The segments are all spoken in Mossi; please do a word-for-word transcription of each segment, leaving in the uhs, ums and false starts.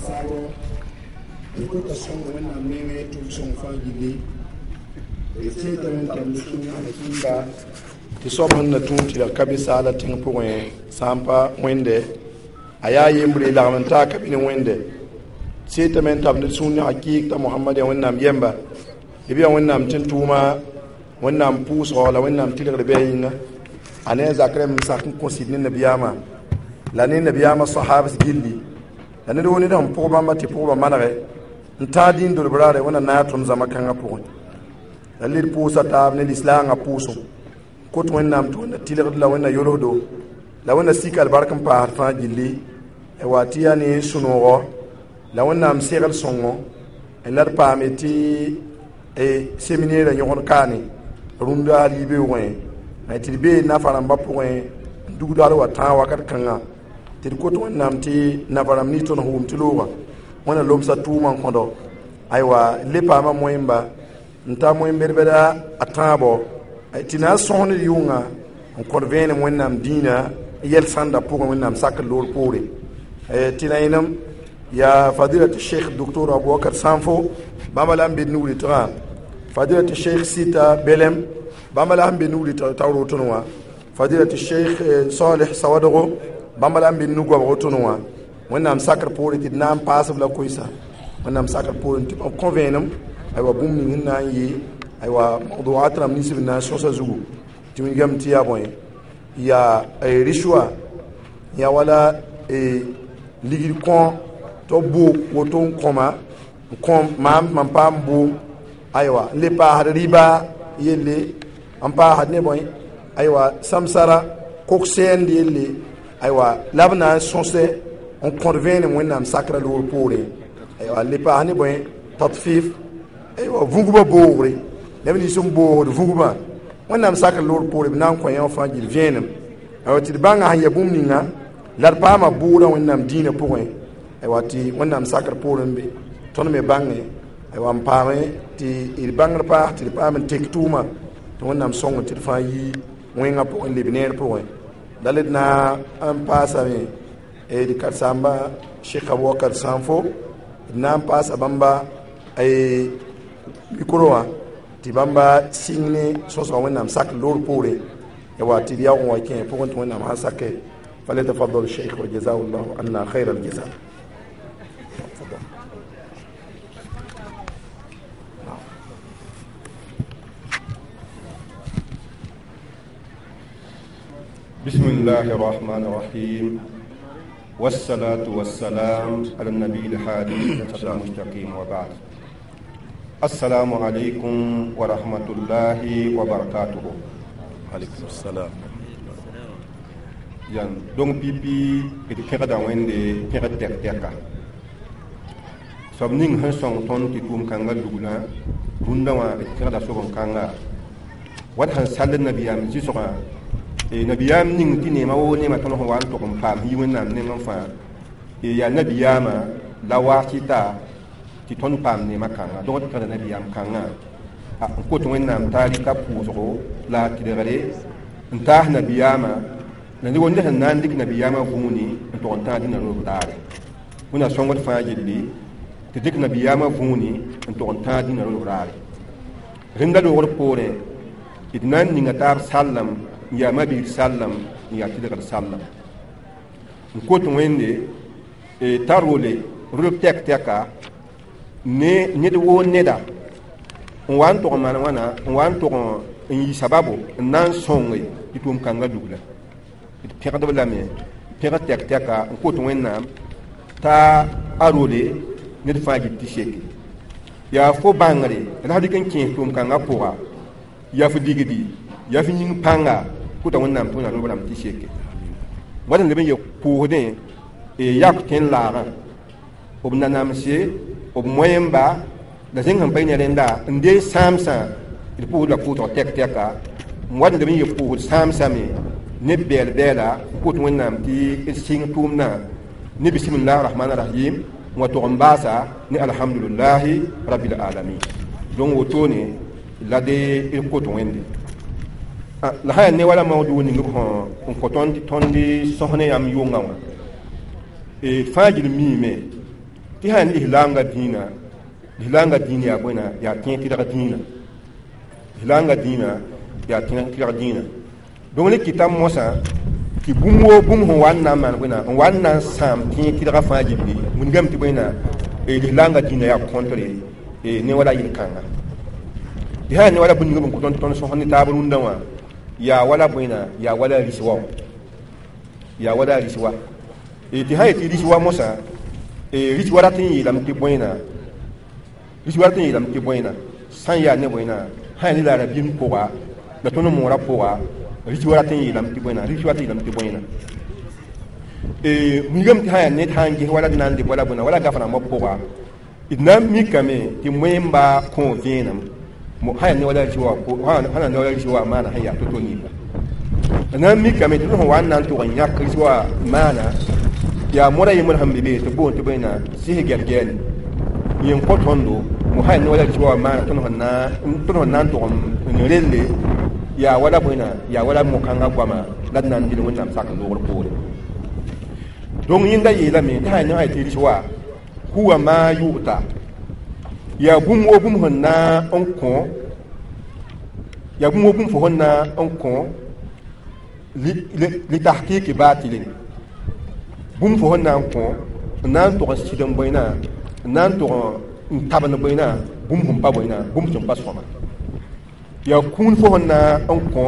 saabo d kota sõng wẽnnaam nengẽ tʋm sõng fãa gilli d tẽedame n tar sũ-kĩnga tɩ soab sẽn na tũud tɩ la ka be saala tẽng pʋgẽ sã n pa wẽnde a yaa yembre lagm n taa ka be ne wẽnde seetame n tab ned sũur ne hakɩɩk t'a mohamad yaa wẽnnaam yɛmba b yaa wẽnnaam tẽn-tʋʋma wẽnnaam pʋʋsgɔ la wẽnnaam tɩlgd bɩ a yĩnga a ne a zak rẽmb n sak n kõ sɩd ne nabiyaamã la ne nabiyaamã sahabs gilli la ned wo ned sẽn pʋg bãmba tɩ pʋgbã manege n tãag dĩin dolb raare wẽnna naag tõnd zãma kãngã pʋgẽ la led pʋʋsa taab ne lislaangã pʋʋsem kot wẽnnaam tɩ wẽnna tɩlgd la wẽnna yolsdo la wẽnna sik albark n paasd fãa gilli wa tɩ yaa ne sũ-noogɔ la wẽnnaam segl sõngo la d paame tɩ seminɛɛrã yõgd kaane rũndã hal yibeoogẽ tɩ d bee nafa rãmbã pʋgẽ n dugd hal wa tãag wakat kãnga tɩ d kot wẽnnaam tɩ nafa rãmb nins tõnd sẽn wʋm tɩ looga wẽnna lomsa tʋʋmã n kõdo aywa le paama moẽmba n ta moen-bɛd-bɛda a tãabo tɩ na n sõs ned yʋnga n kõd vẽenem wẽnnaam dĩinã yɛl sãnda pʋgẽ wẽnnaam sakr loor poore tɩ la yẽnem yaa fadilat sheikh docteur abubakar sanfo bãmba la n be nugritgã fadilat sheikh sita belem bãmba la sẽn be nugritg t'a rotẽ wã fadilat sheikh saleh sawadgo bãmba la n be nug-goabg tõnd wã wẽnnaam sakr poore tɩ d na n paasb la koɛsa wẽnnaam sakr poore tɩ b kõ vẽenem aywa bũmb ning sẽn na n yɩ aywa mawduat rãmb nins b na n sõsa zugu tɩ wilgame tɩ yaa bõe yaa rishwa yaa wala ligd kõ tɩ b boog woto n kõma n kõ maam mam paam boom aywa n le paasd rɩba yelle n paasd ne bõe aywa samsara kok-sɛɛnd yelle aywa la b na n sõsɛ n kõd vẽenem wẽnnaam sakra loor poorẽ aywa n le paas ne bõe tatfif aywa vũgbã boogre neb nins n boogd vũgbã wẽnnaam sakr loor poore b na n kõ yã fãa gil vẽenem aywa tɩ d bãnga sẽn ya bũmb ninga la d paama bʋʋdã wẽnnaam dĩinã pʋgẽ aywa tɩ wẽnnaam sakr poorẽ be tõnd me bãnge aywa n paame tɩ d bãngr paas tɩ d paam n tek tʋʋma tɩ wẽnnaam sõng tɩ d fãa yi wẽngã pʋgẽ leb neer pʋgẽ la d na n paasame d karen-saamba Cheikh Abubakar Sanfo d na n paasa bãmba mikro wã tɩ bãmba sɩng ne sõsga wẽnnaam sak loor poorẽ wa tɩ d yaoog n wa kẽ pʋgẽ tɩ wẽnnaam sã sake فليتفضل الشيخ وجزاه الله عنا خير الجزاء. تفضل. بسم الله الرحمن الرحيم والصلاة والسلام على النبي الهادي المستقيم وبعد السلام عليكم ورحمة الله وبركاته. عليكم السلام. Yan dong pipi d kẽgda wẽnde kẽgd tɛk-tɛka soab ning sẽn sõng tõnd tɩ tʋʋm-kãngã luglã rũndã wã d kẽgda soben-kãnga wat sẽn sall nabiyaam zɩsgã nabiyaam ning tɩ neema woo neema tõnd sẽn wa n tog n paam yi wẽnnaam nengẽ fãa yaa nabiyaamã la waasɩta tɩ tõnd paam neema kãnga donc d kẽgda nabiyaam kãngã n kot wẽnnaam t'a rɩka pʋʋsgo la a tɩlgre n taas nabiyaamã la ne wonde sẽn na n dɩk nabiyaamã vũuni n tog n tãag dĩnã roog daare wẽnna sõngd fãa yelle tɩ dɩk nabiyaamã vũuni n tog n tãag dĩnã roog daare rẽnda loogr poorẽ d na n ninga taab sallem n yaa mabiir sallem n yaa tɩlgd sallem n kot wẽnde t'a role rolb tɛk-tɛka ne ned woo neda n wa n tog n maan wãna n wa n tog n yɩ sababo n na n sõnge tɩ tʋʋm-kãngã lugla d pẽgdb lame pẽgd tɛk-tɛka n kot wẽnnaam t'a a role ned fãa gil tɩ seke yaa fo bãngre la sã dɩk n kẽes tʋʋm-kãngã pʋga yaa fo digdi yaa fo yĩng pãnga kota wẽnnaam tɩ wẽnnaam rob rãmb tɩ seke wat n leb n ye pʋʋsdẽ yak tẽn-laagã b nanamse b moẽmba la zẽng sẽn pa ne rẽnda n dee sãamsã d pʋʋsd la pʋʋsg tɛk-tɛka n wat n leb n ye pʋʋsd sãamsame ne bɛɛl-bɛɛla n kot wẽnnaam tɩ d sɩng tʋʋmdã ne bisimilah rahman rahim n wa tog n baasa ne alhamdulillahi rabbil alamin donc wotone la de d kot wẽnde la sã yaa ne wala maoodg ning b sẽn n kõ tõnd tɩ tõnd sõs ne yãmb yʋngã wã fãa gil miime Tɩ sã lislaamga dĩinã, lislaamga dĩin yaa bõe yaa tẽeg tɩrg dĩinã, lislaamga dĩinã yaa tẽeg tɩrg dĩinã. Donc ne kɩta mosã tɩ bũmb woo bũmb sẽn wa n na n maan bõe n wa n na n sãam tẽeg tɩrgã fãa gilli, wilgame tɩ bõe lislaamga dĩinã yaa contre ne wala yel-kãnga. Tɩ sã ne wala bũmb ninga b n kõ tõnd tõnd sõs ne taab rũndã wã, yaa wala bõe yaa wala rɩs wa, yaa wala rɩs wa. Tɩ sã yetɩ rɩs wa mosã, rɩs wa rat n yeelame tɩ bõe rɩs wa rat n yeelame tɩ bõe sã n yaa ne bõe sã yaa ne la rabĩem pʋga la tõnd moorã pʋga, rɩs wa rat n yeelame tɩ bõe rɩs wa rat n yeelame tɩ bõe. Wilgame tɩ sã yaa ned sã n ges wala d na n leb wala bõe wala gaf rãmbã pʋga, d na n mikame tɩ moẽmba kõ vẽenem sã yaa ne wala rɩs wa, sã na ne wala rɩs wa maana sẽn yaa to-to ninga. D na n mikame tɩ d sẽn wa n na n tʋg n yãk rɩs wa maana yaa moda yembr sẽn be be tɩ boond tɩ bõe sɩs gɛl-gɛɛle yẽ n kõ tõndo mo sã yaa ne wala rɩs wa maana tõnd sẽn na n tʋg n relle yaa wala bõe yaa wala mo-kãngã goama la d na n dɩl Wẽnnaam sak noogr poore. Donc yẽnda yeelame tɩ sã yaa ne tɩ rɩs wa huwa ma yu'ta yaa bũmb woo bũmb sẽn na n kõ, yaa bũmb woo bũmb fo sẽn na n kõ litahqiqi batilin, bũmb fo sẽn na n kõ n na n tʋg n sɩd n bõe n na n tʋg n tabend bõe bũmb sẽn pa bõe bũmb sẽn pa sõma. Yaa kũun fo sẽn na n kõ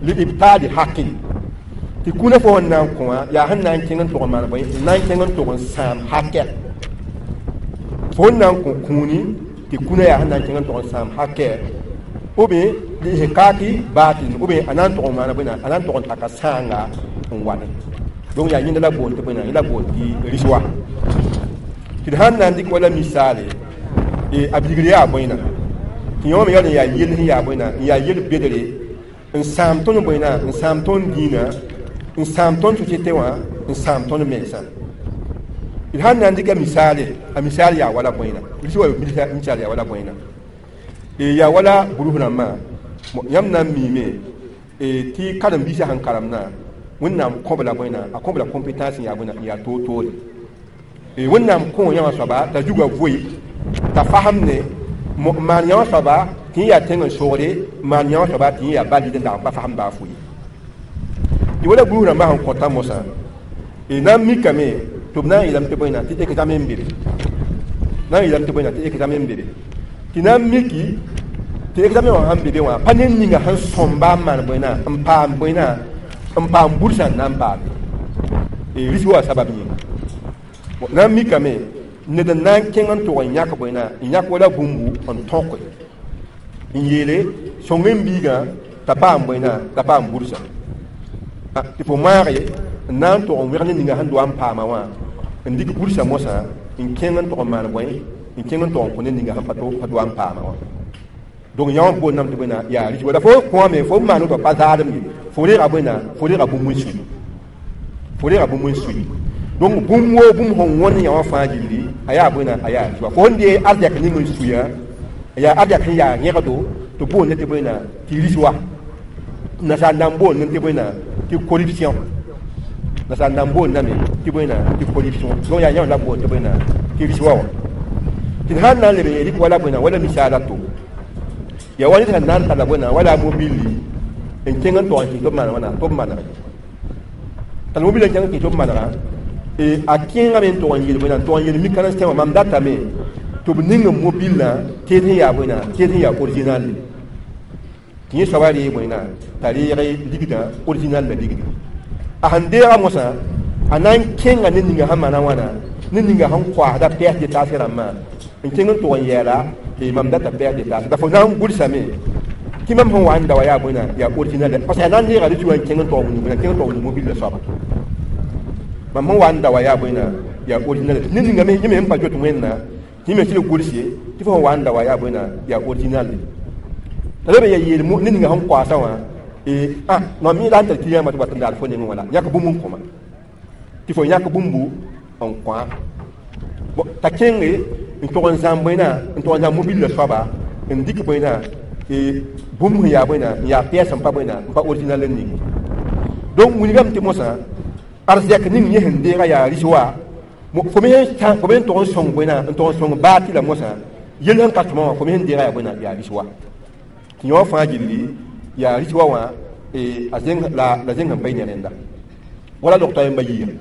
liibtaali hakin, tɩ kũunã fo sẽn na n kõ wã yaa sẽn na n kẽng n tʋg n maan bõe n na n kẽng n tʋg n sãam hakɛ. Fo sẽn na n kõ kũuni tɩ kũunã yaa sẽn na n kẽng n tʋg n sãam hakɛ, ou bien liihkaaki baatil, ou bien a na n tʋg n maana bõe a na n tʋg n taka sãanga n wane. Donc yaa yẽnda la boond tɩ bõe yẽ la boond tɩ rɩs wa. Tɩ d sãn na n dɩk wala misaale, a bilgr yaa bõe tɩ yõ me yaool n yaa yell sẽn yaa bõe n yaa yel bedre n sãam tõnd bõe n sãam tõnd dĩinã, n sãam tõnd société wã, n sãam tõnd mensã. D sãn na n dɩka misaale, a misaal yaa wala bõe rɩs wa misaal yaa wala bõe yaa wala burus rãmbã. Yãmb na n miime tɩ karen-biisã sẽn karemdã Wẽnnaam kõb la bõe a kõb la compétence yaa bõe n yaa toor-toore. Wẽnnaam kõ yãmba soaba t'a zuga voe t'a fasem ne maan yãmba soaba tɩ yẽ yaa tẽng n sogre, maan yãmba soaba tɩ yẽ yaa balid n dag n pa fasem baa fo ye. Tɩ wala burus rãmbã sẽn kõta mosã na n mikame tɩ b na n yeelame tɩ bõe tɩ examen n be be, na n yeelame tɩ bõe tɩ examen n be be, tɩ na n miki tɩ examen wã sãn be be wã pa ned ninga sẽn sõmba n maan bõe n paam bõe n paam bursã n na n paame rɩs wa sabab yĩnga. Na n mikame ned n na n kẽng n tʋg n yãk bõe n yãk wala bũmbu n tõke n yeele sõng n biigã t'a paam bõe t'a paam bursã tɩ fo maage n na n tʋg n wẽg ne ninga sẽn doa n paama wã n dɩk bursã mosã n kẽng n tʋg n maan bõe n kẽng n tʋg n kõ ne ninga sẽn pa doa n paama wã. Donc yã wã boondame tɩ bõe yaa rɩs wa la fo kõame fo maan woto pa zaadem ye, fo reega bõe fo reega bũmb n sui, fo reega bũmb n sui. Donc bũmb woo bũmb sẽn wõnd yã wã fãa gilli a yaa bõe a yaa rɩs wa. Fo sẽn dee arzɛk ning n suya yaa arzɛk sẽn yaa yẽgdo tɩ boond tɩ bõe tɩ rɩs wa. Nasaar na n boond tɩ bõe tɩ corruption, nasaar na n boondame tɩ bõe tɩ corruption. Donc yaa yãmb la boond tɩ bõe tɩ rɩs wa wã. Tɩ d sãn na n leb n rɩk wala bõe wala misaala to yaa wa ned sẽn na n talla bõe wala mobilli n kẽng n tʋg n kɩs tɩ b maan wãna tɩ b manega tall mobil n kẽng n kɩs tɩ b manega a kẽengame n tʋg n yel bõe n tʋg n yel mik karen-sẽn wã mam datame tɩ b ning n mobilã tɩ sẽn yaa bõe tɩ sẽn yaa original tɩ yẽ soaba ree bõe t'a reeg ligdã original la ligdi. A sẽn deega mosã a na n kẽnga ne ninga sẽn maana wãna ne ninga sẽn koasda pièce détachée rãmbã n kẽng n tʋg n yɛɛla tɩ mam data pièce détachée la fo na n gʋlsame tɩ mam sẽn wa n da wa yaa bõe yaa original parce que a na n neega rɩ wã n kẽng n tog wĩngu kẽng n tog wĩngu mobil la soaba mam sẽn wa n da wa yaa bõe yaa original ne ninga me yẽ me sẽn pa zoet wẽnna tɩ me sɩd gʋlse tɩ fo sẽn wa n da wa yaa bõe yaa original t'a leb n yaa yeel ne ninga sẽn koasã wã ah mam mi la n tar client tɩ wat n daal fo nengẽ wã la yãk bũmb n kõma tɩ fo yãk bũmbu n kõa t'a kẽnge n tʋg n zãm bõe n tʋg n zãm mobil la soaba n dɩk bõe bũmb sẽn yaa bõe n yaa pièce n pa bõe n pa original n ning. Donc wilgame tɩ mosã arzɛk ning yẽ sẽn deega yaa rɩs wa Fo me sẽn fo me n tog n sõng bõe n tog n sõng baatɩ la mosã yell sẽn ka sõma wã fo me sẽn deega yaa bõe yaa riswa tɩ yõ fãa gilli yaa riswa wã a zẽng la la zẽng sẽn pa yi ne rẽnda wala log toa yẽmba yiiga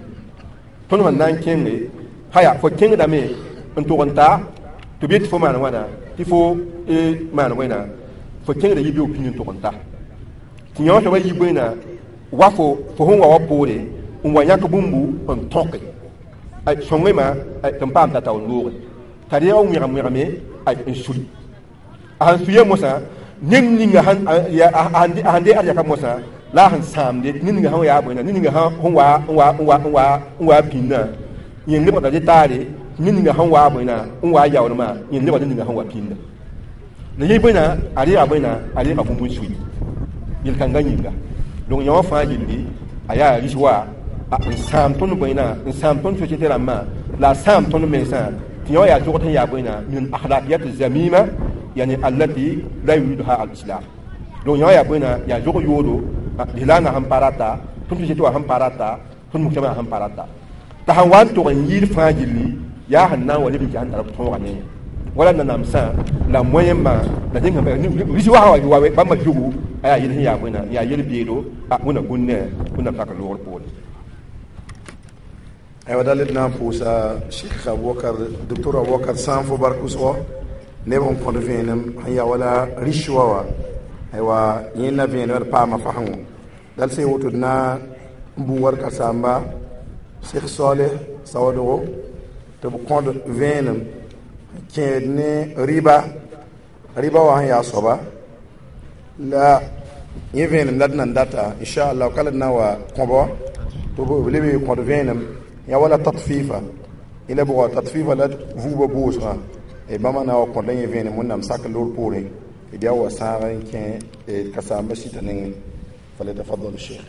tõnd sẽn na n kẽnge haya fo kẽngdame n tog n ta tɩ b yet tɩ fo maan wãna tɩ fo maan wẽna fo kẽngda yi beoog pĩnd n tog n ta tɩ yõ soaba yi bõe wa fo fo sẽn wa wa poore n wa yãk bũmbu n tõke sõngema tɩ n paam t'a taoor looge t'a reeg n wẽgem wẽgeme n sui a sẽn suya mosã ned ninga sẽn de arzɛka mosã la a sẽn sãamde ned ninga sẽn yaa bõe ned ninga sẽn wa n wa n wa n wa n wa pĩndã yẽn lebgda dɩ taare ned ninga sẽn wa bõe n wa yaoolmã yẽn lebgda ned ninga sẽn wa pĩnda la yẽ bõe a reega bõe a reega bũmb n sui yel-kãngã yĩnga donc yõ wã fãa gilli a yaa riswa n sãam tõnd bõe n sãam tõnd société rãmbã la a sãam tõnd mensã tɩ yõ yaa zogd sẽn yaa bõe min akhlaqiyat zamima yani allati la yuriduha al-islam donc yõ yaa bõe yaa zog yoodo lislaamã sẽn pa rata tõnd société wã sẽn pa rata tõnd mujtama sẽn pa rata t'a sẽn wa n tog n yɩɩd fãa gilli yaa sẽn na n wa leb n kɩ sẽn tar tõoga ne wala nanamsã la moyenmã la zẽng riswa sã wa bãmba zugu a yaa yel sẽn yaa bõe yaa yel beedo wẽnna gũnne wẽnnaam sak loogr poore aywa dal d na n pʋʋsa Cheikh Abubakar docteur Abubakar Sãnfo bark wʋsgo neb sẽn kõd vẽenem sẽn yaa wala riswa wã aywa yẽnda vẽenem d paama fasengo dal sẽn woto d na n bũ warka samba Cheikh Saleh Sawadogo tɩ b kõd vẽenem kẽed ne riba riba wã sẽn yaa soaba la yẽ vẽenem la d nan data inchallah ka la d na wa kõbɔ tɩ b leb kõd vẽenem ya wala tatfifa ila bʋga tatfifa la vuubã boosgã bãmba na wa kõd la yẽ vẽenem wẽnnaam sak loor poorẽ d yaa wa sãag n kẽ ka saamba sɩta nengẽ فليتفضل الشيخ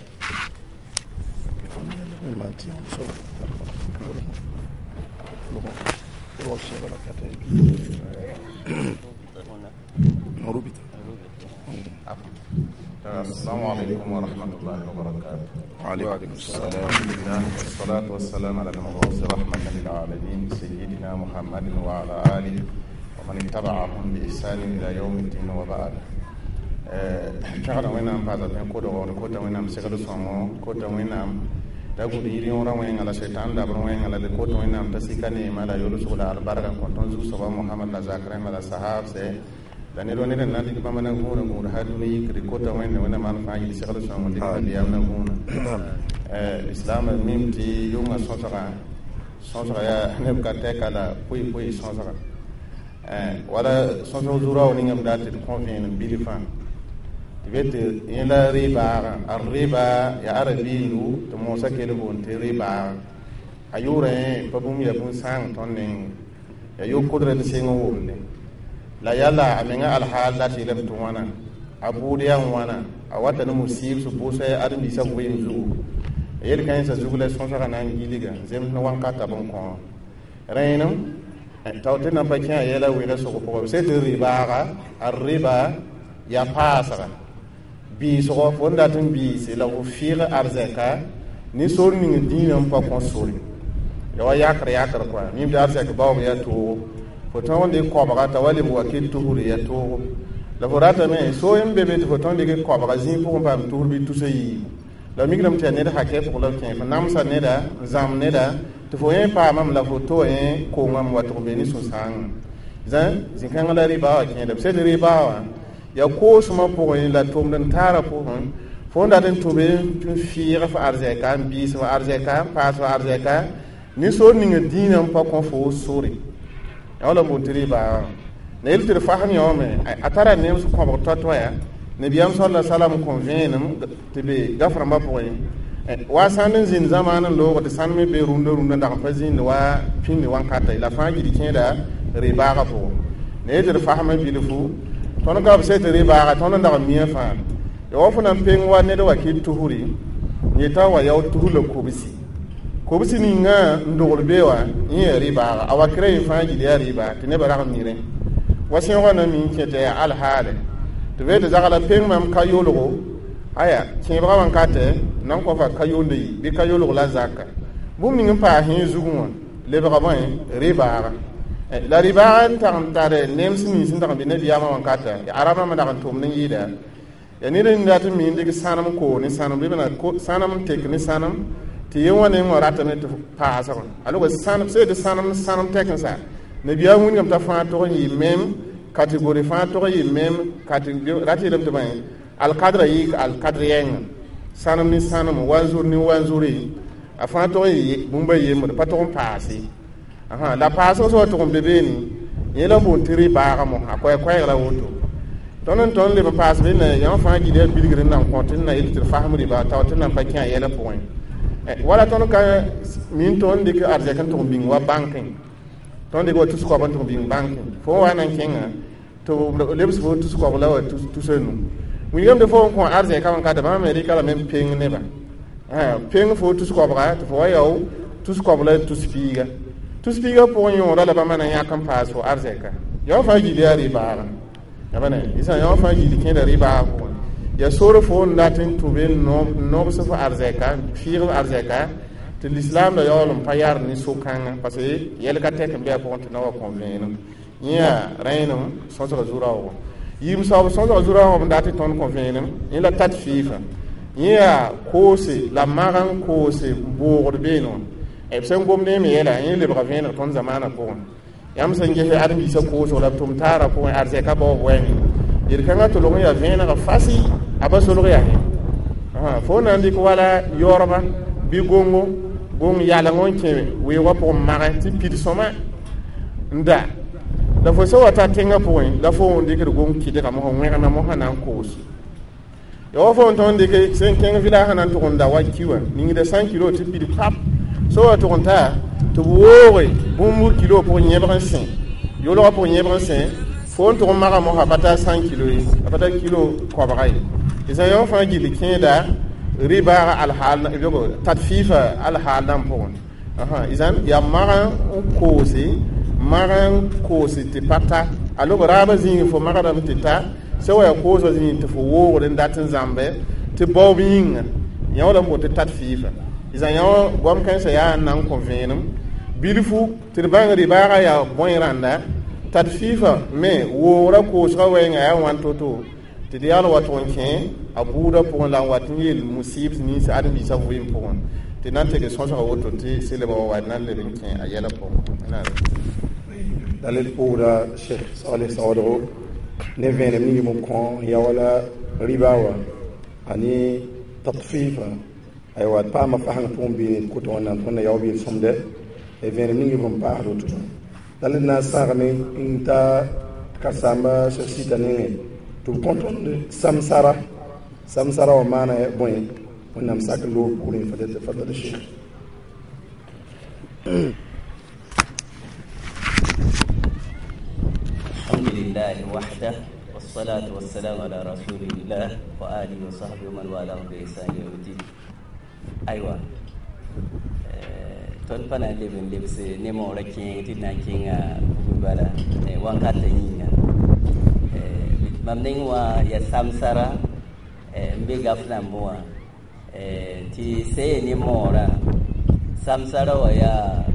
السلام عليكم ورحمة الله وبركاته. وعليكم السلام. الحمد لله والصلاة والسلام على المبعوث رحمة للعالمين سيدنا محمد وعلى آله ومن اتبعهم بإحسان إلى يوم الدين وبعد. kẽgda wẽnnaam paasa tẽ kodgo d kota wẽnnaam segd sõngo kota wẽnnaam t'a gũd yir yõorã wẽnga la setan dabr wẽnga la d kota wẽnnaam t'a sika neema la yolsg la albarka n kõ tõnd zug-soaba Mohamad la zak rẽmba la sahabse la ned wa ned n na n dɩk bãmba na gũudã gũud hal dũni yikd kota wẽnde wẽnnaam al fãa yil segd sõngo dɩk nabiyaam na gũudã islam mim tɩ yʋngã sõsgã sõsga yaa neb ka tɛka la poe-poe sõsga wala sõsg zurao ningame dat tɩ d kõ vẽenem bil fãa tɩ tɩ yẽla rɩ-baagã a rɩba yaa arabiindu tɩ moosã kell boond tɩ rɩ-baagã a yʋʋra yẽ pa bũmb yaa bũn-sãang tõnd neng yaa yo-kodrã d seng n womde la yala a menga alhaal dat yeelame tɩ wãna a bʋʋd yaa wãna a wata ne musiib sẽn pʋʋsa ãdem-biisã vɩɩm zugu yel-kãensã zug la sõsgã na n gilga zems ne wãnkata b n kõ rẽenem tao tɩ nan pa kẽ a yɛla wɩɩgã sʋg pʋgã b sẽ tɩ rɩ-baaga a rɩba yaa paasga biisgo fo n dat n biise la fo fɩɩg arzɛka ne sor ning dĩinã n pa kõ sore ya wa yakr yakr kɔa mim tɩ arzɛk baoob yaa toogo fo tõog n dɩk koabga t'a wa leb wa ket tusre yaa toogo la fo ratame so n be be tɩ fo tõog n dɩk koabga zĩig pʋgẽ paam tusr bɩ tusa yiibu la migrame tɩ yaa ned hakɛ pʋg la b kẽ fo namsa neda n zãmb neda tɩ fo yẽ paamame la fo to yẽ kongame wa tɩ f be ne sũ-sãangã zã zĩ-kãngã la rɩbaa wã kẽeda b sed rɩbaa wã ya koosmã pʋgẽ la tʋmd n taarã pʋgẽ fo n dat n tʋbe n fɩɩg f arzɛka n biis f arzɛka n paas f arzɛka ne sor ning dĩinã n pa kõ fo sore yaa wala n boond tɩ rɩbaa la yel tɩ d fasem yõome a tara nems kõbg toa-toaya nabiyaam sala salam kõ vẽenem tɩ be gaf-rãmbã pʋgẽ wa sãnd n zĩnd zamaan n loog tɩ sãnd me be rũndã rũndã dag n pa zĩnd wa pĩnd wãnkata la fãa gil kẽeda rɩbaagã pʋgẽ la yel tɩ d fasmã bilfu tõnd ka b sẽ tɩ rɩ-baaga tõnd n dag n mia fãa ya wa fo na n peng wa ned wa kɩ tusri n yeta wa yao tus la kobsi kobsi ninga n dogl be wã yẽ yaa rɩ-baaga a wakra yẽ fãa gil yaa rɩ-baa tɩ nebã rag n mi rẽ wa sẽoogã na mi n kẽ tɩ yaa alhaale tɩ be tɩ zagla peng mam ka yolgo aya kẽebgã wãnkatɛ nan kõ fa ka yonda yi bɩ ka yolg la zaka bũmb ning n paas yẽ zugẽ wã lebga bõe rɩbaaga la rɩbaag n tag n tare nems nins n dag n be nabiyaamã wãnkata arab rãmbã dag n tʋmd n yɩɩda ya ned n dat n mi n dɩk sãnem koog ne sãnem bɩ sãnem n tek ne sãnem tɩ ye wã neng wã ratame tɩ paasg alog sãnem sẽn tɩ sãnem sãnem tɛk-n-sa nabiyaam wilgame t'a fãa tog n yɩ mem catégorie fãa tog n yɩ mem rat yeelame tɩ bõe alkadra yɩ alkadr yɛngã sãnem ne sãnem wanzur ne wanzuri a fãa tog n yɩ bũmb a yembre pa tog n paase la paasg sã wa tʋg n be beene yẽ la n boond tɩ rɩ-baaga mosã a koɛɛ-koɛɛg la woto tõnd n tõnd leb n paas benne yãmb fãa gil yaa bilgr n nan kõ tɩ n na yel tɩ d fasem rɩba tao tɩ nan pa kẽ a yɛlã pʋgẽ wala tõnd ka min tõnd dɩk arzɛk n tʋg n bĩng wa bãnkẽ tõnd dɩk wa tus koab n tʋg n bĩng bãnkẽ fo n wa na n kẽngã tɩ b lebs fo tus koab la wa tus a nu wilgame tɩ fo n kõ arzɛka wãnkata bãmb me rɩka lame n peng nebã peng fo tus koabga tɩ fo wa yao tus koab la tus piiga tus piiga pʋgẽ yõoda la bãmba na yãk n paas fo arzɛka yõ fãa gil yaa rɩ-baaga yãmba isã yõ fãa gil kẽeda rɩ-baaga pʋgẽ ya sor fo n dat n tũ be n nobs fo arzɛka fiig f arzɛka tɩ lislaam la yaool n pa yar ne so-kãngã parce que yɛl ka tɛk n be a pʋgẽ tɩ na wa kõ vẽenem yẽ yaa rẽenem sõsga zu-raoogã yiim saoob sõsga zu-raoogã n dat tɩ tõnd kõ vẽenem yẽ la tat fɩɩfã yẽ yaa koose la mag n koose boogd beene wã b sẽn gomd yẽ me yɛla yẽ lebga vẽeneg tõnd zamaanã pʋgẽ yãmb sẽn ges ãdem-biisã koosg la b tʋm taarã pʋgẽ arzɛka baoob wɛɛngẽ yel-kãngã tʋlg n yaa vẽenega fasi a pa solg yaa fo na n dɩk wala yaoorba bɩ gongo gong yaleng n kẽ weoogã pʋgẽ magẽ tɩ pid sõma n da la fo sẽn wa ta tẽngã pʋgẽ la fo n dɩkd gong kɩdga mosã wẽgna mosã na n koos ya wa fo n tõnd dɩk sẽn kẽng village sã na n tʋg n da wa ki wã ningda cent kilo tɩ pid pap sẽn wa tʋg n ta tɩ b wooge bũmb kilo pʋgẽ yẽbg n sẽ yolgã pʋgẽ yẽbg n sẽ fo n tʋg n maga mosã pa tar cent kilo ye a pa tar kilo koabga ye d sã yõ fãa gill kẽeda rɩ-baaga alhaal tat fɩɩfa alhaal dãmb pʋgẽ izan yaa mag n koose mag n koose tɩ pa ta a log raabã zĩig fo magdame tɩ ta sẽn wa yaa koosã zĩig tɩ fo woogd n dat n zãmbe tɩ baoob yĩnga yã wala n boond tɩ tat fɩɩfa izan yõ goam kãensã yaa n na n kõ vẽenem bilfu tɩ d bãng rɩ-baagã yaa bõe rãnda tat fɩɩfa me woogrã koosgã wɛɛngã yaa wãn to-to tɩ d yaal wa tʋg n kẽ a buudã pʋgẽ la n wat n yeel musib nins ãdem-biisã vɩɩm pʋgẽ tɩ na n teg sõsga woto tɩ selba wa wa na n leb n kẽ a yɛlã pʋgẽ dalil pʋʋda Cheikh Saleh saoodgo ne vẽenem ning b kõ n ya wala rɩba wã ane tatfifa aywa d paama fasẽng pʋgẽ beene koto wẽnnaam tõnd na yaoog yel-sõmdɛ vẽenem ning b n paasd woto dalil na n sãagame n ta karen-saamba Cheikh Sita nengẽ tɩ b kõ tõnd samsara samsara wã maana bõe wẽnnaam sak loog pʋgrẽ fadala Cheikh الحمد لله وحده والصلاة والسلام على رسول الله وآله وصحبه ومن والاه بإحسان إلى يوم الدين. أيوة tõnd pa na n leb n lebs ne moorã kẽeng tɩ d na n kẽnga bugr bala wãnkatã yĩnga mam neng wã yaa samsara n be gaf nambẽ wã tɩ sẽn yaa ne moorã samsara wã yaa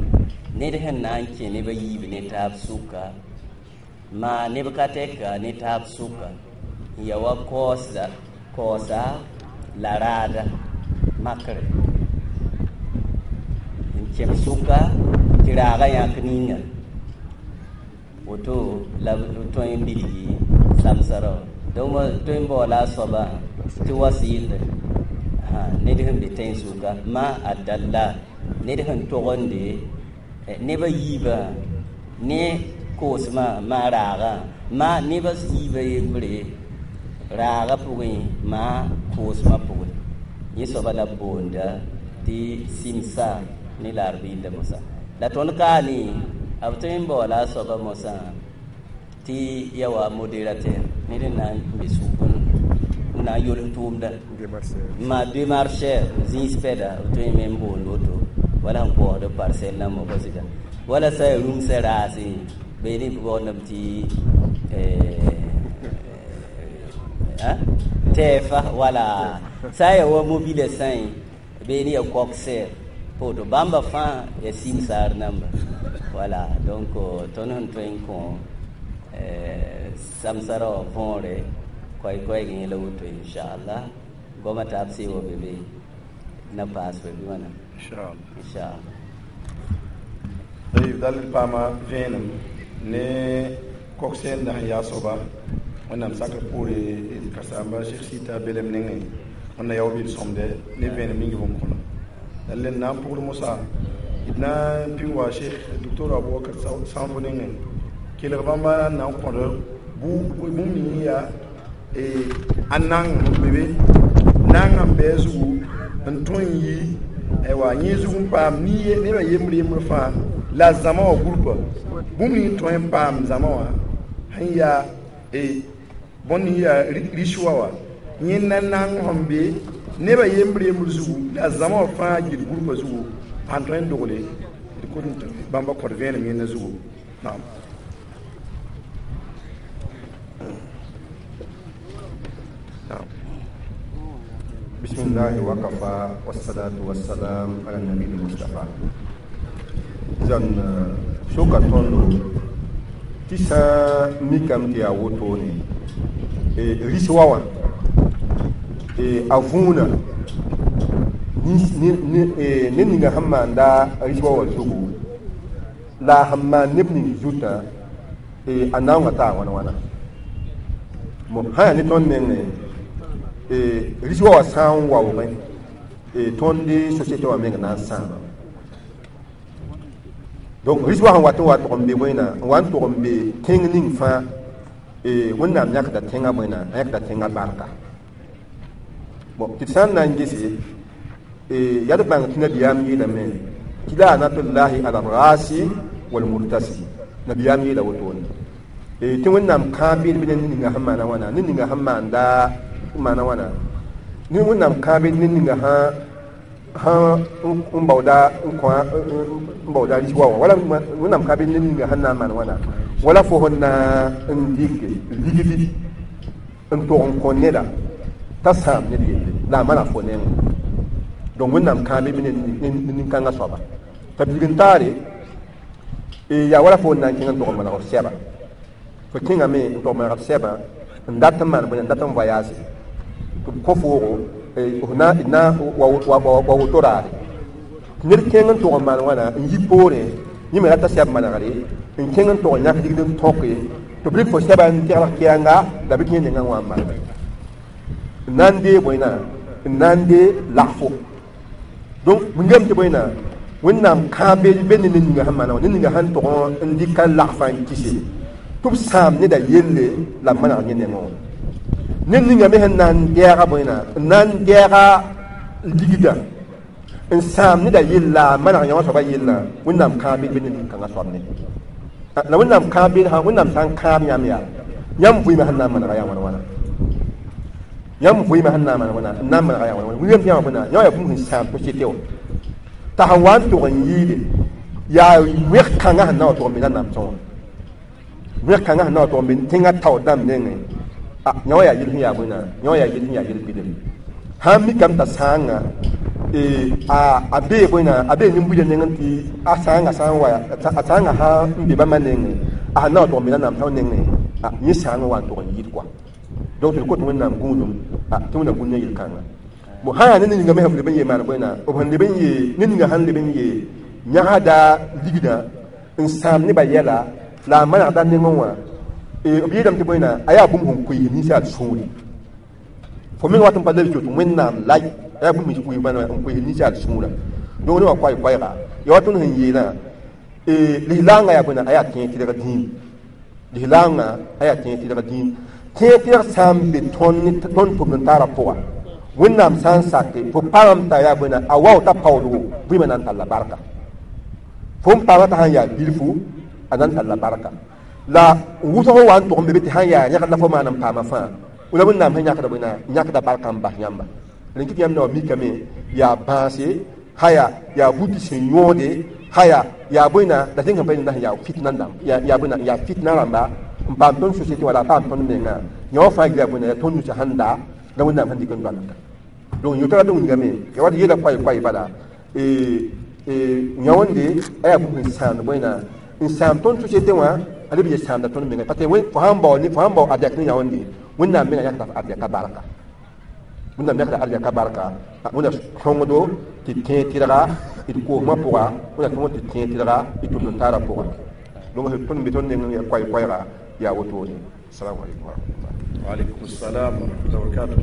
ned sẽn na n kẽ neb a yiib ne taab sʋka maa neb ka tɛka ne taab sʋka n ya wa kaoosa kaoosa la raada makre n kẽb sʋka tɩ raagã yãk ninga woto la b tõe n bilgi samsara wã donc tõe n baoola a soabã tɩ wasɩɩlde ned sẽn be tẽn-sʋka ma a dalla ned sẽn togende neb a yiibã ne koosmã maa raagã maa nebã yiibã yembre raaga pʋgẽ maa koosmã pʋgẽ yẽ soaba la b boonda tɩ sɩmsa ne la d rɩɩlda mosã la tõnd kaane b tõe n baoola a soaba mosã tɩ ya wa modérateur ned n na n be sʋk n na n yols tʋʋmda maa démarcheur zĩis pɛda b tõe me n boond woto wala sẽn koosd parcelle nambã pa sɩda wala sã ya rũmsã raase beene b baoondame tɩ tɛɛfa wala sã n ya wa mobila sã beene ya coxer poto bãmba fãa ya simsaar namba Voilà, donc tõnd sẽn tõe n kõ samsa rao võore koɛɛ-koɛɛg yẽ la woto inchallah goamã taab sɩɩ wa be be na paas fo bɩ wãna inchallah inchallah. Tayib dal paama vẽenem ne kok-sẽnda sẽn yaa soaba wẽnnaam sakr poore d karen-saamba Cheikh Sita belem nengẽ wẽnna yao bɩ d sõmde ne vẽenem ning b n kõla dal n na n pʋgd mosa d na n pĩn wa Cheikh Docteur Abubakar Sãnfo nengẽ kelg bãmba na n kõd bũmb ning yaa a nang n be be nanga n bɩ a zugu n tõe n yi aywa yẽ zug n paam nebã yembr yembr fãa la zãma wã gũrpa bũmb ning tõe n paam zãma wã sẽn yaa bõn ning yaa riswa wã yẽnda nang sẽn be nebã yembr yembr zugu la zãma wã fãa gil gũrpa zugu sãn tõe n dogle d kot n bãmba kõt vẽenem yẽnda zugu naam. بسم الله وكفى والصلاة والسلام على النبي المصطفى. إذن سوكا توندو تسا ميكام تي أوتوني ريسوا أفونا ne ninga sẽn maanda rɩs wa wa zugu la a sẽn maan neb ning zutã a naoongã taa wãna wãna sã yaa ne tõnd mengẽ rɩs wa wa sã n waoogẽ tõnd société wã meng na n sãama donc rɩs wa sẽn wat n wa tog n be bõena n wa n tog n be tẽng ning fãa wẽnnaam yãkda tẽngã bõena a yãkda tẽngã barka bon tɩ d sã n na n gese yaa d bãng tɩ nabiyaam yeelame tɩ laanatullahi ala rasi walmurtasi nabiyaam yeela wotone tɩ wẽnnaam kãab-beed be ne ninga sẽn maana wãna ne ninga sẽn maanda maana wãna ne wẽnnaam kãab-beed ne ninga sã n baooda n kõ n baooda rɩs wa wã wala wẽnnaam kãab-beed ne ninga sẽn na n maan wãna wala fo sẽn na n dɩke ligdi n tog n kõ neda t'a sãam ned yelle la a mana fo nengẽ donc wẽnnaam kãabe be ne nin-kãngã soaba t'a bilg n taare yaa wala fo n na n kẽng n tog n maneg f sɛba fo kẽngame n tog maneg f sɛbã n dat n maan bõe n dat n voyage tɩ b kõ foogo f na wa woto raare tɩ ned kẽng n tog n maan wãna n yi poorẽ yẽ me rata sɛb manegre n kẽng n tog n yãk ligd n tõke tɩ b rɩk fo sɛba n tegl kɛɛnga la bɩ tɩ yẽ nengã wã n maana n na n dee bõena n na n dee lagfo donc wingame tɩ bõena wẽnnaam kãab-beed be ne ninga sẽn maana wã ne ninga sẽn tog n dɩka lagfã n kɩse tɩ b sãam neda yelle la b maneg yẽ nengẽ wã ned ninga me sẽn na n dɛɛga bõena n na n dɛɛga ligdã n sãam neda yella a maneg yã wã soaba yellã wẽnnaam kãab-beed be ne nin-kãngã soab ne la wẽnnaam kãab-beed sã wẽnnaam sã n kãab yãmb yaa yãmb vɩɩmã sẽn na n manega yaa wãna wãna yãmb vɩɩmã sẽn na n maneg wãna n na n manega yaa wãna wãna wilgame tɩ yãmb bõena yã yaa bũmb sẽn sãam société wã t'a sẽn wa n tog n yɩɩde yaa wẽg-kãngã sẽn na wa tog n be nanam sõa wẽg-kãngã sẽn na wa tog n be tẽngã tao dãmb nengẽ yã wã yaa yel sẽn yaa bõena yã wã yaa yel sẽn yaa yel-bɩdem sãn mikame t'a sãanga a bee bõena a bee nin-buidã nengẽ tɩ a sãanga sã n wa a sãanga sã n be bãmba nengẽ a sẽn na wa tog n be nanam sõa nengẽ yẽ sãangã wa n tog n yɩɩd koa donc tɩ d kot wẽnnaam gũudum tɩ wẽnnaam gũud ne yel-kãnga bon sã yaa ne ninga me sẽn leb n yee maan bõena b sẽn leb n yee ne ninga sẽn leb n yee yãgsda ligdã n sãam nebã yɛla la a manegda nengẽ wã b yeelame tɩ bõena a yaa bũmb sẽn koees ninsaal sũuri fo meng wat n pa leb tɩ wẽnnaam lay a yaa bũmb n koees ninsaal sũurã donc ne wã koay-koɛɛga ya wa tõnd sẽn yeelã lislaangã yaa bõena a yaa tẽeg tɩlg dĩin lislaangã a yaa tẽeg tɩlg dĩin tẽeg tɩlg sã n be tõnd tõnd tʋmd n taarã pʋga wẽnnaam sã n sake fo paam t'a yaa bõena a wao t'a paoodgo vɩɩmã na n talla barka fo n paama t'a sãn yaa bilfu a na n talla barka la wʋsg n wa n tog n be be tɩ sãn yaa yãgd la fo maan n paama fãa la wẽnnaam sẽn yãkda bõena yãkda barka n bas yãmba rẽn kɩ tɩ yãmb na wa mikame yaa bãase sã yaa yaa buti sẽn yõode sã yaa yaa bõena la tẽng sẽn pa yẽnda sẽn yaa fitna dãmb yaa bõena yaa fitna rãmba n paam tõnd société wala a paam tõnd menga yã wã fãa gila bõena yaa tõnd nusã sẽn da la wẽnnaam sẽn dɩk n doalgda donc yõ tara tɩ wingame ya wat yeela koay-koay bala yãwẽnde a yaa bũmb sẽn sãamd bõe n sãam tõnd société wã a leb n ye sãamda tõnd menga parce que fo sãn bao fo sãn bao arzɛk ne yãwẽnde Wẽnnaam menga yãkda arzɛka barka Wẽnnaam yãkda arzɛka barka Wẽnna sõngdo tɩ tẽeg tɩrga d koosmã pʋga Wẽnna sõngd tɩ tẽeg tɩrga d tʋmd taarã pʋga donc tõnd be tõnd neng yaa koɛɛ-koɛɛga yaa wotone assalamu alaikum warahmatullah وعليكم السلام ورحمة الله وبركاته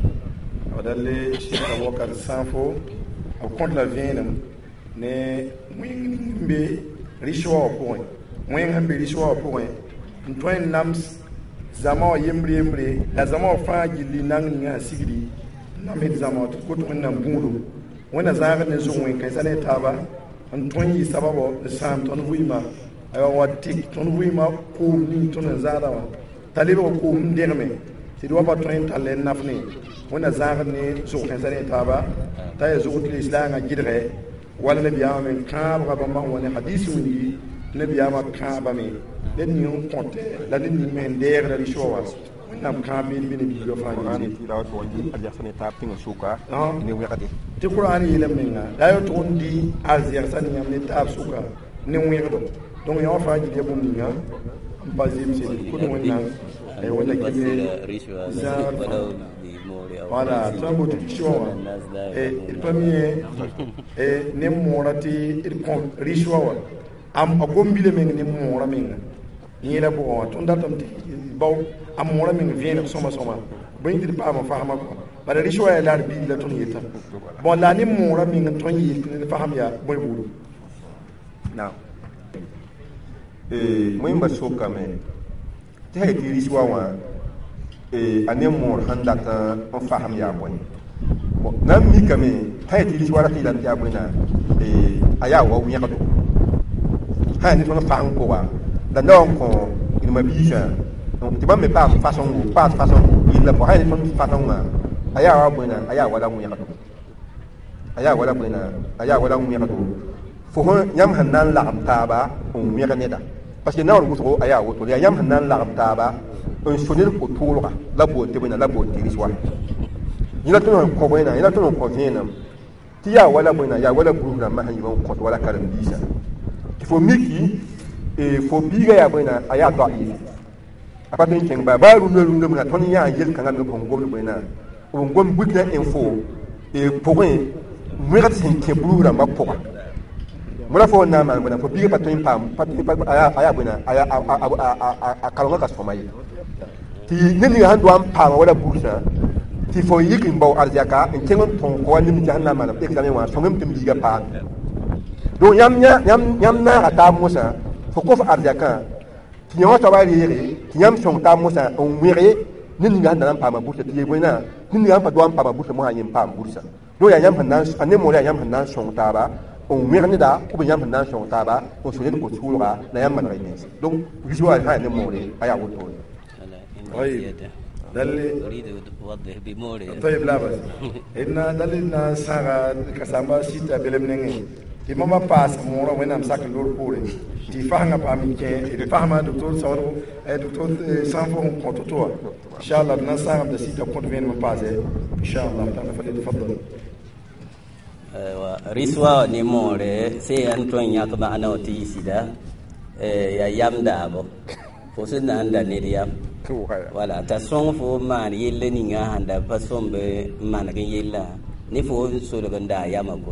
dalle Cheikh Abubakar Sanfo b kõt la vẽenem ne wẽng ning n be rɩswa wã pʋgẽ wẽng sẽn be rɩswa wã pʋgẽ n tõe n nams zãma wã yembre yembre la zãma wã fãa gilli nang ninga sẽn sigdi n namsd zãma wã tɩ d kot Wẽnnaam gũudo Wẽnna zãagd ne zʋg wẽn-kãensã ne taaba n tõe n yɩ sababɔ n sãam tõnd vɩɩmã aywa wa tɩk tõnd vɩɩmã koom ning tõnd n zãada wã t'a lebg koom n dẽgme tɩ d wa pa tõe n tall n naf ne Wẽnna zãagd ne zʋg kãensã ne taaba t'a yaa zʋg tɩ lislaangã gɩdgɛ wala nabiyaamã me kãabga bãmba sẽn wa ne hadis wilgi nabiyaamã kãabame ned ning n kõte la ned ning me sẽn deegda rɩswa wã Wẽnnaam kãab beed bɩ ne biigã fãa tɩ Qur'an yeelame menga la a tʋg n dɩ arzɛgsã ne yãmb ne taab sʋka ne wẽgdo donc yã wã fãa gil ya bũmb ninga n pa zemse d kʋt Wẽnnaam Wẽnna kɩ voilà tõe n boto rɩswa wã d pa mi ne moorã tɩ d kõ rɩswa wã a gom-bilã meng ne moorã menga yẽla pʋgã wã tõnd datame tɩ bao a moorã meng vẽeneg sõma sõma bõe tɩ d paama fasma kɔ bala rɩswa yaa la d biig la tõnd yeta bon la ne moorã meng n tõe n yeel tɩ ned fasem yaa bõe buudu naam wẽmba sokame tɩ sã yetɩ rɩswa wã a ne moor sẽn dat n fasem yaa bõe na n mikame sã yetɩ rɩswa rat yeelame tɩ yaa bõe na a yaa wa wẽgdo sã yaa ne tõnd fasem pʋga la na n kõ d mabiisã tɩ bãmb me paam fasẽngo paas fasẽngo yella pʋgã sã yaa ne tõnd fasẽngã a yaa wa bõe na a yaa wala wẽgdo a yaa wala bõe na a yaa wala wẽgdo fo yãmb sẽn na n lagem taaba n wẽg neda parce que naoor wʋsgo a yaa woto yaa yãmb sẽn na n lagem taaba n so ned ko-tʋʋlga la boond tɩ bõe na la boond tɩ rɩswa yẽ la tõnd sẽn kõ bõe na yẽ la tõnd sẽn kõ vẽenem tɩ yaa wala bõe na yaa wala groupe rãmbã sẽn yɩ n kõt wala karen-biisã tɩ fo miki fo biiga yaa bõe na a yaa daif a pa tõe n kẽng baa baa rũndã rũndã mena tõnd yã n yel-kãngã me b sẽn gomd bõe na b n gom Burkina info pʋgẽ wẽgd sẽn kẽ burus rãmbã pʋga mõra fo n na n maan bõe na fo biiga pa tõe n paam a yaa bõe na a karengã ka sõma ye tɩ ned ninga sẽn doa n paama wala bursã tɩ fo yik n bao arzɛka n kẽng n tõog kõ wa nim tɩ sẽn na n maan examen wã sõngem tɩ m biiga paam donc yãmb naaga taab mosã fo kõ f arzɛkã tɩ yã wã soaba reege tɩ yãmb sõng taab mosã n wẽge ned ninga sẽn na n paama bursa tɩ yeel bõe na ned ninga sẽn pa doa n paama bursa mosã yẽ n paam bursa donc yaa yãmb sẽn na a ne moor yaa yãmb sẽn na n sõng taaba n wẽg neda ou bien yãmb sẽn na n sõng taaba n so ned ko-tʋʋlga la yãmb maneg y mens donc rɩswa sã yaa ne moore a yaa wotone طيب ده اللي أريد أوضح بموري طيب لا بس إن ده اللي نساغا كسامبا سيتا بلم نينغ tɩ mama paas moorã Wẽnnaam sak n loor poore tɩ fasengã paam n kẽ d fasma docteur Saoodgo docteur Sãnfo sẽn kõ to-to wã inchallah d na n sãagame t'a sita kõt vẽenem n paase inchallah tãna فليتفضل rɩswa ne moore sẽn yaa n tõe n yãk maana wã tɩ yɩ sɩda yaa yam daabo fo sẽn na n da ned yam wala t'a sõng fo n maan yella ninga sãn da pa sõmb n maneg n yellã ne fo n solg n daa yamã ko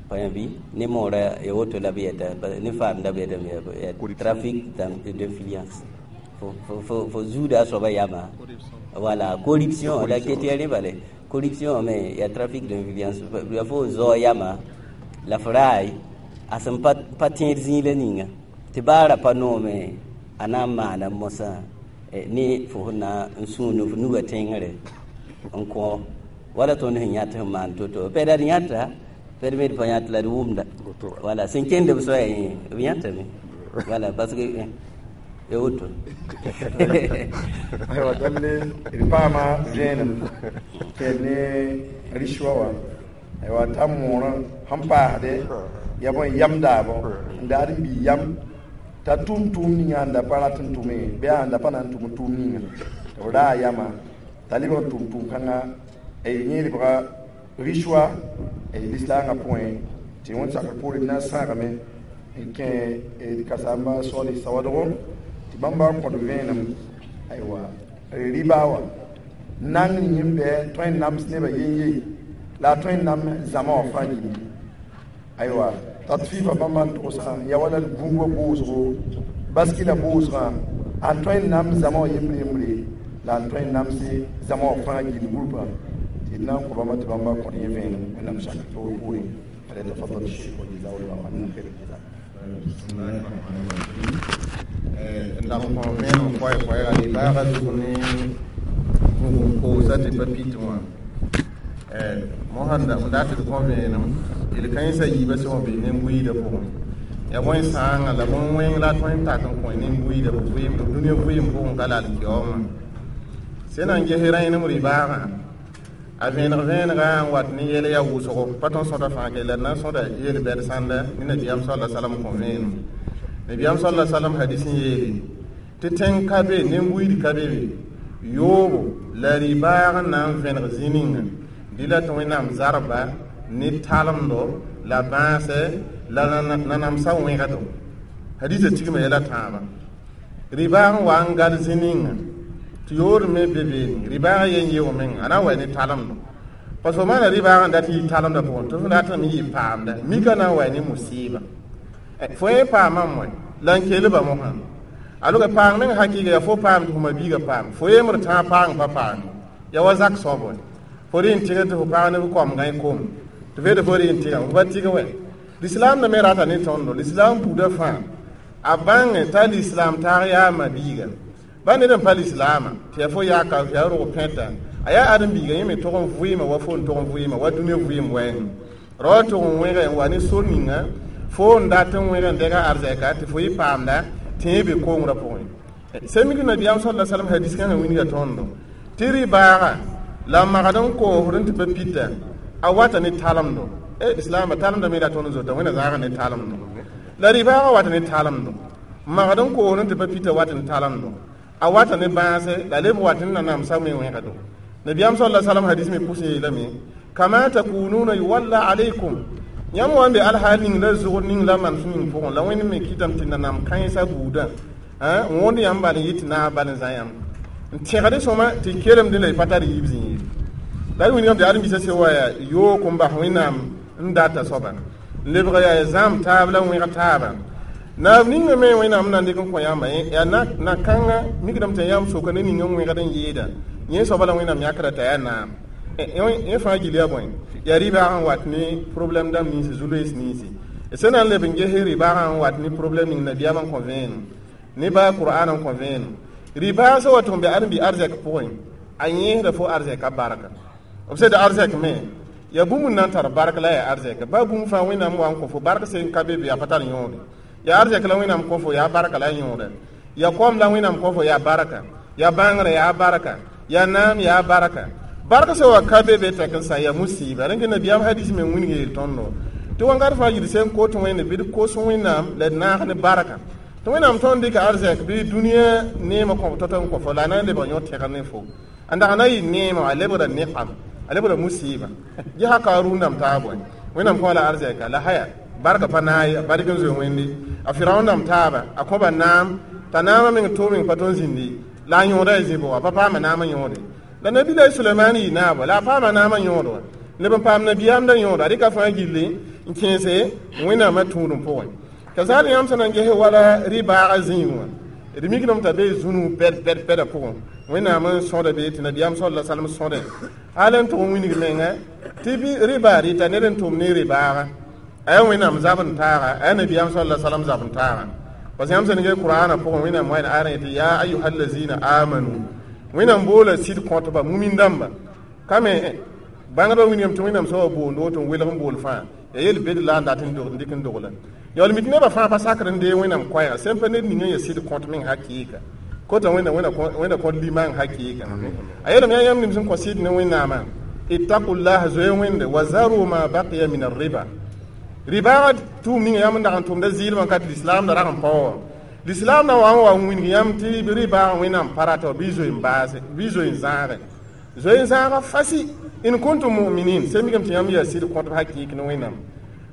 pa bɩ ne moora ya woto la b yɛta ne faamda b yɛtame trafic d'influence fo fo zuuda a soaba yama wala corruption la ket ya rẽ bale corruption me ya trafic d'influence ya fo zao yama la f raay a sẽn pa tẽed zĩig la ninga tɩ baara pa noome a na n maana mosã ne fo sẽn na n sũun f nuga tẽngre n kõ wala tõnd sẽn yãt sẽn maan to-to pɛda d yãta pɛd me d pa yãt la d wʋmda wala sẽn kẽnd b soaya yẽ b yãtame wala parce que ya woto aywa dalle d paama vẽenem tɩ ne rɩswa wã aywa t'a moorã sẽn paasde ya bõe yam daabo n daad n bii yam t'a tʋm tʋʋm ninga sẽn da pa rat n tʋme bɩ a sẽn da pa na n tʋm tʋʋm ninga tɩ b raa yama t'a lebg n tʋm tʋʋm kãnga yẽ lebga rɩswa lislaangã pʋgẽ tɩ Tɩ wẽnd sakr poore d na n sãagame n kẽ d kasaamba Soali Sawadgo tɩ bãmba kõt vẽenem aywa rɩba wã nang yẽmb bɩ tõe n nams nebã yen-ye la a tõe n nam zãma wã fãa gilli aywa tatfifa bãmba n togsã ya wala d gũubã boosgo baski la boosgã a tõe n nam zãma wã yembre yembre la n tõe n namse zãma wã fãa gill gũrbã tɩ d na n kõ bãmba tɩ bãmba kõt yẽ vẽenem wẽnnaam sakr toor poorẽ. فليتفضل الشيخ وجزاه الله عنا خير الجزاء. N dag n kõ vẽenem koɛɛ koɛɛga rɩ-baaga zug ne koosa tɩ pa pit wã mosã n dat tɩ d kõ vẽenem yel-kãensã yiibã sẽn wa be nen-buiidã pʋgẽ ya bõe sãanga la bõn-wẽng la tõe n tak n kõ nen-buiidã b dũniyã vɩɩm pʋgẽ ka la alkiyaoomã sẽn na n ges rẽenem rɩ-baagã a vẽeneg vẽenega n wat ne yɛl yaa wʋsgo pa tõnd sõta fãa ke la d na n sõda yel-bɛd sãnda ne nabiyaam sala salam kõ vẽenem nabiyaam sala salam hadis n yeele tɩ tẽng ka be nen-buiid ka be be yoobo la rɩ-baag n na n vẽneg zĩ ninga dɩ la tɩ wẽnnaam zarba ne talemdo la bãasɛ la nanamsã wẽgdo hadisa tigma yɛla tãabã rɩ-baag n wa n gal zĩ ninga tɩ yoor me be beene rɩ-baag yen yeo meng a na n wa ne talemdo parce que maana rɩ-baag n dat yɩ talemda pʋgẽ tɩ f ratame yɩ paamda mika na n wa ne musɩɩba fo yẽ paamam wɛ la n kelba mosã alʋga paang meng hakɩɩga yaa fo paam tɩ fo mabiiga paam fo yembr tãag paang pa paam ya wa zak soab wɛ fo rɩ n tɩgd tɩ fo paag ne b koamgã kom tɩ fo fo rɩ n tɩga fo pa tɩg wɛ lislaam na me rata ne tõndo lislaam buudã fãa a bãnge t'a lislaam taag yaa mabiiga ba ned n pa lislaamã tɩ yaa fo yaaka yaa rog pẽta a yaa ãdem-biiga yẽ me tog n vɩɩmã wa fo n tog n vɩɩmã wa dũniyã vɩɩm wɛɛngẽ ra wa tog n wẽge n wa ne sor ninga fo n dat n wẽg n dɛga arzɛka tɩ fo yɩ paamda tɩ yẽ be kongrã pʋgẽ sẽn mik nabiyaam sala salam hadis kãngã wilga tõndo tɩ rɩ-baaga la magd n koosd n tɩ pa pita a wata ne talemdo e islaamã talemda me la tõnd zota wẽnna zaaga ne talemdo la rɩ-baaga wata ne talemdo magd n koosd n tɩ pa pita wat n talemdo a wata ne bãase la leb wat n nanamsa me wẽgdo nabiyaam sala salam hadis me pʋs yeelame kama takununa yuwalla alaykum yãmb wa n be alhaal ning la zʋgd ning la manes ning pʋgẽ la wẽnd me kɩtame tɩ nanam kãensã buudã n wõnd yãmb bal n yɩ tɩ naab bal n zã yãmb n tẽgd sõma tɩ kelemdẽ la y pa tar yiib zĩ ye la d wilgame tɩ ãdem-biisã sẽn wa yaa yoog n bas wẽnnaam n data soaba n lebg yaa zãm taab la wẽg taaba naab ninga me wẽnnaam na n dɩk n kõ yãmba yaa na-kãnga mikdame tɩ yãmb soka ne ning n wẽgd n yɩɩda yẽ soaba la wẽnnaam yãkra t'a yaa naam yẽ fãa gil yaa bõe yaa rɩ-baag n wat ne problème dãmb ninsi zu-loees ninsi sẽn na n leb n ges rɩ-baagã n wat ne problème ning nabiyaam n kõ vẽenem ne baa qur'an n kõ vẽenem rɩ-baag sẽn wa tɩ b be ãdem-bi arzɛk pʋgẽ a yẽesda fo arzɛka barka b sed arzɛk me yaa bũmb n na n tar bark la yaa arzɛka baa bũmb fãa wẽnnaam wa n kõ fo bark sẽn ka be be yaa pa tar yõode yaa arzɛk la wẽnnaam kõ fo yaa barka la yõoda yaa kom la wẽnnaam kõ fo yaa barka yaa bãngrã yaa barka yaa naam yaa barka barka sẽn wa ka be be tɛk n sã yaa musiiba rẽn nabiyaam hadis me wilg yeel tõndo tɩ wãngat fãa yid sẽn kot wẽnde bɩ d kos wẽnnaam la d naag ne barka tɩ wẽnnaam tõnd dɩka arzɛk bɩ dũniyã neemã kõ tot n kõ fo la a na n lebg yõ tɛgr ne fo n dag na yɩ neemã a lebgra neqam a lebgra musiiba gesa karuun dãmb taab wɛ wẽnnaam kõ la arzɛka la haya barka pa naay a bark n zoe wẽnde a firaun dãmb taaba a kõba naam t'a naamã meng tʋʋm meng pa tõnd zĩndi la a yõoda a zĩ bʋga pa paama naamã yõode la nabi-la sulemaan yɩ naaba la a paama naamã yõod wã leb n paam nabiyaamdã yõoda a rɩka fãa gilli n kẽese wẽnnaamã tũudum pʋgẽ ka zaal yãmb sẽn na n ges wala rɩ-baaga zĩig wã d mikdame t'a be zũnug bɛd bɛd bɛda pʋgẽ wẽnnaam n sõda be tɩ nabiyaam sala salm sõdẽ hal n tʋg n wilg menga tɩ rɩba rɩta ned n tʋm ne rɩ-baaga a yaa wẽnnaam zab n taaga a yaa nabiyaam sala salam zab n taaga parce yãmb sẽn ge qur'ana pʋgẽ wẽnnaam wa n arã tɩ yaa ayuha allazina amanu wẽnnaam boola sɩd kõtba mumin dãmba kame bãngdba wilgame tɩ wẽnnaam soaba boond woto n welg n bool fãa ya yel bed la n dat n dɩk n dogla yaool mi tɩ nebã fãa pa sakr n dee wẽnnaam koɛɛga sẽn pa ned ninga ya sɩd kõt meng hakɩɩka kota wẽnna wẽnna kõt limang hakɩɩka a yeelame yaa yãmb nim sẽn kõ sɩd ne wẽnnaamã ittaqullaha zoe wẽnde wa zaru ma baqiya min arriba ribaaga tʋʋm ninga yãmb n dag n tʋmda zɩɩlmã ka tɩ lislaam da rag n paoɔ wã lislaam na wa n wa n wilg yãmb tɩ rɩbaag wẽnnaam pa rata bɩ zoe n baase bɩ zoe n zãage zoe n zãaga fasi in kuntum muminin sẽn mikame tɩ yãmb yaa sɩd kõtb hakɩɩk ne wẽnnaam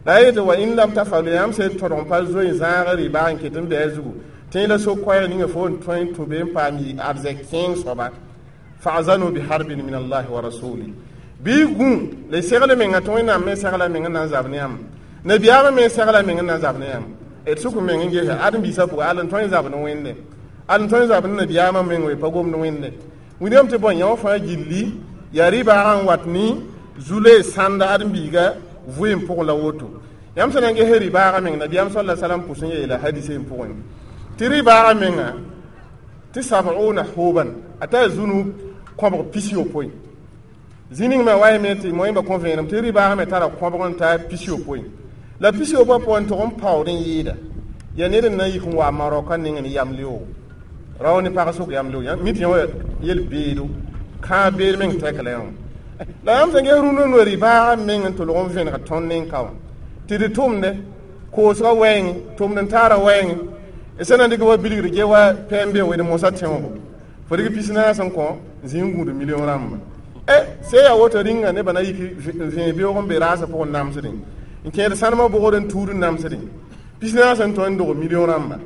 La yetɩ wa in lam tafalu yãmb sẽn tõdg n pa zoe n zãag rɩ-baag n ket n bɩ a zugu tẽ la so-koɛɛg ninga fo n tõe n tũ be n paam yɩ arzɛk kẽeng soaba fa'zanu biharbin min allahi wa rasuli bɩ gũ la y segl menga tɩ Wẽnnaam me segla meng n na n zab ne yãmb nabiyaamã me segla meng n na n zab ne yãmb d sʋk meng n gese ãdem-biisã pʋgã al n tõe n zab ne Wẽnde al n tõe n zab ne nabiyaamã meng we pa gomd Wẽnde wilgame tɩ bõe yã wã fãa gilli yaa rɩ-baagã n wat ne zu-loees sãnda ãdem-biiga vɩɩm pʋgẽ la woto yãmb sẽn na n ges rɩ-baagã meng nabiyaam sal la salam pʋs n yeela hadisẽ pʋgẽ tɩ rɩ-baagã menga tɩ sab'una huban a taa zũnug kõbg pis-yopoe zĩ ning me wa yeme tɩ moẽmba kõ vẽenem tɩ rɩ-baagã me tara kõbg n taa pis-yopoe la pis-yopoe pʋgẽ tʋg n paood n yɩɩda yaa ned n na n yik n wa Marɔka neng ne yam leoogo rao ne pag sʋk yam leoogo mi tɩ yã wa yel-beedo kãab beed meng tɛk la yã la yãmb sẽn ges rũndã noor rɩ-baagã meng n tolg n vẽneg tõnd nen ka wã tɩ d tʋmde koosgã wɛɛngẽ tʋmd n taara wɛɛngẽ sẽn na n dɩk wa bilgd ge wa pɛm be wed mosã tẽoogo fo dɩk pis naas n kõ zĩ n gũud million rãmba e se yaa woto rĩnga nebã na yik n vẽe beoog n be raasã pʋgẽ namsdẽ n kẽed sãnemã bʋgd n tuud n namsdẽ pis naas n tõe n dog million rãmba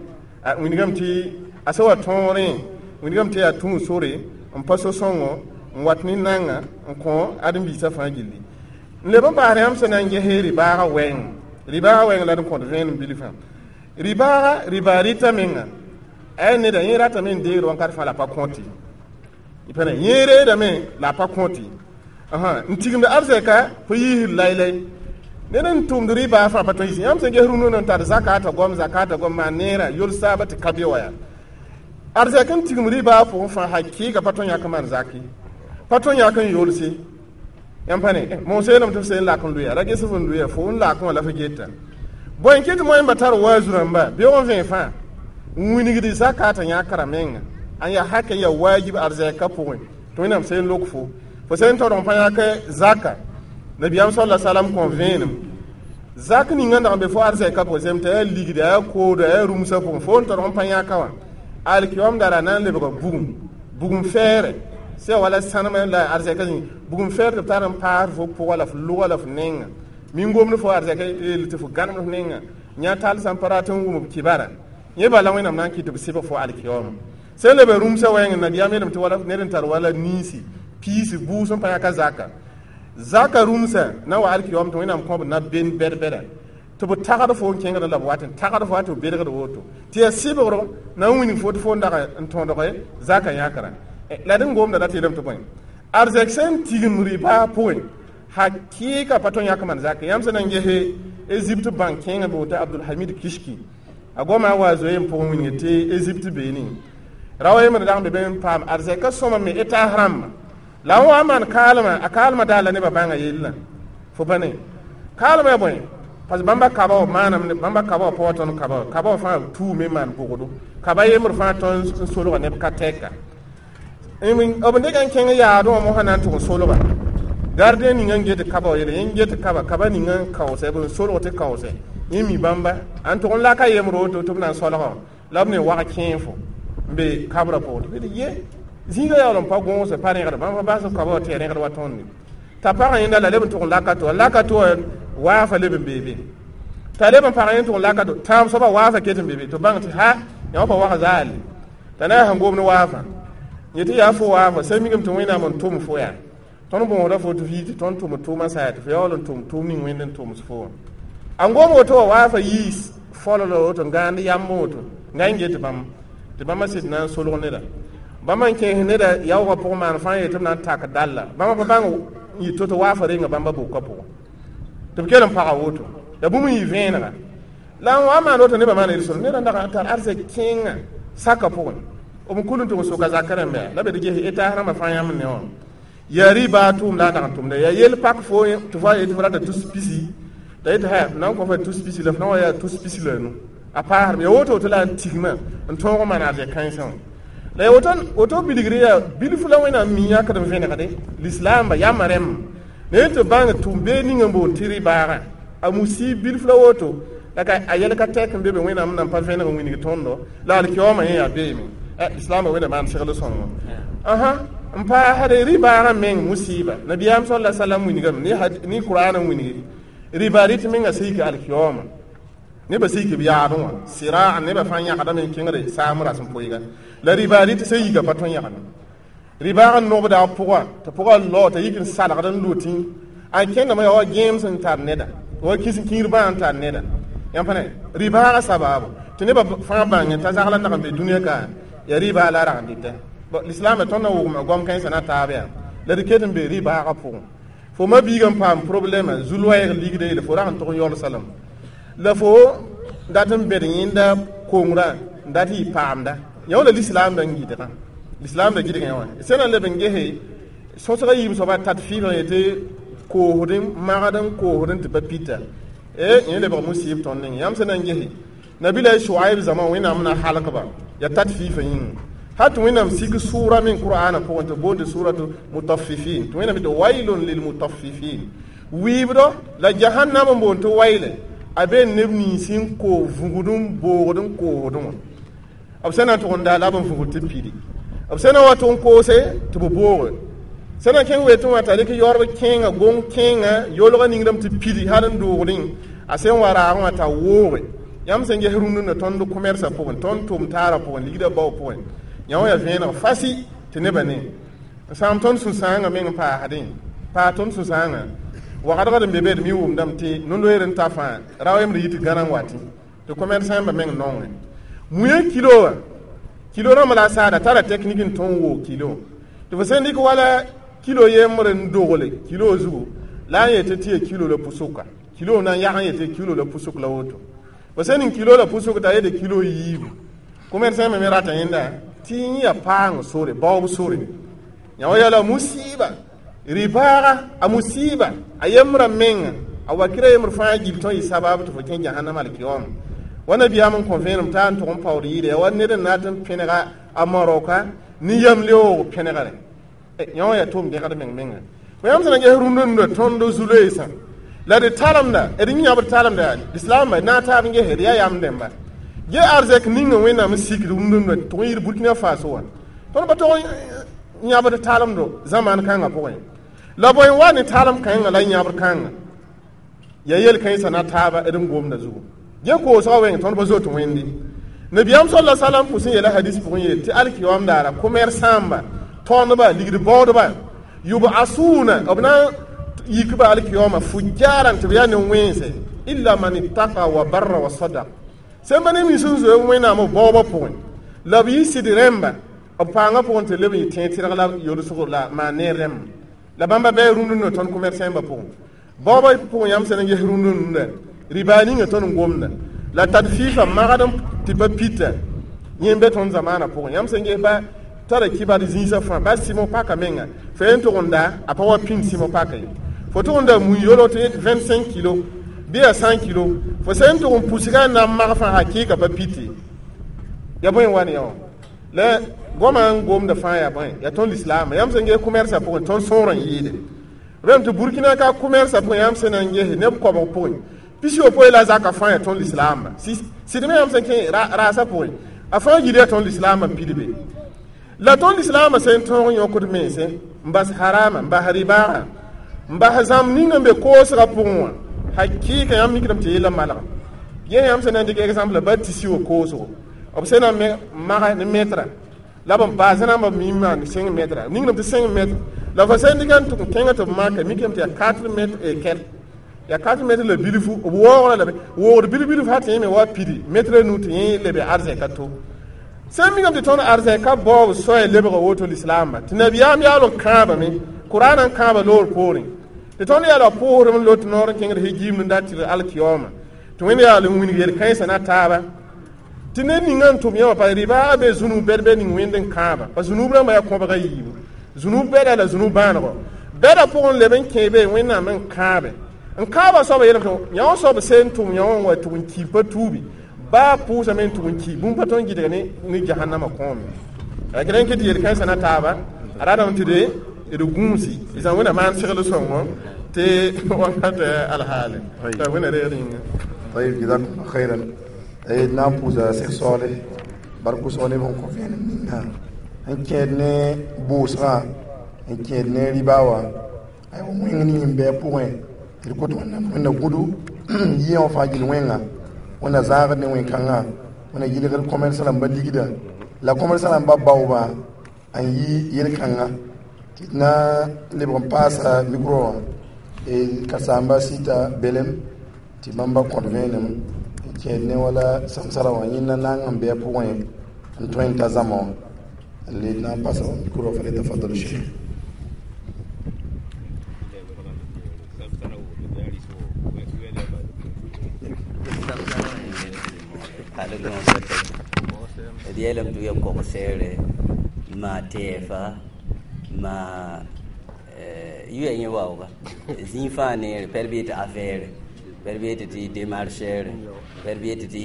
wilgame tɩ a sã wa tõorẽ wilgame tɩ yaa tũu sore n pa so-sõngo n wat ne nanga n kõ ãdem-biisã fãa gilli n leb n baas yãmb sẽn na n ges rɩ-baagã wɛɛng rɩ-baagã wɛɛng la d n kõt vẽenem bilfã rɩ-baaga rɩ-baa rɩta menga a neda yẽ ratame n deegd wãnkat fãa la pa kõte pẽne yẽ reedame la a pa kõte n tigimd arzɛka fo yiisd laylay ned n tʋmd rɩ-baa fãa pa tõe yis yãmb sẽn ges rũndã n tar zakata goam zakata goam maan neerã yol saaba tɩ ka be wa yaa arzɛk n tigim rɩ-baa pʋgẽ fãa hakɩɩga pa tõe yãk n maan zaki pa tõe yãk n yolse yãmb pa ne moos yeelame tɩ f seen lak n loeya ra ges f n loeya fo n lakẽ wã la fo geta bõe n kɩt moẽmba tar waazu rãmba beoog n vẽe fãa n wilgd zakata yãkra menga n yaa hakɛ n yaa waajib arzɛka pʋgẽ tɩ Wẽnnaam seen lok fo fo sẽn tõdg n pa yãk zaka nabiyaam sal la salam kõ vẽenem zak ninga n dag n be fo arzɛka pʋgẽ sem t'a yaa ligda yaa kooda yaa rũmsã pʋgẽ fo n tõdg n pa yãka wã alkiyoom dara na n lebga bugum bugum fɛɛrɛ sã wala sãnemã la arzɛka zĩig bugum fɛɛr tɩ b tar n paas fo pʋga la f lʋga la f nenga min-gomd fo arzɛka yeel tɩ fo gãnemd f nenga yã tall sã n pa rat n wʋm b kibara yẽ bala Wẽnnaam na n kɩt tɩ b sɩbg fo alkiyooma sẽn lebe rũmsã wɛɛngẽ nabiyaam yeelame tɩ wala ned n tar wala niisi piisi buus n pa yãka zaka zaka rũmsã na wa alkiyoom tɩ Wẽnnaam kõ b na ben bɛd-bɛda tɩ b tagd fo n kẽngd la b wat n tagd fo wa tɩ b bedgd woto tɩ yaa sɩbgr na n wilg fo tɩ fo n dag n tõdge zaka yãkra la d n gomda dat yeelame tɩ bõe arzɛk sẽn tigim rɩ-baa pʋgẽ hakɩɩka pa tõe yãk maan zaka yãmb sẽn na n gese Egypte bãnk kẽengã be woto Abdulhamid Kishki a goma wa zoe n pʋgẽ wilg tɩ Egypte beene ra wa yembr dag n be be n paam arzɛka sõma me étage rãmba la n wa n maan kaalmã a kaalmã daa la nebã bãnga yellã fo pa ne kaalmã yaa bõe parce que bãmba kaba wã maanam bãmba kaba wã pa wa tõnd kaba wã kaba wã fãa tuume n maan bʋgdo kaba yembr fãa tõnd n solga neb ka tɛka b dɩka n kẽng yaadẽ wã mosã na n tʋg n solga gardien ninga n get kaba wã yele yẽ n get kaba kaba ninga n kaoosɛ b n solg tɩ kaoosɛ yẽ mi bãmba n tʋg n laka yembr woto tɩ b na n solga wã la b ne wag kẽe fo n be kabrã pʋgẽ tɩ ye zĩiga yaool n pa gõose pa rẽgd bãmb pa bas kaba wã tɩ ya rẽgd wa tõnd t'a pagã yẽnda la leb n tʋg n laka to laka to waafa leb n beebe t'a leb n pag yẽ tʋg n laka to tãab soaba waafa ket n beebe tɩ bãng tɩ ha yã wã pa wag zaale t'a na sẽn gom ne waafa yẽ tɩ yaa fo waafa sã migame tɩ Wẽnnaam n tʋm fo yaa tõnd bõosda fo tɩ fɩ tɩ tõnd tʋm tʋʋmã sa yaa tɩ fo yaool n tʋm tʋʋm ning Wẽnd n tʋms fo wã a n gom woto wa waafa yiis fololo woto n gãand yamb woto n ga n get bãmb tɩ bãmba sɩd na n solg neda bãmba n kẽes neda yaoogã pʋgẽ maan fãa yetɩ b na n tak dalla bãmba pa bãng n yɩ to-to waafa renga bãmba bʋka pʋgẽ tɩ b kell n paga woto la bũmb n yɩ vẽenega la n wa maan woto nebã maan yel-sõm ned n dag n tar arzɛk kẽengã saka pʋgẽ b n kul n tʋg n soka zakã rãmba yaa la be d ges étage rãmbã fãa yãmb ne wã yaa rɩ-baa tʋʋm la a dag n tʋmda yaa yel pak fo tɩ fo yetɩ fo rata tus pisi t'a yetɩ ha na n kõ fa tus pisi la f na wa yaa tus pisi la nu a paasdme yaa woto woto la n tigmã n tõog n maan arzɛk kãensã wã la yaa woto woto bilgre yaa bilf la Wẽnnaam mi yãkd n vẽnegde lislaamba yamã rẽmb ne tɩ bãng tʋm bee ning n boond tɩ rɩ-baagã a musi bilf la woto la ka a yɛl ka tɛk n be be Wẽnnaam nan pa vẽneg n wilg tõndo la alkiyoomã yẽ yaa beeme lislaambã Wẽnnaam maan segl sõngo ãhã n paasde rɩ-baagã meng musiiba nabiyaam sal la salam wilgame ne Kuraan n wilgi Riba rɩt menga sã yik alkiyooma nebã sã yik b yaabẽ wã sɩraa nebã fãa yãgdame n kẽngde saam rasem poiga la riba rɩt sã yika pa tõe n yãgame ribaag n nobda a pʋga tɩ pʋga lao t'a yik n salgd n lotẽ a kẽndame yaa wa gẽem sẽn tar neda wa kis kĩir bãa n tar neda yãmb pa ne ribaaga sabaabo tɩ nebã fãa bãngẽ t'a zagla nag n be dũniyã ka ya riba la rag n dɩta lislaamã tõnd na wʋgma goam kãensã na taab yaa la d ket n be ribaaga pʋgẽ fo ma biiga n paam problɛmã zu-loɛɛg ligda yeele fo rag n tʋg n yaoolsa lame la fo dat n bed yẽnda kongrã n dat yɩ paamda yã wala lislaamda n gɩdgã lislaamda gɩdgã wã sẽn na n leb n gese sõsga yiib soaba tat fɩɩbã yetɩ koosd n magd n koosd n tɩ pa pita e yẽ lebg musib tõnd ning yãmb sẽn na n gese nabila Shuaib zãma Wẽnnaam na halkba ya tat fɩɩfã yĩnga hat Wẽnnaam sik sʋʋra me Qur'ana pʋgẽ tɩ boonde suratu mutaffifin tɩ Wẽnnaam tɩ wailun lilmutaffifin wiibdo la jahannam n boond tɩ waile a be neb nins n koos vũgd n boogd n koosdẽ wã b sẽn na n tʋg n daa la b n vũgd tɩ pidi b sẽn na wa tʋg n koose tɩ b booge sẽn na kẽng wetẽ wã t'a rɩk yaoorb kẽenga gong kẽenga yolga ningrame tɩ pidi hal n doogdẽ a sẽn wa raagẽ wã t'a wooge yãmb sẽn ges rũndã tõnd commerce pʋgẽ tõnd tʋm taarã pʋgẽ ligdã bao pʋgẽ yã wã yaa vẽeneg fasi tɩ nebã ne n sãam tõnd sũ-sãangã meng n paasdẽ paa tõnd sũ-sãangã wagdgd n be be d mi wʋmdame tɩ no-loeer n ta fãa ra wemd yit gãna n watẽ tɩ commerçant ba meng nongẽ muẽ kilo wã kilo rãmb la a saada tara technique n tõnd woog kilo tɩ fo sẽn dɩk wala kilo yembr n dogle kilo zugu la n yetɩ tɩ ya kilo la pusuka kilo na n yag n yetɩ kilo la pusuk la woto fo sẽn ning kilo la pusuk t'a yetɩ kilo yiibu commerçant me me rata yẽnda tɩ yẽ ya paang sore baoob sore yã wa yaa la musiba ribaaga a musiba a yembrã menga a wakɩra yembr fãa gil tõe yɩ sabab tɩ fo kẽ jahannam alkiyoma wa nabiyaam n kõ vẽenem t'a n tʋg n paood yɩɩda yaa wa ned n na tɩ n pẽnega a maroka ne yam leoog pẽnegre yã wã yaa tʋʋm dẽgd meng menga fo yãmb sẽn na ges rũndã nunda tõnd zu-loeesã la d talemda d yãbd talemda lislaambã na taab n gese d yaa yam dẽmba ge arzɛk ning Wẽnnaam n sikd rũndã nunda tʋg n yɩɩd Burkina Faso wã tõnd pa tog n yãbd talemdo zamaan kãngã pʋgẽ la bõe n wa ne talem kãngã la yãbr kãngã ya yel-kãensã na taaba d n gomda zugu ge koosgã wẽng tõnd pa zoet Wẽnde nabiyaam sala salam pʋs n yeela hadis pʋgẽ yeel tɩ alkiyoam daara commerçant-ba tõndba ligd baoodba yub'asuna b na yikba alkiyoama fujaran tɩ b yaa ne wẽnse illa man ittaqa wa barra wa sadaq sẽn pa ne mins n zoe Wẽnnaam b baoobã pʋgẽ la b yɩ sɩd rẽmba b paangã pʋgẽ tɩ leb n yɩ tẽeg tɩrg la yolsg la maan neer rẽmb la bãmba bɩ rũndã nunda tõnd commerçant-bã pʋgẽ baoobã pʋgẽ yãmb sẽn n ges rũndã nunda riba ninga tõnd n gomda la tat fɩɩfã magd tɩ pa pita yẽ be tõnd zamaanã pʋgẽ yãmb sẽn ges ba tara kibar zĩisã fãa ba sɩmo paka menga fo yen tʋg n da a pa wa pĩnd sɩmo paka ye fo tʋg n da mui yolg tɩ vingt-cinq kilo bɩ yaa cent kilo fo sẽn tʋg n pusga n na n mag fãa hakɩɩka pa pite ya bõe n wa ne yã wã la goamã n gomda fãa yaa bõe yaa tõnd lislaamã yãmb sẽn ges commerce pʋgẽ tõnd sõor n yɩɩde rem tɩ Burkina ka commerce pʋgẽ yãmb sẽn na n gese neb koabg pʋgẽ pis-yopoe la zaka fãa yaa tõnd lislaambã sɩd me yãmb sẽn kẽ raasã pʋgẽ a fãa yil yaa tõnd lislaambã n pidbe la tõnd lislaambã sẽn tõog n yõkd mense n bas harama n bas ribaaga n bas zãmb ning n be koosgã pʋgẽ wã hakɩɩka yãmb mikdame tɩ yella malga yẽ yãmb sẽn na n dɩk exemple ba tɩ siwo koosgo b sẽn na n maga ne metra la b n baas rãmba mi maan cinq mètres ningrame tɩ cinq mètres la fo sẽn dɩk n tʋg n kẽngã tɩ b maka mikame tɩ yaa quatre mètres et quelque yaa quatre mètres la bilfu b waoogra la woogd bilf-bilf sã tɩ yẽ me wa pidi mètre nu tɩ yẽ lebe arzɛka to sẽn mikame tɩ tõnd arzɛka baoob soaya lebga woto lislaambã tɩ nabiyaam yaool n kãabame Qur'an n kãaba loor poorẽ tɩ tõnd yaa la pʋʋsdm n lot noor n kẽngd hegimd n dat tɩ alkiyooma tɩ Wẽnd yaool n wilg yel-kãensã na taaba tɩ ned ninga n tʋm yã wã pa rɩbaa be zũnub bɛd bɛ ning Wẽnd n kãaba pa zũnub rãmbã yaa kõbga yiibu zũnub bɛda la zũnub bãanego bɛda pʋgẽ leb n kẽ be Wẽnnaam n kãabe n kãabã soaba yeelame tɩ yã wã soab sẽn tʋm yã wã n wa tʋg n ki pa tuubi baa pʋʋsame n tʋg n ki bũmb pa tõe n gɩdg ne ne jahannamã kõome rẽ kɩ tɩ yel-kãensã na taaba a ratame tɩ de d gũusi d zã Wẽnna maan segl sõngo tɩ wakat alhaale t'a Wẽnna reeg yĩnga طيب جزاكم الله خيرا d na n pʋʋsa Seg Soale bark wʋsg neb sẽn kõ vẽenem ninga n kẽed ne bʋʋsgã n kẽed ne riba wã aywa wẽng ning n bɩ a pʋgẽ D kot Wẽnnaam Wẽnna gũdu yɩẽ wã fãa gill wẽnga Wẽnna zãagd ne wẽn-kãngã Wẽnna yɩlgd commerce rãmba ligda la commerce rãmba baoobã n yɩ yel-kãngã tɩ d na n lebg n paasa micro wã ka-saamba Sita Belem tɩ bãmba kõt vẽenem n kẽed ne wala samsara wã yẽnda naang n bɩ a pʋgẽ n tõe n ta zãma wã n le na n pasa micro فليتفضل الشيخ. D yeelame tɩ ya kog-seere maa tɛɛfa maa yʋa yẽ waooga zĩig fãa neere pɛd bee tɩ affaire pɛd bee tɩ tɩ démarcheur pɛd bee tɩ tɩ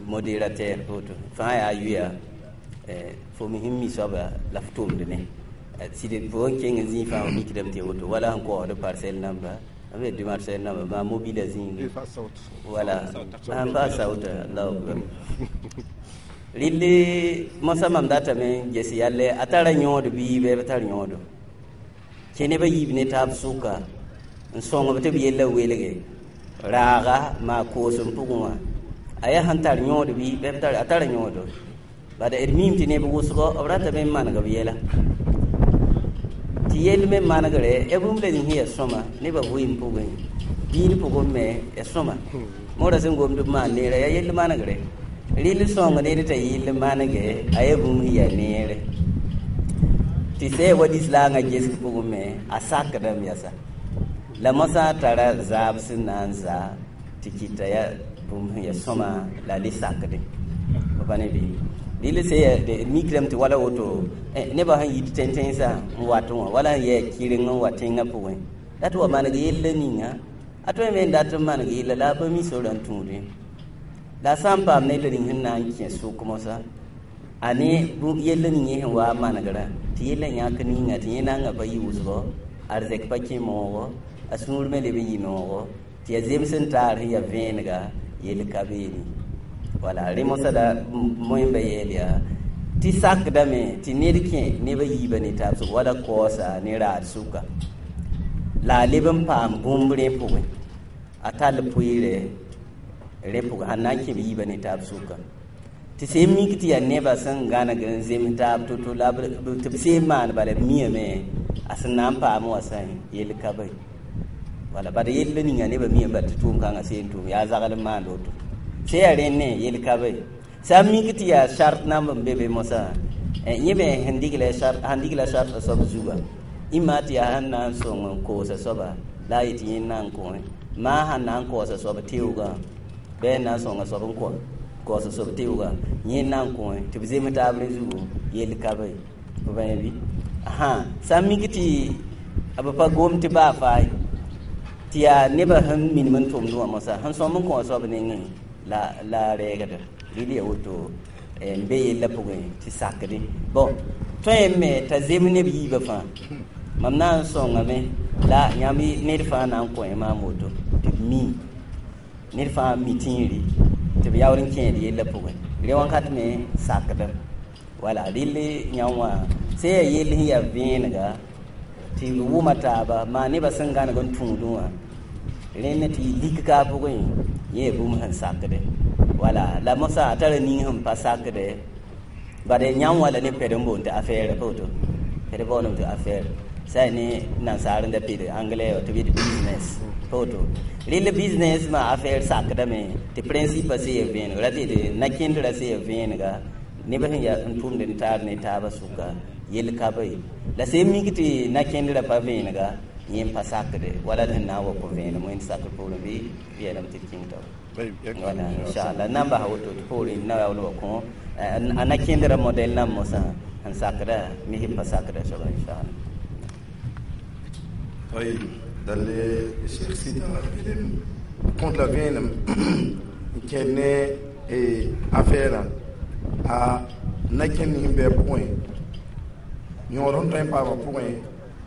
modérateur woto fãa yaa yʋya fo me sẽn mi soaba la f tʋmd ne sɩd fo n kẽng zĩig fãa f mikdame tɩ woto wala sẽn koosd parcelle namba b démarcheur namba maa mobile zĩigi wala sãn paas sauta allahu akbar rɩlli mosã mam datame n ges yalle a tara yõod bii bɩ b tar yõodo kẽ nebã yiib ne taab sʋka n sõngb tɩ b yella welge raaga maa koosem pʋgẽ wã a yaa sẽn tar yõod bɩ b tar a tara yõodo bad d miime tɩ neb wʋsgo b ratame n maneg b yɛla tɩ yell me manegre ya bũmb la ning sẽn yaa sõma nebã vɩɩm pʋgẽ diin pʋgẽ me ya sõma moorã sẽn gomd b maan neera yaa yell manegre rɩl sõng ned t'a yɩll manege a yaa bũmb sẽn yaa neere tɩ sã wa lislaangã gesg pʋgẽ me a sakdame yasa la mosã tara zaab sẽn na n zaa tɩ kɩta yaa bũmb sẽn yaa sõma la a le sakdẽ pa ne bɩ rɩl sã yaa mikrame tɩ wala woto nebã sẽn yit tẽn-tẽnsã n wat wã wala sẽn yɛɛ kɩreng n wa tẽngã pʋgẽ la tɩ wa maneg yella ninga a tõe me n dat n maneg yella la a pa mi sorã n tũudẽ la sã n paam ned ning sẽn na n kẽ sʋk mosã a ne yell ning yẽ sẽn waa manegrã tɩ yella yãk ninga tɩ yẽ nanga pa yi wʋsgo arzɛk pa kẽ moogo a sũur me leb n yɩ noogo tɩ yaa zems n taar sẽn yaa vẽenega yell ka beene wala rẽ mosã la moẽmba yeel yaa tɩ sakdame tɩ ned kẽ nebã yiibã ne taab sʋk wala kaoosa ne raad sʋka la a leb n paam bũmb rẽ pʋgẽ a tall pʋɩɩrɛ rẽ pʋgẽ sãn na n kẽ b yiibã ne taab sʋka tɩ sẽn mik tɩ yaa nebã sẽn gãneg n zems taab to-to la tɩ b seen maan bala b miame a sẽn na n paam wã sã yell ka be wala bad yell ninga nebã miame bal tɩ tʋʋm-kãngã seen tʋʋm yaa zagl n maand woto sẽn yaa rẽnd ne yell ka be sã n mik tɩ yaa sart namb n be be mosã yẽ me sẽn digla sãn digla sartã soab zuga ĩmma tɩ yaa sẽn na n sõng n koosa soaba la a yetɩ yẽnd na n kõ maa sãn na n kaoosa soab teoogã bɩ n na n sõnga soab n kõ kaoosa soab teoogã yẽnd na n kõ tɩ b zems taab rẽ zugu yell ka be b bãe bɩ sã n mik tɩ b pa gom tɩ baa faay tɩ yaa nebã sẽn minim n tʋmd wã mosã sẽn sõm n kõ soab nengẽ la la rɛɛgda rɩl yaa woto n be yella pʋgẽ tɩ sakdẽ bõn tõe n me t'a zem neb yiibã fãa mam na n sõngame la yãmb ned fãa na n kõ maam woto tɩ b mi ned fãa mi tĩiri tɩ b yaool n kẽed yella pʋgẽ rẽ wãnkat me sakdame wala rɩl yãmb wã sẽn yaa yell sẽn yaa vẽenega tɩ b wʋma taaba maa nebã sẽn gãneg n tũudẽ wã rẽnd tɩ lik ka a pʋgẽ yẽ yaa bũmb sẽn sakde wala la mosã a tara ning sẽn pa sakde bad yãmb wã la ne pɛd n boond tɩ affaire pa woto pɛd boondame tɩ affaire sã ne nansaar n da pid anglais tɩ b yetɩ business pa woto rɩl business ma affaire sakdame tɩ principe sẽn yaa vẽeneg ra tɩ yetɩ na-kẽndrã sẽn yaa vẽenega nebã sẽn yaa n tʋmd n taar ne taabã sʋka yell ka be la sẽn mik tɩ na-kẽndrã pa vẽenega yẽ n pa sakde wala d sẽn na n wa kõ vẽenem wẽnd sakr poorẽ bɩ yeelame tɩ d kẽng tao wala inchallah n na n basa woto tɩ poorẽ na yaool wa kõ a na-kẽndrã modɛl nan mosã sẽn sakda mis n pa sakda soaba inchallah. طيب الشيخ سيدا compte la vẽenem n kẽed ne affaire a na-kẽnd sẽn bɩ a pʋgẽ yõod sẽn tõe n paamã pʋgẽ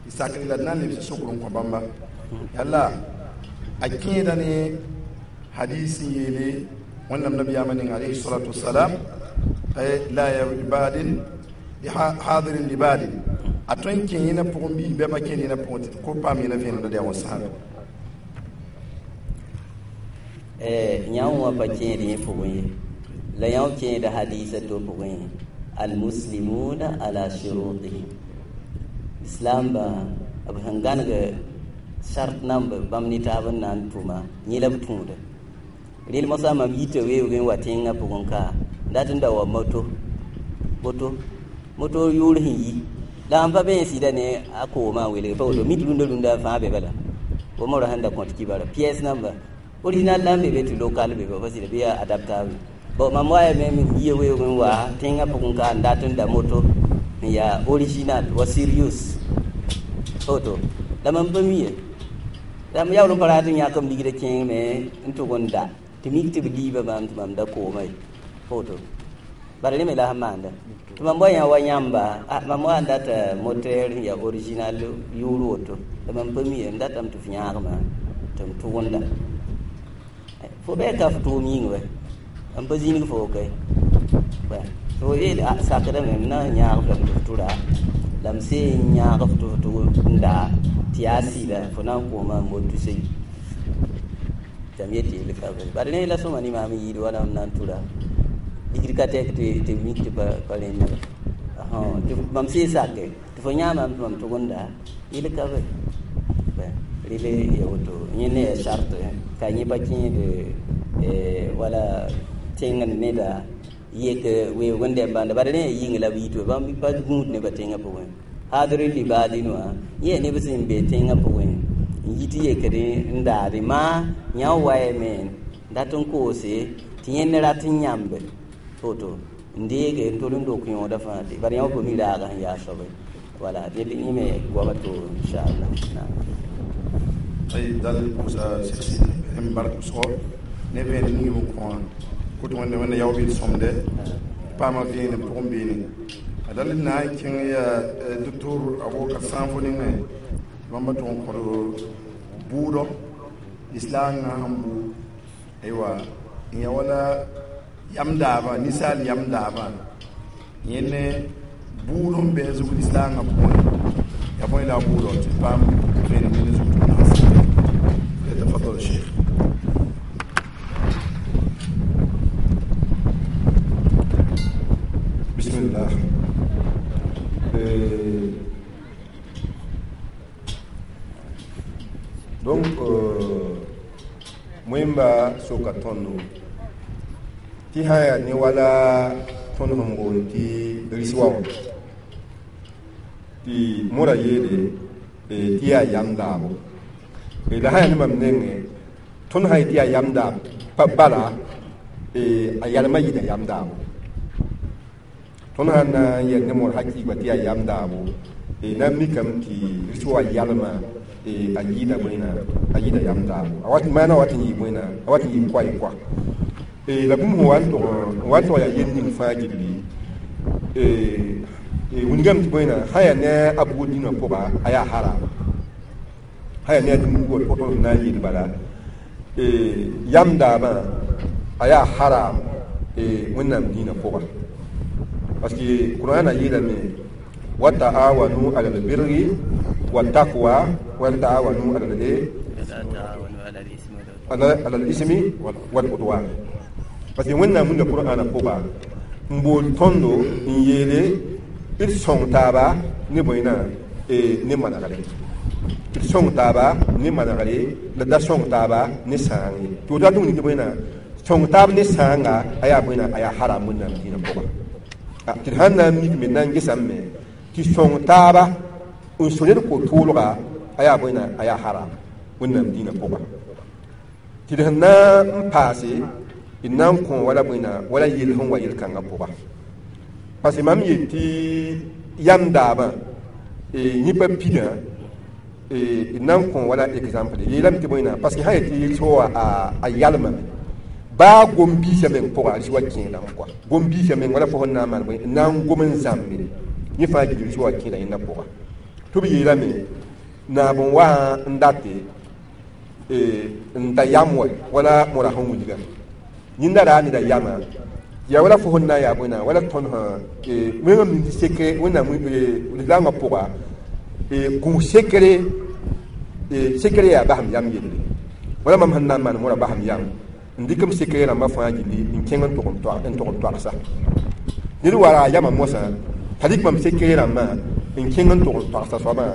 tɩ sakre la d na n lebs sokr n kõ bãmba yalla a kẽeda ne hadis n yeele Wẽnnaam nabiyaamã ning alayhi salatu wasalam la yabadin hadirin libadin a tõe n kẽ yẽna pʋgẽ bɩ bɩ pa kẽed yẽna pʋgẽ tɩ ko paam yẽna vẽenemda yaa wã sãaga. Yãmb wã pa kẽed yẽ pʋgẽ ye la yãmb kẽeda hadiisã to pʋgẽ ye almuslimuna ala shurutihim islam ba b sẽn gãneg shart namb bãmb ne taab n na n tʋma yẽ la b tũuda rel mosã mam yita weoog n wa tẽngã pʋgẽ ka dat n da wa moto moto moto yʋʋr sẽn yi la n pa be n sɩda ne a koomã n welg pa woto mit rũndã rũndã fãa be bala wa mora sẽn da kõt kibara pièce namba original la n be be tɩ local be pa sɩda bɩ yaa adaptable bon mam wayame m yia weoog n wa tẽngã pʋgẽ ka n dat n da moto n yaa original wa sirius woto la mam pa mi ye la m yaool n pa rat n yãk m ligdã kẽeng me n tʋg n da tɩ mik tɩ b liiba maam tɩ mam da kooma ye woto bara rẽ me la sẽn maanda tɩ mam wa yã wa yãmba mam wa n data moteur n yaa original yʋʋr woto la mam pa mi ye m datame tɩ f yãagma tɩ m tʋgenda fo bɩ ka f tʋʋm yĩng wɛ m pa zĩnig fo kay fo yeel sakdame m na n yãag f lame tɩ f tʋra la m see n yãag f tɩ f tʋg n daa tɩ yaa sɩda fo na n kooma n moto seyi tɩ m yet yel ka bala rẽ la sõma ne maam n yɩɩd wala m na n tʋra ligd ka tɛk tɩ mik tɩ pa rẽnda tɩ mam see sake tɩ fo yãamam tɩ mam tʋgenda yel ka be rele ya woto yẽ ne ya charte ka yẽ pa kẽed wala tẽng neda yek weoog n dɛm bãnda bara rẽ ya yĩng la b yit bãmb pa gũud nebã tẽngã pʋgẽ hadr libadin wã yẽ neb sẽn be tẽngã pʋgẽ n yit yekd n daade maa yã wayame dat n koose tɩ yẽnd rat n yãmbe woto n deege n tol n dok yõoda fãa tɩ bara yã pa mi raaga sẽn yaa soabe wala dẽd yẽ me goama to inchallah naam طيب dal n bark sgo ne vẽen ning b kõ kot wẽnde wẽnda yao bɩ d sõmde paama vẽenem pʋgẽ beene a dal n na n kẽng yaa docteur Abubakar Sãnfo nengẽ bãmba tʋg n kõd bʋʋdɔ islam sẽn bʋ aywa n ya wala yam daabã ninsaal yam daabã yẽ ne bʋʋd sẽn bɩ a zugd islaangã pʋgẽ ya bõe la a bʋʋdɔ tɩ paam vẽenem ned zug tɩ تفضل الشيخ. بسم الله. Donc mwemba soka tõndo tɩ sã yaa ne wala tõnd sẽn boond tɩ riswa wã tɩ mora yeele tɩ yaa yam daabo la sã yaa ne mam nengẽ tõnd sã yetɩ yaa yam daab pa bala a yalmã yɩɩda yam daabo tõnd sã n na n yɛl ne mor hakɩɩgba tɩ yaa yam daabo na n mikame tɩ riswa yalmã a yɩɩda bõena a yɩɩda yam daabo a wat maana wat n yɩ bõena a wat n yɩ koa y koa la bũmb sẽn wa n tog n wa n tog yaa yel ning fãa gilli wilgame tɩ bõena sã yaa ne a bugd dĩnã pʋga a yaa harama sã yaa ne a dĩm bugd pʋg tõnd na n yeel bala yam daabã a yaa haram wẽnnaam dĩinã pʋga parce que Qur'an yeelame wa ta'awanu ala albirri wa taqwa wa la ta'awanu ala ala al-ismi wal udwan parce que wẽnnaam wilga Qur'ana pʋga n bool tõndo n yeele d sõng taaba ne bõe-na ne manegre d sõng taaba ne manegre la da sõng taaba ne sãang ye tɩ woto tɩ wilg tɩ bõe-na sõng taab ne sãanga a yaa bõe-na a yaa haram wẽnnaam dĩinã pʋga tɩ d sãn na n mik me na n gesame tɩ sõng taaba n so ned ko-tʋʋlga a yaa bõe-na a yaa haram wẽnnaam dĩinã pʋga tɩ d sẽn na n paase d na n kõ wala bõe-na wala yell sẽn wa yel-kãngã pʋga parce que mam yet tɩ yam daabã yẽ pa pidã d na n kõ wala exemple yeelame tɩ bõe-na parce que sã yetɩ rɩs wa a yalmame baa gom-biisã meng pʋga rɩs wa kẽedame kɔa gom-biisã meng wala fo sẽn na n maan bõe n na n gom n zãmbe yẽ fãa gil rɩs wa kẽeda yẽnda pʋga tɩ b yeelame naab n wa n date n da yam wa wala mora sẽn wilga yẽnda raa neda yamã yaa wala fo sẽn na n yaa bõe-na wala tõnd sã wẽngame ning tɩ sekre wẽnnaam lislaangã pʋga gũus sekre sekre yaa basem yam yelle wala mam sẽn na n maan mora basem yam n dɩk m sekre rãmbã fãa gilli n kẽng n tʋg n toagsa ned wa ra yamã mosã t'a dɩk mam sekre rãmbã n kẽng n tʋg n toagsa soabã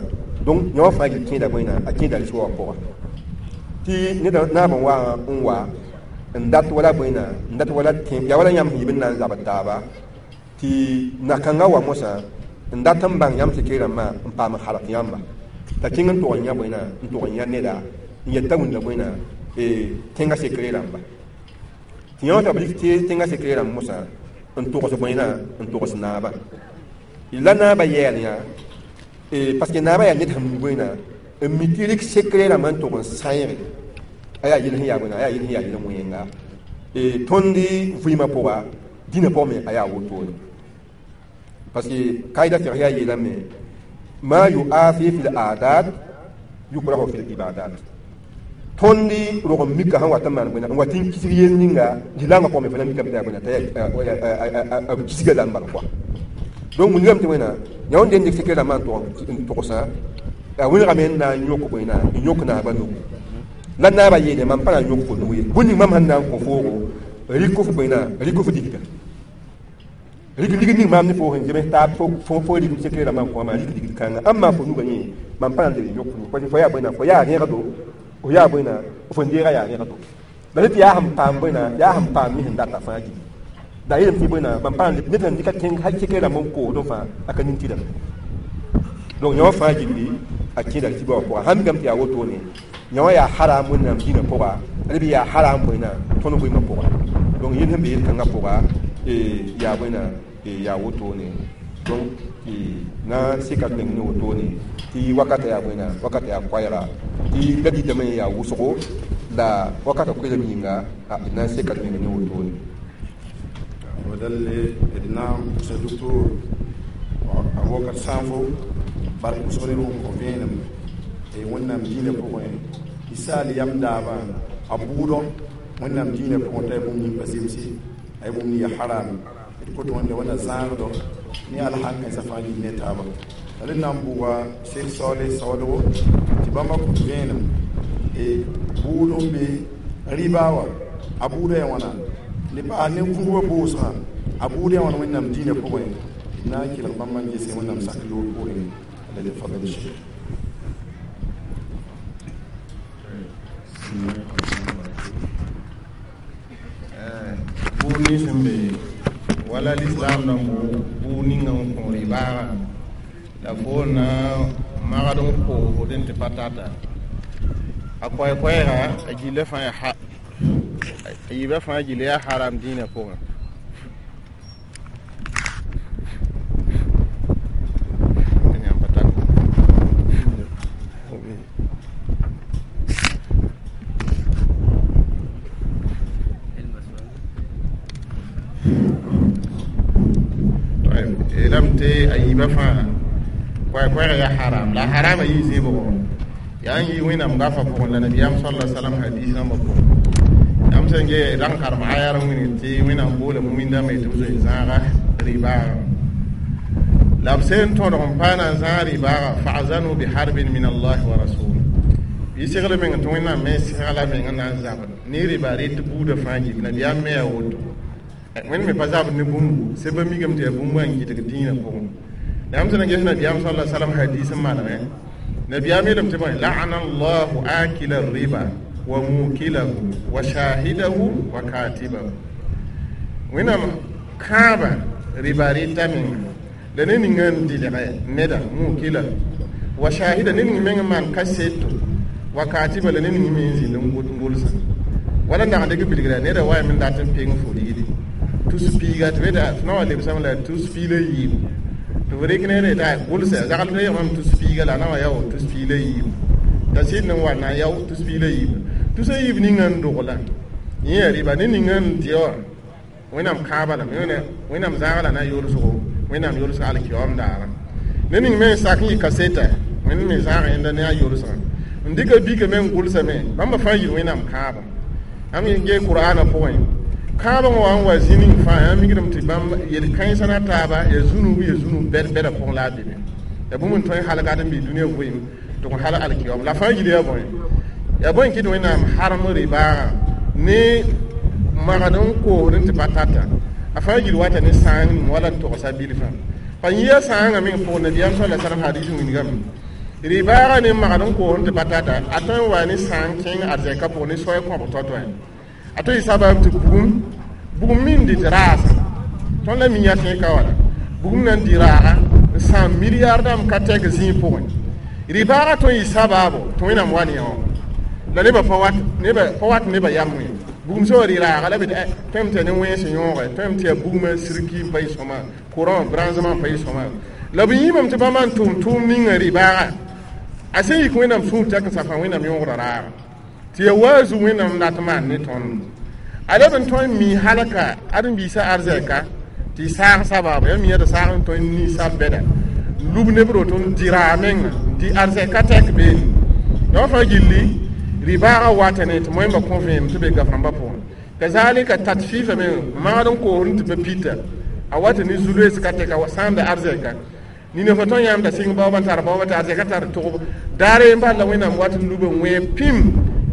donc yã wã fãa gil kẽeda bõe a kẽeda rɩs wa pʋga tɩ ned naab n wa n wa n dat wala bõe n dat wala yaa wala yãmb sẽn yib n na n zabd taaba tɩ na-kãngã wa mosã n dat n bãng yãmb sekre rãmbã n paam n halg yãmba t'a kẽng n tʋg n yã bõe n tʋg n yã neda n yet t'a wĩnda bõe tẽngã sekre rãmba tɩ yã wã t'a b rɩk tẽngã sekre rãmb mosã n togs bõe n togs naabã la naabã yɛɛl yã parce que naabã yaa ned sẽn mi bõe n mi tɩ rɩk sekre rãmbã n tʋg n sãeege a yaa yel sẽn yaa bõe a yaa yel sẽn yaa yel wẽnga tõnd vɩɩmã pʋga dĩnã pʋgẽ me a yaa wotone parce que kaida fiqh yaa yeelame ma yuafi fi l-adat yukrahu fi l-ibadat tõnd rog n mika sẽn wat n maan bõe n wat n kisg yel ninga dɩ-langã pʋgẽ me fo na mikame t'a yaa bõe t'a b kisga la n bal kɔa donc wilgame tɩ wẽna yã wẽn dẽnd sekre rãmbã n togsã a wẽnegame n na n yõk bõe n yõk naabã nugu la naabã yeele mam pa na n yõk fo nug ye bũmb ning mam sẽn na n kõ foogo rɩk f bõe rɩk f digda rɩk ligd ning maam ne fo sẽn zems taab fo fo rɩk sekre rãmbã n kõ wã rɩk digd kãnga ãmb maa fo nugã yẽ mam pa na n leb n yõk fo nug parce que fo yaa bõe fo yaa rẽgdo fo yaa bõe fo n deega yaa rẽgdo la tɩ yaa sẽn paam bõe yaa sẽn paam mi sẽn data fãa gilli la yeelame tɩ bõe mam pa na n leb ned sẽn dɩka tẽng hal sekre rãmb n koosdẽ fãa a ka nin tɩdame donc yã wã fãa gilli a kẽeda tɩ ba wã pʋga sãn mikame tɩ yaa wotone yã wã yaa haram wẽnnaam dĩnã pʋga reb yaa haram bõe tõnd vɩɩmã pʋga donc yel sẽn be yel-kãngã pʋga yaa bõe yaa wotone donc tɩ na n seka d meng ne wotone tɩ wakata yaa bõe wakata yaa koɛɛga tɩ la dɩtame yaa wʋsgo la wakata koeelem yĩnga d na n seka d meng ne wotone wadalle d na n pʋgsa docteur Abubakar Sãnfo bark pʋsg ne rʋm kõ vẽenem wẽnnaam dĩinã pʋgẽ tɩ saal yam daabã a bʋʋdɔ wẽnnaam dĩinã pʋgẽ t'a ya bũmb ning pa zemse a ya bũmb ning ya haram d kot wẽnda wẽnna zãagdɔ ne alhankãensã fãa gil ne taaba la d na n bʋga Sek Saoole saoodgo tɩ bãmba kõt vẽenem bʋʋd n be rɩba wã a bʋʋda yaa wãna ne paas ne vugba boosgã a bʋʋd yaa wãna wẽnnaam dĩinã pʋgẽ d na n kelg bãmb n gese wẽnnaam sak loor poorẽ la d fadl Cheikh. Bʋʋd nins sẽn be wala lislaam rãmb bʋʋd ninga n kõ rɩbaagã la fo na magd n koosd n tɩ pa tata a koɛɛ-koɛɛga a gilla fãa yaa a yiibã fãa gilla yaa haram dĩinã pʋgẽ tɩ a yiibã fãa koɛɛ-koɛɛg yaa haram la harama yɩ zɩɩbgo yaa n yɩ wẽnnaam gafa pʋgẽ la nabiyaam sala salam hadis rãmbã pʋgẽ yãmb sẽn ge rãng karem aya r wĩneg tɩ wẽnnaam boola mumindãmba tɩ b zoe zãaga rɩbaaga la b sẽn tõdg n paa na n zãag rɩbaaga fa'zanu biharbin min allahi wa rasuli bɩ segl meng tɩ wẽnnaam me segla meng n na n zabd ne rɩba rɩt buudã fãa gil nabiyaam me yaa woto wẽnd me pa zabd ne bũmbu sẽn pa mikame tɩ yaa bũmb n gɩdg dĩinã pʋgẽ la yãmb sẽn na ges nabiyaam sala salam hadis n manegẽ nabiyaam yeelame tɩ bõe la'ana allahu akila riba wa mukilahu wa shahidahu wa katibahu wẽnnaam kãabã rɩba rɩta menga la ne ninga n dɩlgɛ neda mukilahu wa shahida ne ning meng n maan kaseto wa katiba la ne ning me n zĩnd n gʋlsã wala n dag n dɩk bilgra neda wa yame n dat n peng fo rigdi tus piiga tɩ beta tɩ na wa lebsame la tus pii la yiibu tɩ f rɩk neere t'a gʋlsa zagl tɩ yamam tus piiga la na wa yao tus pii la yiibu t'a sɩd n wa na yao tus pii la yiibu tus a yiib ninga n dogla yẽ yaa rɩba ne ninga n dɩ wã wẽnnaam kãabã lame wẽnnaam zãaga la na yolsgo wẽnnaam yolsg alkiyoom daara ne ning me n sak n yɩ kaseta wẽnd me zãag yẽnda ne a yolsgã n dɩka bika me n gʋlsame bãmba fãa yɩl wẽnnaam kãabã ãmb gee kʋraanã pʋgẽ kãabã wã n wa zĩ ning fãa yã migrame tɩ bãmb yel-kãensã na taaba ya zũnub ya zũnub bɛd-bɛdã pʋgẽ la a be me ya bũmb n tõe n halgad n bɩ dũniyã vɩɩm tɩ kõ hal alkiyoom la fãa yil yaa bõe yaa bõe n kɩt wẽnnaam harem rɩbaagã ne magd n koosd n tɩ pa tata a fãa gil wata ne sãang ning wala n togsa bilfã pa yia sãangã meng pʋgẽ nabiyaam sala salam hadis wilgame rɩ-baaga ne magd n koosd n tɩ pa tata a tõe n wa ne sãang kẽng arzɛka pʋgẽ ne soay kõb tao-tao a tõe y sabab tɩ bugum bugum min dɩt raasã tõnd la mi yaa tẽeg ka wala bugum na n dɩ raaga n sãam milliard dãmb ka tɛk zĩig pʋgẽ rɩ-baaga tõe n yɩ sabaabo tɩ wẽnnaam wa ne yã wã la nebã pa wat nebã pa wat nebã yam wẽ bugum sã wa rɩ raaga la b tõem tɩ ya ne wẽns yõoge tõem tɩ ya bugmã sirki n pa yɩ sõma courant branchement n pa yɩ sõma la b yĩmame tɩ bãmba n tʋm tʋʋm ninga rɩ-baaga a sẽn yik wẽnnaam sũur tɛk n safã wẽnnaam yõogda raaga tɩ ya waa zu wẽnnaam dat maan ne tõnd a leb n tõe n mi halka ãdem-biisã arzɛka tɩ y saag sabaaba ya mi d saag n tõe n ni sab bɛda lub neb roto n dɩ raag menga dɩ arzɛka tɛk beene la wã fãa gilli rɩ-baaga wata ne tɩ moẽmba kõ vẽenem tɩ be gaf-rãmbã pʋgẽ kazalika tat fɩɩfa me magd n koosd n tɩ pa pita a wata ne zu-loees ka tɛka sãamda arzɛka nina fa tõe yãmb da sɩng baoobã n tar baoobã tɩ arzɛka tar togb daar n bal la wẽnnaam wat n lub n wẽ pĩm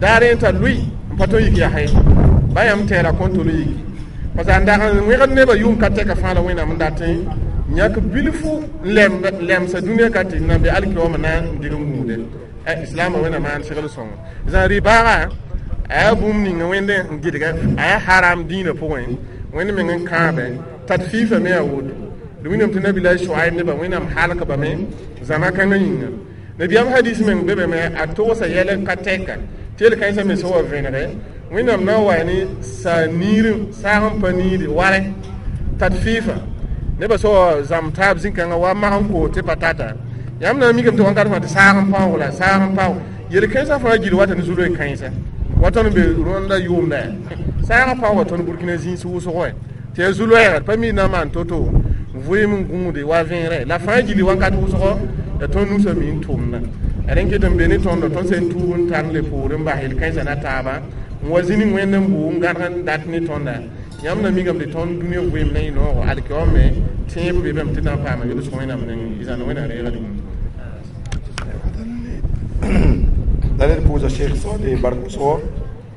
daar n tar lʋɩ n pa tõe n yik yaa ye ba yãmb tɛɛra kõn tol yiki parce que a dag n wẽgd nebã yʋʋm ka tɛka fãa la wẽnnaam n dat n yãk bilfu n lemsa dũniyã ka tɩ nan be alkiyoomã na n dig n gũude islaamã wẽnnaam maan segl sõngo zã rɩ-baaga a yaa bũmb ninga wẽnd n gɩdga a yaa haram dĩinã pʋgẽ wẽnd meng n kãabe tat fɩɩfa me yaa woto d wĩnam tɩ nabilaay soaib nebã wẽnnaam halk bame zãma kãngã yĩnga nabiyaam hadis meng be bame a togsa yɛl ka tɛka tɩ yel kãensã me sã wa vẽnege wẽnnaam na n wa ne saa niir saag n pa niide warɛ tat fɩɩfa nebã sã wa zãmb taab zĩ-kãngã wa mag n koos tɩ pa tata yãmb na n mikame tɩ wãnkat fãa tɩ saag n paoog la saag n paoog yel-kãensã fãa gil wata ne zu-loe kãensa wa tõnd be rõnda yʋʋmda yaa saagã paooga tõnd burkina zĩis wʋsg wɛ tɩ yaa zu-loɛɛga pa mi na n maan to-to vɩɩm n gũude wa vẽerɛ la fãa gilli wãnkat wʋsgɔ ya tõnd nusã mi n tʋmda rẽn ket n be ne tõndo tõnd sẽn tuub n tar n le poor n bas yel-kãensã na taaba n wa zĩnig wẽnd n bʋʋ n gãdg n dat ne tõnda yãmb na mikame tɩ tõnd dũniyã vɩɩm na yɩ noogo alkiyoom me tẽeb be bame tɩ na n paama yel-sg wẽnnaam nengẽ y zãnd wẽnnaam reega rĩm la ned pʋʋsa Sheikh Saleh bark wʋsgo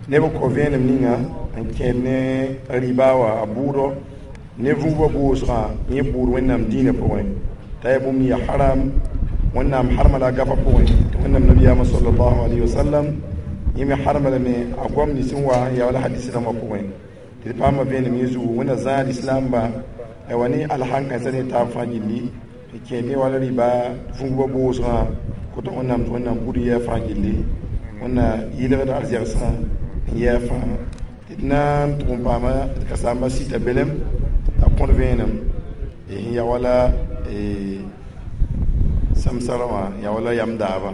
neb n kõ vẽenem ninga n kẽed ne rɩba wã a bʋʋdɔ ne vũubã boosgã yẽ bʋʋd wẽnnaam dĩinã pʋgẽ t'a yaa bũmb yaa haram wẽnnaam harma la a gafã pʋgẽ tɩ wẽnnaam nabiyaamã sallallahu alayhi wa sallam yẽ me harma lame a goam nins n wa n yaa wala hadis rãmbã pʋgẽ tɩ d paama vẽenem yẽ zugu wẽnna zãad islamba wa ne alhan-kãensã ne taab fãa gilli tɩ kẽed ne wala rɩba vũubã boosgã kota wẽnnaam tɩ wẽnnaam bud yɛɛ fãa gilli wẽnna yɩlgd arzɛgsã n yɛɛ fãa tɩ d na n tʋg n paama d ka saamba sita belem t'a kõd vẽenem sẽn ya wala samsara wã ya wala yam daabã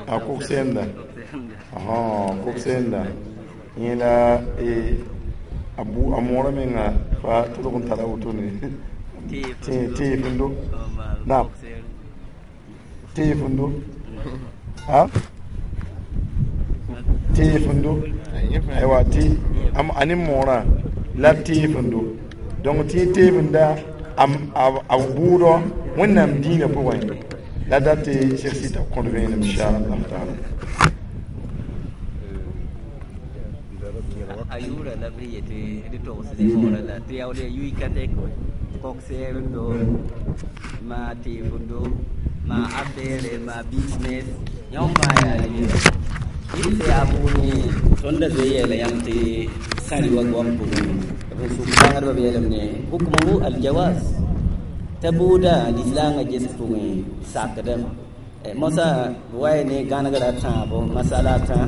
a kog-sɛɛmda kog-sɛɛmda yẽ la a moorã menga fa tʋlg n tara wotone teefendo naam teefendo a teefendo aywa tɩ a ne moorã la teefendo donc tɩ teefenda a bʋʋdɔ wẽnnaam dĩinã pʋgẽ la dat tɩ Cheikh Sita kõd vẽenem inchallah taala a yʋʋra la b yetɩ d togsd moorã la tɩ yaool ya yʋɩ ka tɛk kog-seerendo maa teefendo maa affaire maa business yõ fãa yaa yɩ yaa bʋʋd tõnd da zoe yeela yãmb tɩ sãri wa goam pʋgẽ b sʋk bãngdbã b yeelame ne hukmuhu aljawaz t'a bʋʋda lislaangã ges pʋgẽ sakdame mosã b wa ya ne gãnegrã tãabo masala a tã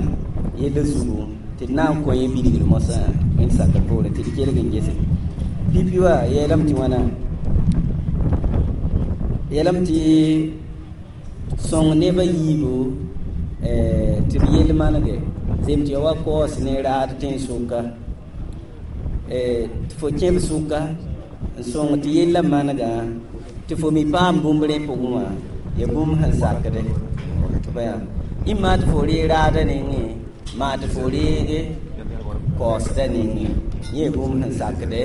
yella zugu tɩ d na n kõ yẽ bilgr mosã wẽnd sakr poorẽ tɩ d kelg n gese pipi wa yeelame tɩ wãna yeelame tɩ sõng nebã yiibu tɩ b yell manege zem tɩ ya wa kaoos ne raad tẽn-sʋka tɩ fo kẽb sʋka n sõng tɩ yella manegã tɩ fo mi paam bũmb rẽ pʋgẽ wã ya bũmb sẽn sakde ĩmma tɩ fo ree raadã nengẽ maa tɩ fo reege kaoosdã nengẽ yẽ bũmb sẽn sakde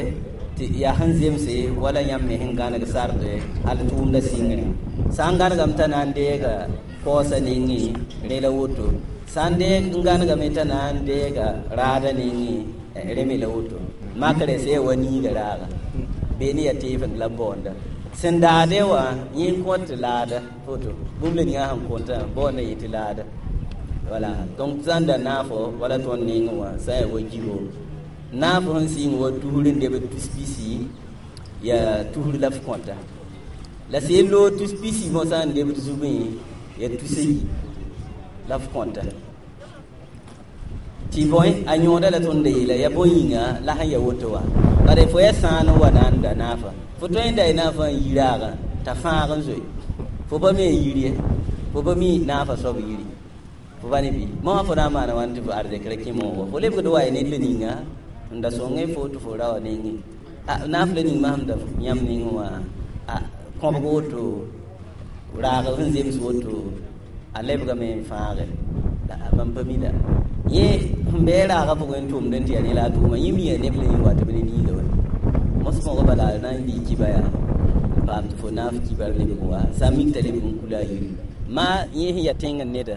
tɩ yaa sẽn zemse wala yãmb me sẽn gãneg sarde hal tʋʋmdã sɩngrẽ sã n gãnegame t'a na n deega kaoosã nengẽ rẽ la woto Sã n deeg n gãnegame t'a na n deega raada nengẽ rẽ me la woto makrẽ sẽn yaa wa niiga raaga bee ne yaa teefend la baoonda sẽn daade wã yẽ n kõt tɩ laada foto bũmb la ninga sẽn kõtã baoonda yẽ tɩ laada wala donc sã n da naafo wala tõnd nengẽ wã sã n yaa wa gigo naafo sẽn sɩng wa tusr n lebd tus pisi yaa tusr la f kõta la sẽn loog tus pisi mosã n lebd zugẽ yaa tus ayi la f kõta tɩ bõe a yõoda la tõnd yeela yaa bõe yĩnga la sẽn ya woto wã bare fo yaa sãan n wa na n da naafa fo tõe n da y naafa n yi raagã t'a fãag n zoe fo pa me n yir ye fo pa mi naafa soab yiri fo pa ne bɩ mosã fo na n maana wãn tɩ fo arzɛkrã kẽ moogo fo lebgd wa ya ned la ninga n da sõngẽ fo tɩ fo ra wa nengẽ naaf la ning masem da yãmb nengẽ wã kõbg woto raag sẽn zems woto a lebgame n fãage la bãmb pa mi la yẽ sẽn bɩ raagã pʋgẽ n tʋmd n tɩ yaa ne la a tʋʋma yẽ mia neb la yẽ wa tɩ b ne niiga wa mos mõgã bala a na n lɩ kiba yaa n paam tɩ fo naaf kibar lebg wa sã n mik t'a lebg n kula a yiri maa yẽ sẽn yaa tẽng neda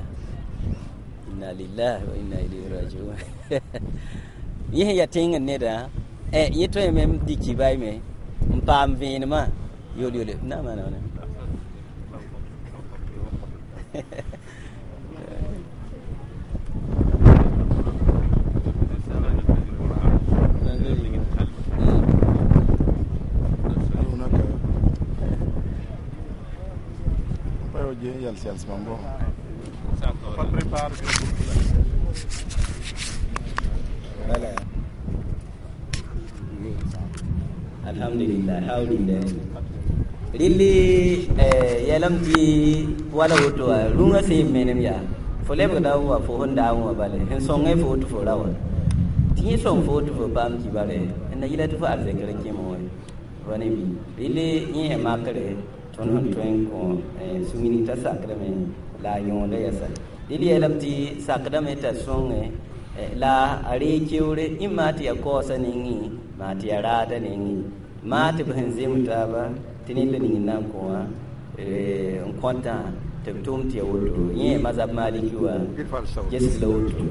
inna lillahi wa inna ilayhi rajiun yẽ sẽn yaa tẽng neda yẽ tõeme n dɩk kiba me n paam vẽenemã yol yole na maana wãna alhamdulillah alhamdulillah rilli yɛlem tɩ wala woto wã rũngã sẽn menem yaa fo lebgda wa fo sẽn daam wã bale sẽn sõngẽ fo tɩ fo ra wa tɩ yẽ sõng fo tɩ fo paam kibare n na yɩla tɩ fo arzɛkr kẽme wã wa ne bɩ rilli yẽ yaa makre tõnd sẽn tõe n kõ sũ-minig t'a sakdame la a yõoda yɛsa dɩl yeelame tɩ sakdame t'a sõngẽ la a ree keoore ẽ maa tɩ yaa kaoosa nengẽ maa tɩ yaa raada nengẽ maa tɩ b sẽn zem taaba tɩ ned la ning n na n kõ wã n kõtã tɩ b tʋʋm tɩ ya woto yẽ mazab maliki wã ges la woto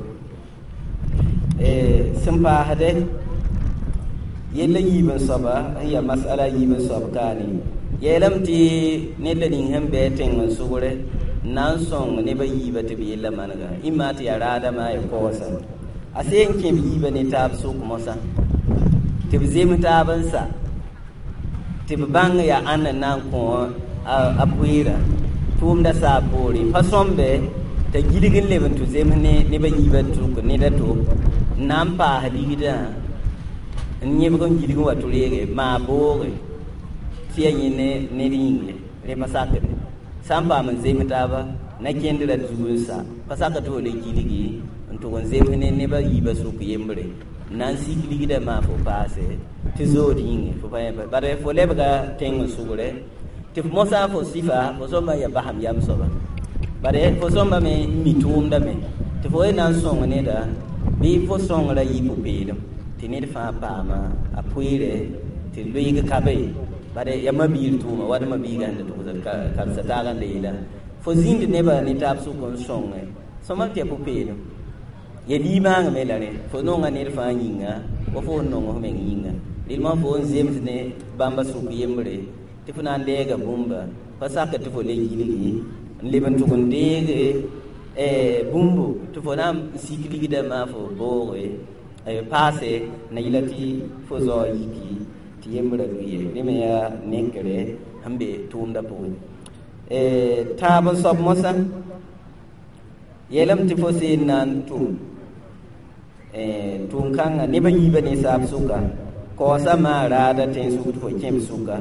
sẽn paasdɛ yella yiib n soaba n yaa masala yiib n soab kaane yeelame tɩ ned la ning sẽn bɩ tẽng n sʋgre n na n sõng nebã yiibã tɩ b yella manega ẽ maa tɩ yaa raada maa ya kaoosa a seen kẽ b yiibã ne taab sʋk mosã tɩ b zems taab n sa tɩ b bãng yaa ãnd n na n kõ a pʋɩɩrã tʋʋmda saa poore pa sõmbe t'a gilg n leb n tɩ zems ne nebã yiibã tʋk ned a to n na n paas ligdã n yẽbg n gilg n wa tɩ reege maa booge tɩ yaa yẽ ne ned yĩnge rẽ pa sakde sã n paam n zems taaba na kẽndrã zug n sa pa sak tɩ fo le gilgi n tʋg n zems ne nebã yiibã sʋk yembre n na n sik ligdã maa fo paase tɩ zood yĩnge fo pa yẽ bare fo lebga tẽng n sʋgre tɩ f mosã fo sɩfa fo sõmba n yaa basem yam soaba bare fo sõmba me n mi tʋʋmdame tɩ fo na n sõng neda bɩ fo sõngrã yɩ pʋ-peelem tɩ ned fãa paama a pʋɩɩre tɩ loeeg ka be bare yaa mabiir tʋʋma wad mabiigã sẽn da tʋgsd karsa taagã n da yeela fo zĩnd nebã ne taab sʋk n sõnge sõma tɩ yaa pʋ-peelem ya limaangame la rẽ fo nonga ned fãa yĩnga wa fo n nong f meng yĩnga rɩlmã fo n zems ne bãmba sʋk yembre tɩ fo na n deega bũmba pa sakr tɩ fo le gilgi n leb n tʋg n deege bũmbo tɩ fo na n sik ligdã maa fo booge paase na yɩla tɩ fo zao yiki tɩ yembrã lʋɩ rẽ me yaa nekre sẽn be tʋʋmdã pʋgẽ tãab n soab mosã yeelame tɩ fo seen na n tʋm tʋʋm kãngã nebã yiibã ninsaab sʋka kaoosa maa raada tẽn-sʋk tɩ fo kẽb sʋka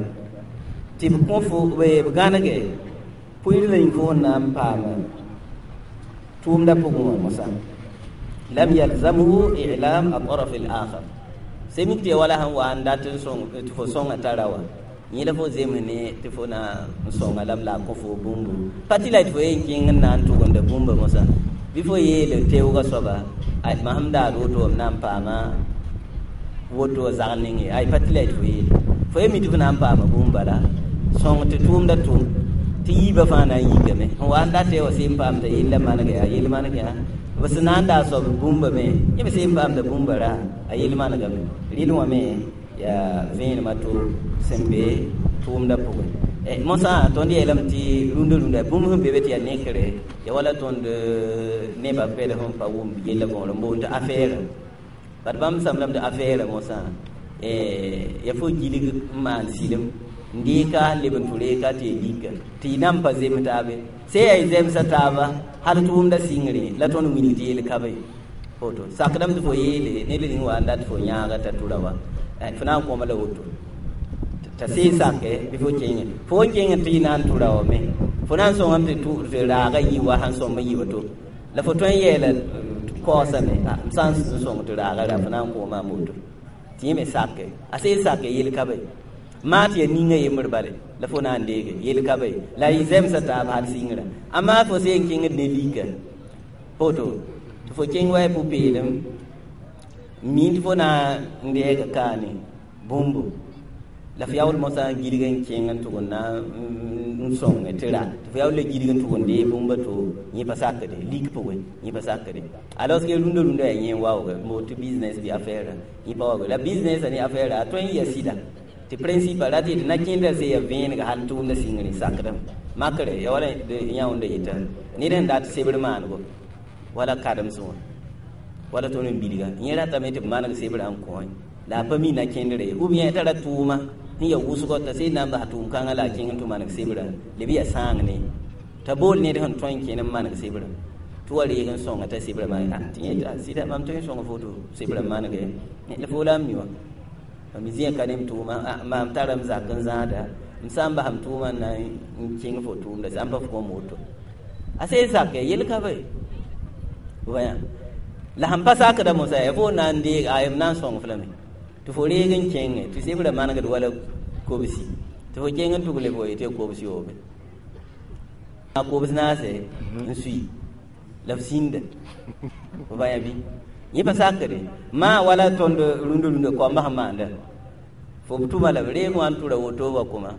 tɩ b kõ fo b gãnege pʋɩɩr la yĩng fo sẽn na n paama tʋʋmdã pʋgẽ wã mosã lam yalzamhu i'lam ataraf al-akhar semik tɩ ya wala sẽn wa n dat n sõng tɩ fo sõnga tara wã yẽ la fo zems ne tɩ fo na n sõnga lame la a kõ fo bũmbu pa tɩ la tɩ fo yen kẽng n na n tʋgemda bũmba mosã bɩ fo yeele teoogã soaba masem daad woto m na n paama woto zag ninge ay pa tɩ la tɩ fo yeele fo ye mi tɩ fo na n paama bũmb bala sõng tɩ tʋʋmda tʋm tɩ yiibã fãa na n yikame sẽn wa n dat wa seen paam t'a yella maneg yaa yel maneg yaa B sẽn na n daa soab bũmba me yẽ me sẽn paamda bũmba ra a yel manegame rɩl wã me yaa vẽenemã to sẽn be tʋʋmdã pʋgẽ mosã tõnd yeelame tɩ rũndã rũndã bũmb sẽn be be tɩ yaa nekre ya wala tõnd nebã pɛd sẽn pa wʋm yella võor n boond tɩ affaire bat bãmb samlame tɩ affaire mosã ya fo gilg n maan sɩlem n deeka leb n tʋ reeka tɩ ya lika tɩ y nan pa zem taabe se yaa y zemsa taaba hal tʋʋmda sɩngre la tõnd wilg tɩ yel ka be woto sakdame tɩ fo yeele ned ning wa n dat fo yãaga t'a tʋra wa fo na n kõma la woto t'a see sake bɩ fo kẽngẽ fo n kẽng tɩ y na n tʋra wa me fo na n sõngame tɩ tɩ raaga yi wa sãn sõmb n yi woto la fo tõe n yeela kaoosame m sã n sõng tɩ raaga ra fo na n kõoma a moto tɩ yẽ me sake a see sake yel ka be maa tɩ ya ninga yembr bale la fo na n deege yel ka be la y zemsa taab hal sɩngrã amaa fo see n kẽngd ne lika woto tɩ fo kẽng wa y pʋ-peelem mi tɩ fo na n deega kaane bũmbo la fo yaool mosã n gilg n kẽng n tʋg n na n sõng tɩ ra tɩ fo yaool la gilg n tʋg n dee bũmba to yẽ pa sakde lik pʋgẽ yẽ pa sakde alors que rũndã rũndã yaa yẽ waooge n boond tɩ business bɩ affaire yẽ pa waooge la business ne affaire a tõe n ya sɩda tɩ principe ra tɩ tɩ na-kẽndã se ya vẽenega hal tʋʋmdã sɩngre sakdame makre ya wala yãoonda yeta ned sẽn dat sebr maanego wala karems wã wala tõnd n bilga yẽ ratame tɩ b maneg sebrã n kõ la a pa mi na-kẽndre ye ou bien tara tʋʋma sẽn ya wʋsgɔ t'a sẽn na n bas tʋʋm kãngã la a kẽng n tɩ maneg sebrã leb yaa sãang ne t'a bool ned sẽn tõe n kẽn n maneg sebrã tɩ wa reeg n sõnga t'a sebrã maneg tɩ yẽ sɩda mam tõe n sõnga foto sebrã manege la fo la n mi wã mam zĩa ka ne m tʋʋma maam tara m zak n zãada m sã n bas m tʋʋma n na n kẽng fo tʋʋmda sã n pa f kõm woto a sẽn sake yel ka be wã la sẽn pa sakda mosã ya fo na n deeg a m na n sõng f lame tɩ fo reeg n kẽnge tɩ sebrã manegd wala kobsi tɩ fo kẽng n tʋg le fo yetɩ kobs yoobe a kobs naase n sui la f sĩnda fo bã ya bɩ yẽ pa sakde maa wala tõnd rũndã rũndã koambã sẽn maanda fo b tʋma la b reeg wã n tʋra woto wa kʋma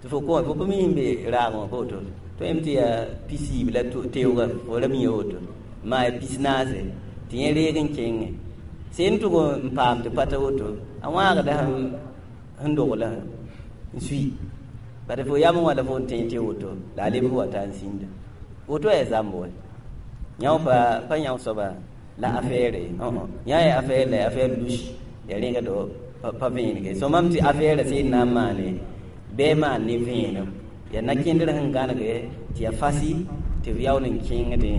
tɩ fo kõ fo pa mi sẽn be raag wã pa woto tõe tɩ yaa pisiib la teooga fo ra mi woto maa ya pis naase tɩ yẽ reeg n kẽngẽ sẽn tʋg n paam tɩ pata woto a wãagda sẽn dogla n sui bad fo yam wã la fo n tẽ tɩ woto la a leb f wa ta n sĩnda woto yaa zãmb wa yão pa pa yão soaba la affaire yã ya affaire la affaire louche ya rẽga do pa vẽenege so mam tɩ affaire sẽn na n maane bɩ maan ne vẽenem ya na-kẽndr sẽn gãnege tɩ ya fasi tɩ b yaool n kẽngdẽ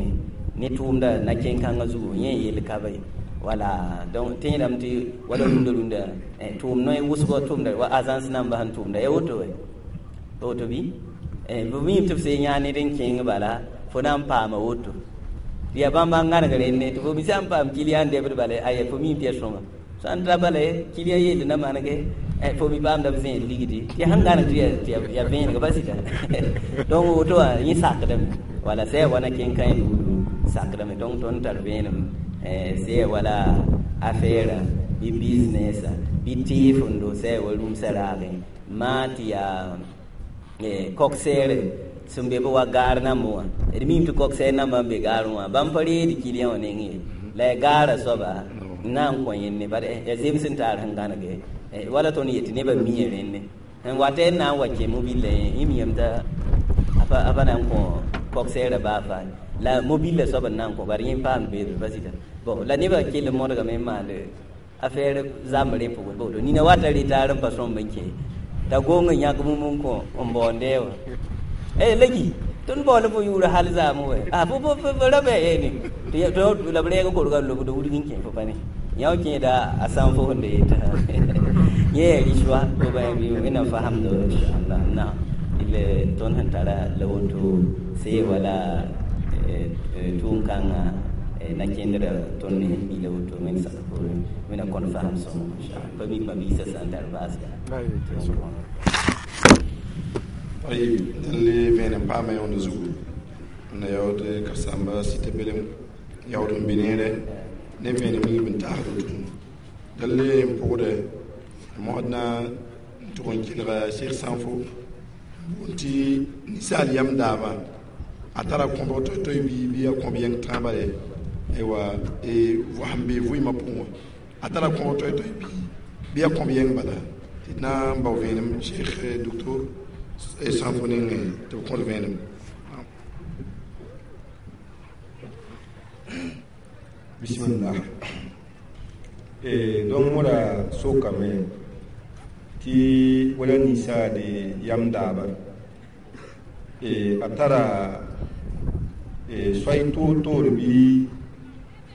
ne tʋʋmda na-kẽn-kãngã zugu yẽ yel ka be wala donc tẽedame tɩ wala rũndã rũndã tʋʋm noe wʋsgɔ tʋʋmda wa agence nambã sẽn tʋʋmda ya woto we woto bɩ b miime tɩ b sẽn yã ned n kẽng bala fo na n paama woto ya bãmba n gãneg renne tɩ fo mi sã n paam kiliyan debd bala aya fo miime tɩ ya sõma sã n ra bala kiliyan yeel na manege fo mi paamda b zẽed ligdi tɩ sẽn gãneg tɩ ya vẽeneg pa sɩda donc woto wã yẽ sakdame wala sã ya wa na-kẽn-kã buudu sakdame donc tõnd tar vẽenem sã ya wala affaire bɩ business bɩ tɩɩfendo sã ya wa rũmsã raagẽ maa tɩ yaa kok-seere sẽn be bɩ wa gaar nambẽ wã d miime tɩ kok-seer nambã n be gaarẽ wã bãmb pa reed kiliyan wã neng ye la ya gaarã soaba n na n kõ yẽnne bad ya zems n taar sẽn gãnege wala tõnd yetɩ nebã mia rẽnne n wat n na n wa kẽ mobile yẽ miyame t'a a pa na n kõ kok-seerã baa faa la mobile soab n na n kõ bari yẽ paam beedr pa sɩda bon la nebã kell n modgame n maand affaire zãmb rẽ pʋgẽ boto nina wata retaar n pa sõmb n kẽ t'a gong n yãk bũmb n kõ n baoonde wã eh lagi tõnd baoola fo yʋʋr hal zaam wɛ a fo fo ra bɩ ne tɩ la b rɛɛg korga n lobd wudg n kẽ fo pa ne yã kẽeda a sãn fo sẽn da yeta yẽ yaa rɩswa fo bã bɩ wẽnnaam fasamdo inchallah naam ile tõnd sẽn tara la woto see wala tʋʋm-kãngã na-kẽndrã tõnd ne sẽn mila woto wẽnd sak poorẽ wẽnnaam kõn fasem sõngo inchallah pa mi ma-biisã sã n tar baasga طيب اللي بين paama yõnd zugu n yaood ka-sãmba sɩta belem yaood n be neere ne vẽenem yĩng n taasd tʋʋm dal n pʋgdɛ mosd na n tʋg n kelga Cheikh Sanfo boond tɩ ninsaal yam daaba a tara kõbg toy-toy bɩ bɩ a kõb yɛng tãabã ye Aywa sẽn be vɩɩmã pʋgẽ wã a tara kõg toɛ-toɛ bɩ bɩ yaa kõb yɛng bala tɩ d na n bao vẽenem Cheikh docteur Sãnfo nengẽ tɩ b kõt vẽenem. Bismillah. Donc moda sokame tɩ wala ninsaade yam daaba a tara soay toor-toor bɩ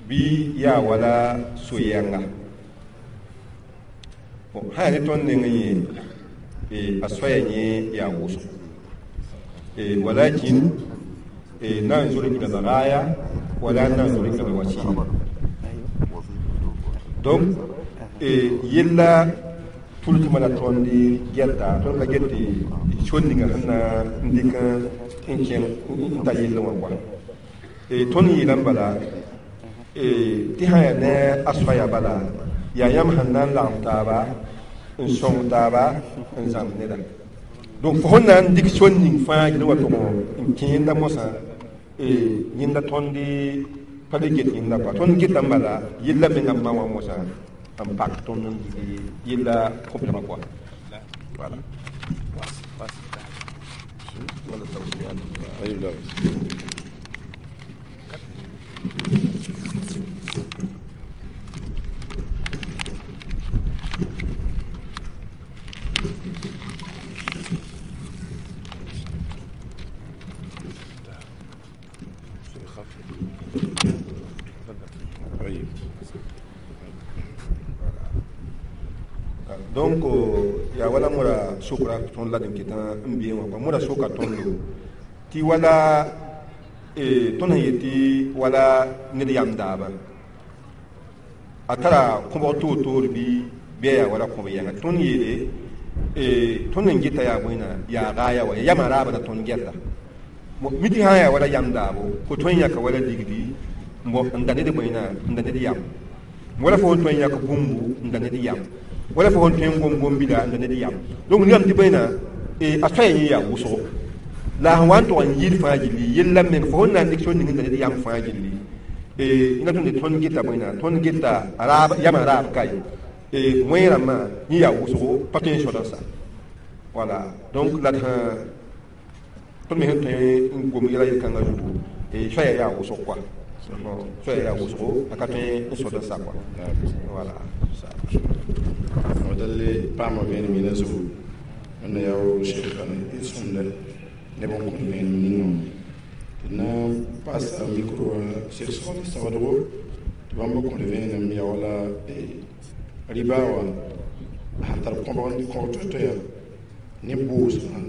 bɩ yaa wala so-yɛnga sã yaa ne tõnd neng yẽ a soaya yẽ yaa wʋsgo walakin ننظر إلى الغاية ولا ننظر إلى الوسيلة. Donc yella tʋltmã la tõnd gɛta tõnd ka get tɩ sor ninga sẽn na n dɩk n kẽng n ta yell wã koa tõnd yeelame bala tɩ sã yaa ne a soaya bala yaa yãmb sẽn na n lagem taaba n sõng taaba n zãmb neda. Donc fo sẽn na n dɩk sor ning fãa yel wa tʋg n kẽ yẽnda mosã yẽnda tõnd pa le get yẽnda koa tõnd getame bala yella menga n ma wã mosã n pak tõnd n dɩk yella kõblgã koa. Voilà. Donc yaa wala moda sokra tõnd la d n ket n beẽ wã kɔa moda soka tõndo tɩ wala tõnd sẽn yet tɩ wala ned yam daabã a tara kõbg toor-toor bɩ bɩ a yaa wala kõb yɛnga tõnd yeele tõnd n geta yaa bõe yaa gaaya wa yamã raabã la tõnd gɛta mi tɩ sã n yaa wala yam daabo fo tõe n yãka wala ligdi n da ned bõe n da ned yam wala fo tõe n yãk bũmbu n da ned yam wala fo tõe n gom gom-bila n da ned yam. Donc nigame tɩ bõe a soaya yẽ yaa wʋsgo la sẽn wa n tʋg n yɩɩd fãa gilli yella meng fo sẽn na n dɩk sor ning n da ned yam fãa gilli yẽna tõnd tõnd geta bõe tõnd geta yamã raab ka ye wẽe rãmbã yẽ yaa wʋsgo pa tõe n sõd n sa. Voilà. Donc la d tõnd me sẽn tõe n gom yɛla yel-kãngã zugu soaya yaa wʋsg koa soaya yaa wʋsgo a ka tõe n sõd n sa koa. Voilà. Dalle paama vẽenem yẽna zugu wẽnna yaa Cheikh sõmda neb n kõt vẽenem ning tɩ na n paasa micro wã Cheikh Sɔl Sawadgo tɩ bãmb kõt vẽenem yaa wala riba wã sãn tar kõbg kõg toɛ-toɛya ne boosmã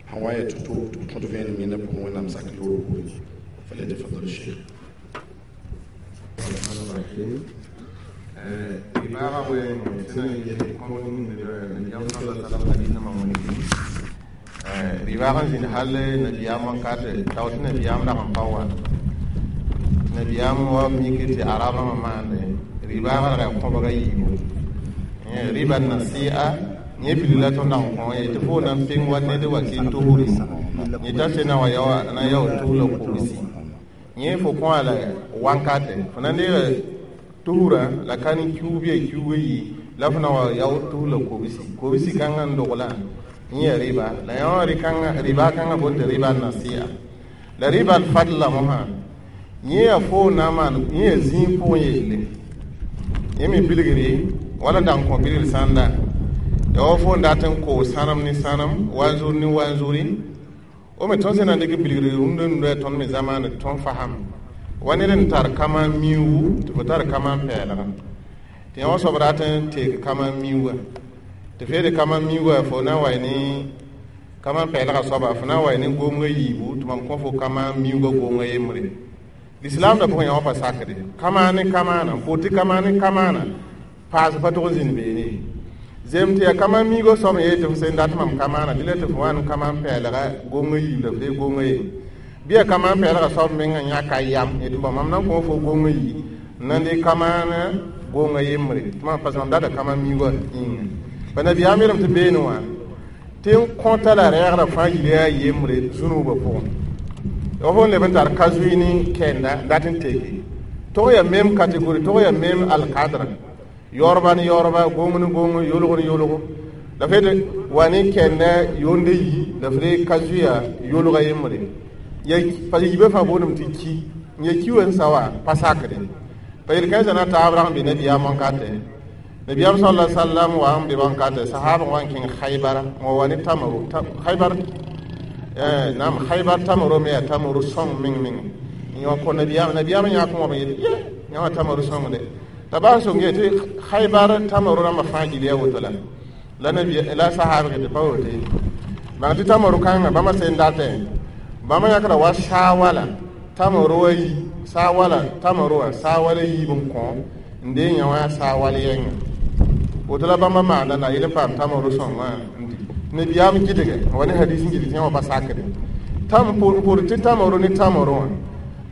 sẽn wa n yaa tɩ tɩ b kõt vẽenem yẽnda pʋgẽ wẽnnaam sak yoor poorẽ. فليتفضل الشيخ. Ribaag n zĩnd hal nabiyaam wakat tao tɩ nabiyaam dag n pa wa nabiyaam wa mik tɩ arab rãmbã maande ribaagã rag yaa kõbga yiibu riba nasi'a yẽ bilg la tõnd dag n kõ ye tɩ fo na n peng wa ned wa kɩ tosri yẽ t'a se na wa na yao tos la kobsi yẽ fo kõ la wankate fo na n deega tusrã la ka ne kiuug bɩ a kiuugã yi la fo na wa yao tos la kobsi kobsi kãngã n dogla yẽ riba la yã riba kãngã boond tɩ riba nasi'a la riba fadla mosã yẽ yaa fo na n maan yẽ yaa zĩig pʋgẽ yelle yẽ me bilgre wala n dag n kõ bilgr sãnda yaa wa fo n dat n koos sãnem ne sãnem wanzuri ne wanzuri o me tõnd sẽn na n dɩk bilgr rũndã nudã yaa tõnd me zamaane tõnd fasam wa ned n tar kama miuugu tɩ fo tar kama pɛɛlga tɩ yã wã soab rat n teek kama miuuga tɩ feere kama miuuga fo na n wa ne kama pɛɛlga soaba fo na n wa ne gomgã yiibu tɩ mam kõ fo kama miuuga gomgã yembre lislaam da pʋgẽ yã wã pa sakde kama ne kamaana n pʋʋs tɩ kama ne kamaana paas pa tʋg n zĩnd beene zem tɩ yaa kama miuugã soab n yeel tɩ f sẽn dat mam kamaana dɩ la tɩ fo wa n kama pɛɛlga gomgã yiib la f dee gomgã yem bɩ yaa kama pɛɛlga soab mengã yãka yam yetɩ bõ mam na n kõ fo gomgã yi n na n dee kamaana gomgã yembre tɩ mam parce mam data kama miuugã yĩnga pa nabiyaam yeelame tɩ beene wã tɩ n kõta la rɛɛgrã fãa yil yaa yembre zũnubã pʋgẽ f n leb n tar ka zoe ne kɛɛnda dat n teke Tog yaa même catégorie, tog yaa même alkadra, yaoorba ne yaoorba, gong ne gong, yolg ne yolgo. La f wa ne kẽnda yonde yi la f re ka zoeya yolga yembre ya pa yiibã fãa boondame tɩ ki n ya ki wen sa wa pa sakde pa yel-kãensã na taab rag n be nabiyaam wãnkatɛ. Nabiyaam sala sallam wa n be wãnkatɛ sahab n wa n kẽng Khaybara n wa wa ne tamaro Khaybar nam Khaybar tamaro me yaa tamaro sõng meng meng n yõ kõ nabiyaam. Nabiyaam yãk n wa b yel ye yã wã tamaro sõngde t'a baa sõng ye tɩ Khaybar tamaro rãmbã fãa gil ya woto la la nabi la sahab ke pa wote bãng tɩ tamaro kãngã bãmba sẽn datẽ bãmba yãkra wa saa wala tamaro wa yi saa wala tamaro wã saa wala yiib n kõ n dee yã wã saa wal yɛnga woto la bãmba maanda na yel n paam tamaro sõngã n di nabiyaam gɩdge wa ne hadis n gɩdg tɩ yã wã pa sakde tam pʋr tɩ tamaro ne tamaro wã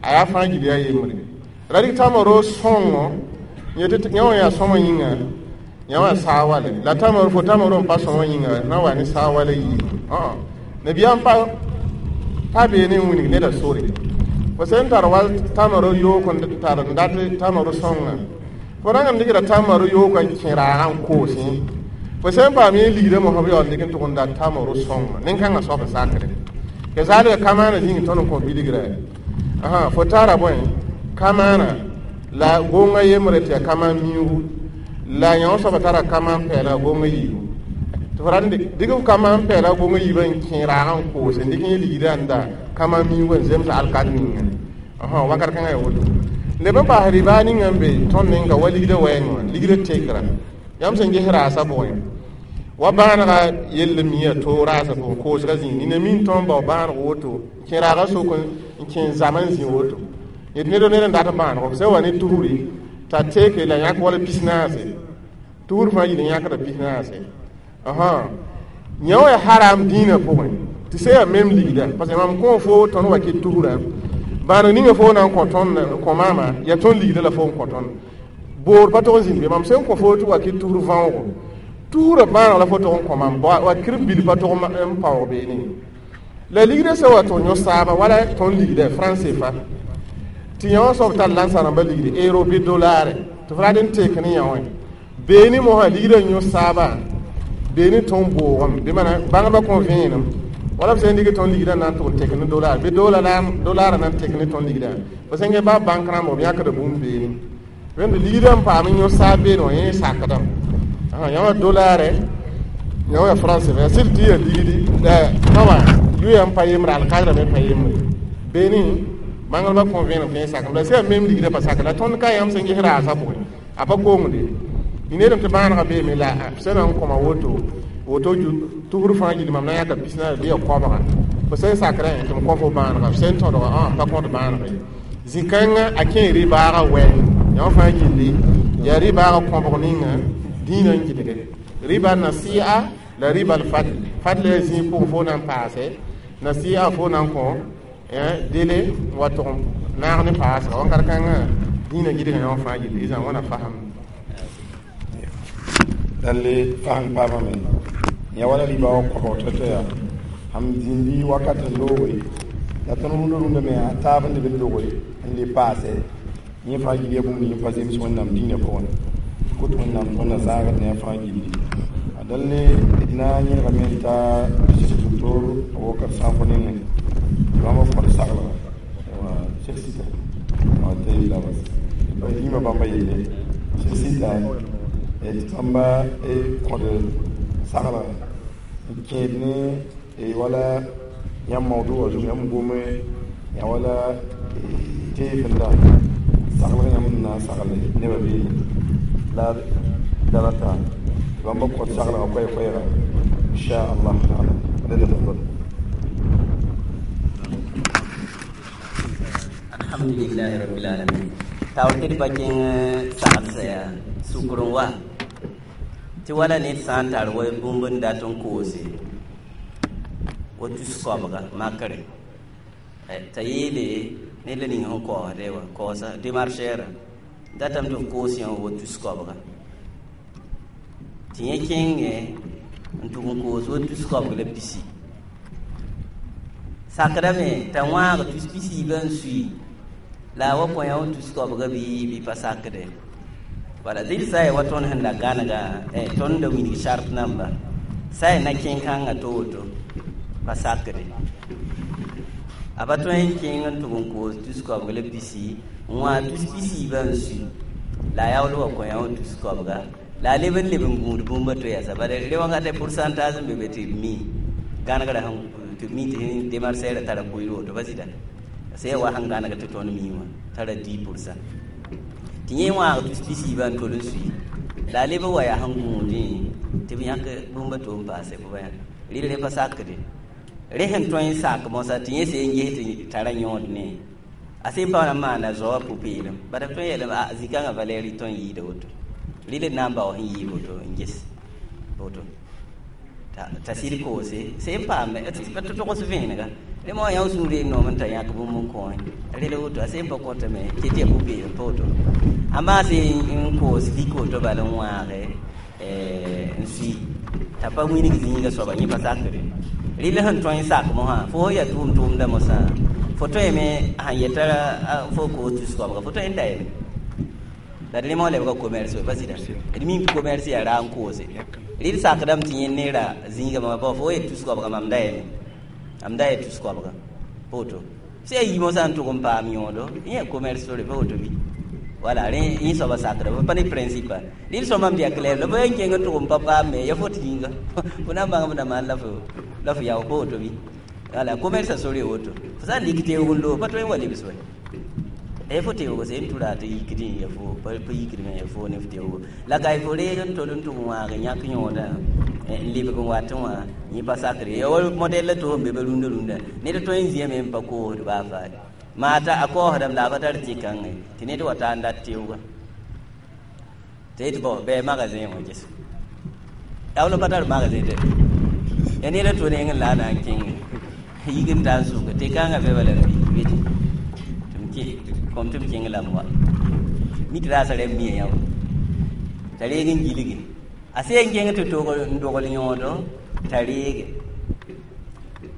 a yaa fãa gil yaa yembre la rɩk tamaro sõngo yetɩ yã wã yaa sõma yĩnga yã wã saa wale la tamaro fo tamaro n pa sõma yĩnga na wa ne saa wala yiib nabiyaam pa pa beene n wilg neda sore fo sẽn tar wa tamaro yook n tar n dat tamaro sõnga fo rãng n dɩkda tamaro yook n kẽ raagã n koosẽ fo sẽn paam yẽ ligdã mosã b yaool dɩk n tʋg n dat tamaro sõnga nin-kãngã soab n sakre kazalika kamaana zĩig tõnd n kõ bilgra fo tara bõe kamaana la gonga yembre tɩ yaa kamaan miugu la yã wã soaba tara kamaan pɛɛla gonga yiibu tɩ fo rat n dɩk f kamaan pɛɛla gonga yiibã n kẽ raagã n koose n dɩk yẽ ligdã n da kamaan miugu n zems alkad ninga wakat kãngã yaa woto leb n paas ribaa ninga n be tõnd ninga wa ligdã wɛɛngẽ wã ligdã tekra yãmb sẽn ges raasã pʋgẽ wa bãanega yell mia to raasã pʋgẽ koosgã zĩig nina min tõnd bao bãaneg woto kẽ raagã sok n kẽ zam n zĩ woto yet ned ned n dat bãanego f sẽn wa ne tusri t'a teke la yãk wala pis naase tusr fãa yil n yãkda pis naase yã wã yaa haram dĩinã pʋgẽ tɩ sẽn yaa mem ligda parce que mam kõ fo tõnd wa kɩ tusrã bãaneg ninga fo na n kõ tõnd kõ maama yaa tõnd ligda la fo n kõ tõnd boor pa tog n zĩnd be mam sẽn kõ fo tɩ wa kɩ tusr võogo tusrã bãaneg la fo tog n kõ mam wa kir bil pa tog n paoog beene la ligdã sã wa tɩ yõ saaba wala tõnd ligda franc C F A tɩ yã wã soab tar lãnsã rãmbã ligde euro bɩ dolare tɩ f rat n tek ne yã wã beene mosã ligdã n yõ saaba beene tõnd boogame bɩ mana bãngdbã kõ vẽenem wala b sẽn dɩk tõnd ligdã na n tʋg n tek ne dollar bɩ dollar na n tek ne tõnd ligdã fo sẽn gẽ baa bãnk rãmba b yãkda bũmb beene wẽnd ligdã n paam n yõ saab beene wã yẽ sakdame yã wã dolare yã wã franc C F A sɩd tɩ ya ligdi wã yʋya n pa yembre alkadrã me pa yembre beene bãngdbã kõ vẽenem tɩ yẽ sakame la sẽn yaa mem ligdã pa sak la tõnd ka yãmb sẽn ges raasã pʋgẽ a pa kongde needame tɩ bãanegã beeme la sẽn na n kõma woto woto tusr fãa gil mam na yãka pis naas bɩ ya koabga fo sẽn sakrẽ tɩ m kõ fo bãanega f sẽn tõdga pa kõt bãaneg ye zĩ-kãngã a kẽ rɩ-baagã wɛ yã wã fãa gilli yaa rɩ-baagã kõbg ninga dĩinã n gɩdge riba nasi'a la riba al-fadl fadl yaa zĩig pʋgẽ fo na n paase nasi'a fo na n kõ dele n wa tʋg naag ne paasga wãnkat kãngã dĩinã gɩdgã yã wã fãa gilli izã wãna fasem. Dan le fasem paamame yã wala riba wã kõbg tɩ tɩ yaa sãm zĩndi wakat n looge la tõnd rũndã rũndã me a taab n leb n loge n le paase yẽ fãa gil ya bũmb ning pa zems Wẽnnaam dĩinã pʋgẽ kot Wẽnnaam tõnd na zãagd ne a fãa gilli a dal le d na n yẽlgame n ta docteur Abubakar Sãafo nengẽ tɩ bãmba kõd saglga Cheikh Sita tɩ labas dĩimã bãmba yelle Cheikh Sita tɩ bãmba kõd saglga n kẽed ne wala yãmb mawdu wã zug yãmb gome yã wala teefenda saglg yãmb n na n sagle nebã beene la darata tɩ bãmba kõd saglgã koɛɛ-koɛɛga inchallah taala. تفضل. Alhamdulillahi rabbil alamin taoor tɩ d pa kẽng saglsã yaa sukr n wa tɩ wala ned sã n tar wa bũmb n dat n koose wa tus koabga makre t'a yeele ned la ning sẽn kaoosde wã kaoosa démarchɛɛrã datame tɩ f koos yã wa tus koabga tɩ yẽ kẽngẽ n tʋg n koos wa tus koabg la pisi sakdame t'a wãag tus pisiibã n sui. La wa kõ yã wa tus koabga bɩ bɩ pa sakde wala zɩl sã ya wa tõnd sẽn da gãnega tõnd da wilg sart namba sã ya na kẽn-kãngã to woto pa sakde a pa tõe n kẽng n tʋg n koos tus koabg la pisi n wã tus pisiibã n sui la a yaool wa kõ yã wa tus koabga la a leb n leb n gũud bũmba to yasa bala re wãnga pourcentage n be be tɩ b mi gãnegrã sẽn tɩ b mi tɩ démarchɛɛrã tara kʋɩl woto pa sɩda sã wa sẽn gãneg tɩ tõnd mi wã tara dix pourcent tɩ yẽ wãag tus pisiibã n tol n sui la a leb n wa yaa sẽn gũudẽ tɩ b yãk bũmba to n paase fo ba rɩl re pa sakde re sẽn tõe n sak mosã tɩ yẽ sẽn ges tɩ tara yõod ne a sẽn pa na n maana zaoã pʋ-peelem bala b tõe n yeelame a zĩ-kãngã valɛɛr tõe n yɩɩda woto rɩl n na n bao sẽn yɩɩ woto n ges woto t'a sɩd koose sẽn paame tɩ togs vẽenega rẽ moã yã sũur n noom n t'a yãk bũmb n kõ rel woto a sẽn pa kõtame tɩ tɩ ya pʋ-peelem pa woto a maase n koos lik woto bala n wãage n sui t'a pa wilg zĩiga soaba yẽ pa sakre rɩl sẽn tõe n sak mosã fo ya tʋʋm tʋʋmda mosã fo tõeme sãn yeta fo koos tus koabga fo tõe n da yeme la d rẽmã lebga commerce pa sɩda d mim tɩ commerce yaa ra n koose rɩl sakdame tɩ yẽ neera zĩiga mama pa fo yet tus koabga mam da yeme am da yet tus koabga pa woto sã yaa yi mosã n tʋg n paam yõodo yẽ yaa commerce sore pa woto bɩ wala rẽ yẽ soaba sakda pa ne principe rɩl sõmam tɩ yaa clair la fo yaa n kẽng n tʋg n pa paam me ya fo tɩ yĩnga fo na n bãng f na maan la fo la fo yao pa woto bɩ wala commerce sore woto fo sã n lik teoog n loog pa tõe n wa lebs wɛ e fo teoogo sẽn tʋra tɩ yikdẽ ya fo pa yikdme ya fo ne f teoogo la ka fo reeg n tol n tʋg n wãag n yãk yõoda n lebg n wat wã yẽ pa sakre ya wa modɛl la tɩ fo n be ba rũndã rũndã ned tõe n zĩame n pa koosd baa faare maa t'a a kaoosdame la a pa tar tɩ-kãngẽ tɩ ned wa taa n dat teooga tɩ yetɩ bõ bɩ magasin wã ges yaool n pa tar magasin tɩ ya ned a to neng n la a na n kẽnge yik n taa n sʋka tɩ-kãngã be bala b wete kom tɩ b kẽng lame wa mi tɩ raasa rɛb mia yã wa t'a reeg n gilge a sẽn kẽng tɩ tog n dogl yõodo t'a reege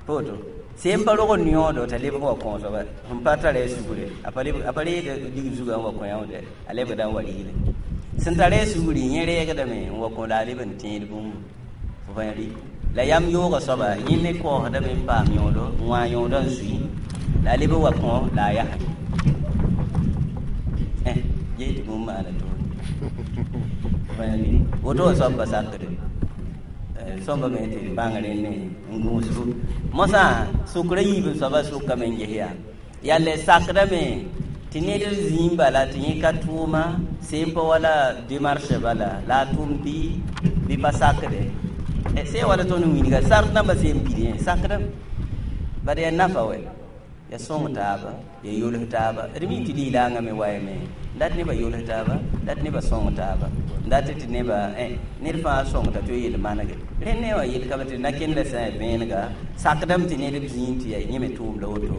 pa woto sẽn pa rog n yõodo t'a lebg wa kõ soaba sẽn pa tara a sugre a pa reed ligd zugã n wa kõ yãoode a lebgda n wa rigre sẽn tara a sugri yẽ reegdame n wa kõ la a leb n tẽed bũmbu fo pa rɩ la yam yooga soaba yẽ ne kaoosdame n paam yõodo n wã yõodã n sui la a leb n wa kõ la a yasa eh ges tɩ bũmb maana toore woto wã soab pa sakde sõmba me tɩ bãng rẽnd n gũusbu mosã sʋkra yiib n soaba sʋkame n ges yaa yaa le sakdame tɩ ned zĩim bala tɩ yẽ ka tʋʋma sẽn pa wala démarche bala la a tʋʋm bɩ bɩ pa sakde sẽn wala tõnd wilga sart nambã sẽn pid sakdame bad yaa nafa wɛ ya sõng taaba ya yols taaba d mi tɩ lilaangã me wayame dat nebã yols taaba dat nebã sõng taaba dat tɩ nebã ned fãa sõngta tɩ yel manege rẽnd ne wã yel ka tɩ na kend la sã n vẽenega sakdame tɩ ned b zĩig tɩ yaa yẽ me tʋʋmda woto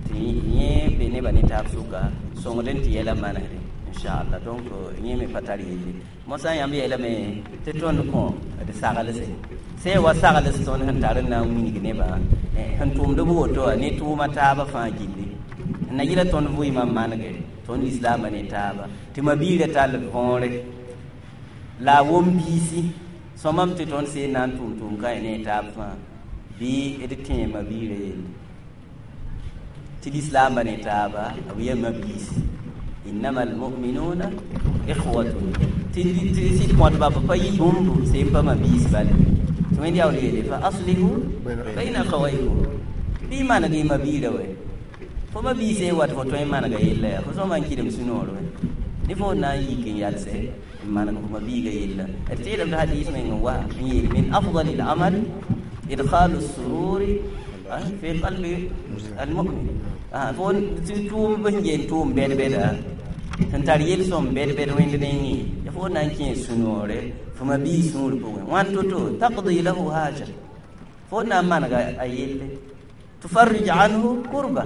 tɩ yẽ be nebã ne taab sʋka sõngd n tɩ yɛla manesde inchallah donc yẽ me pa tar yelle mosã yãmb yeelame tɩ tõnd kõ d saglse sẽn wa sagls tõnd sẽn tar n na n wilg nebã sẽn tʋʋmd b woto wã ne tʋʋma taabã fãa gilli n na yɩla tõnd vɩɩmã manegre tõnd lislaambã ne taaba tɩ ma-biirã tall võore la a wom biisi sõmam tɩ tõnd seen na n tʋʋm tʋʋm ka ne taab fãa bɩ d tẽe ma-biirã yelle tɩ lislaambã ne taaba b yaa ma-biisi innama almuminuna ikhwatun tɩ sɩd kõtba b pa yɩ bũmbu sẽn pa ma-biis bale tɩ wẽnd yaool yeele fa aslihu baina akhawaykum bɩ maneg y ma-biirã wɛ fo ma-biis n wat fo tõe n manega yella yaa fo sõma n kɩdem sũ-noor wɛ ne fo na n yik n yalsɛ n maneg fo ma-biiga yella d teedame tɩ hadis meng n wa n yeel min afdali l-amal idkhalu sururi fi qalbi almumin fo tɩ tʋʋm sẽn yeel tʋʋm bɛd-bɛda sẽn tar yel-sõm bɛd-bɛd wẽnd nengẽ ya fo na n kẽ sũ-noore fo ma-biig sũur pʋgẽ wãn to-to taqdi lahu haja fo na n manega a yelle tufarrij anhu kurba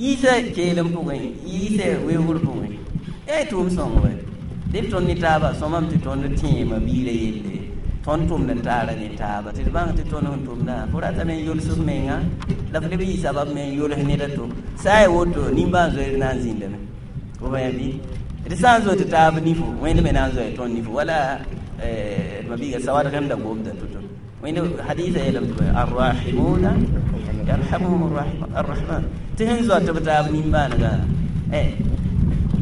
yiisa keelem pʋgẽ yiisa weoogr pʋgẽ yaa tʋʋm sõng wɛ dɩ tõnd ne taaba sõmame tɩ tõnd tẽe ma-biirã yelle Tõnd tʋmd n taara ne taaba tɩ d bãng tɩ tõnd sẽn tʋmdã fo ratame n yols f menga la f leb n yɩ sabab me n yols ned a to sã n yaa woto nimbãan-zoeer na n zĩndame fo bãe bɩ d sã n zoe tɩ taab nifo wẽnd me na n zoe tõnd nifo wala d mabiiga sawad rẽmda gomda to-to wẽnd hadisa yeelame tɩ arrahimuna yarhamuhum arrahman tɩ sẽn zoa tɩ b taab nimbãanegã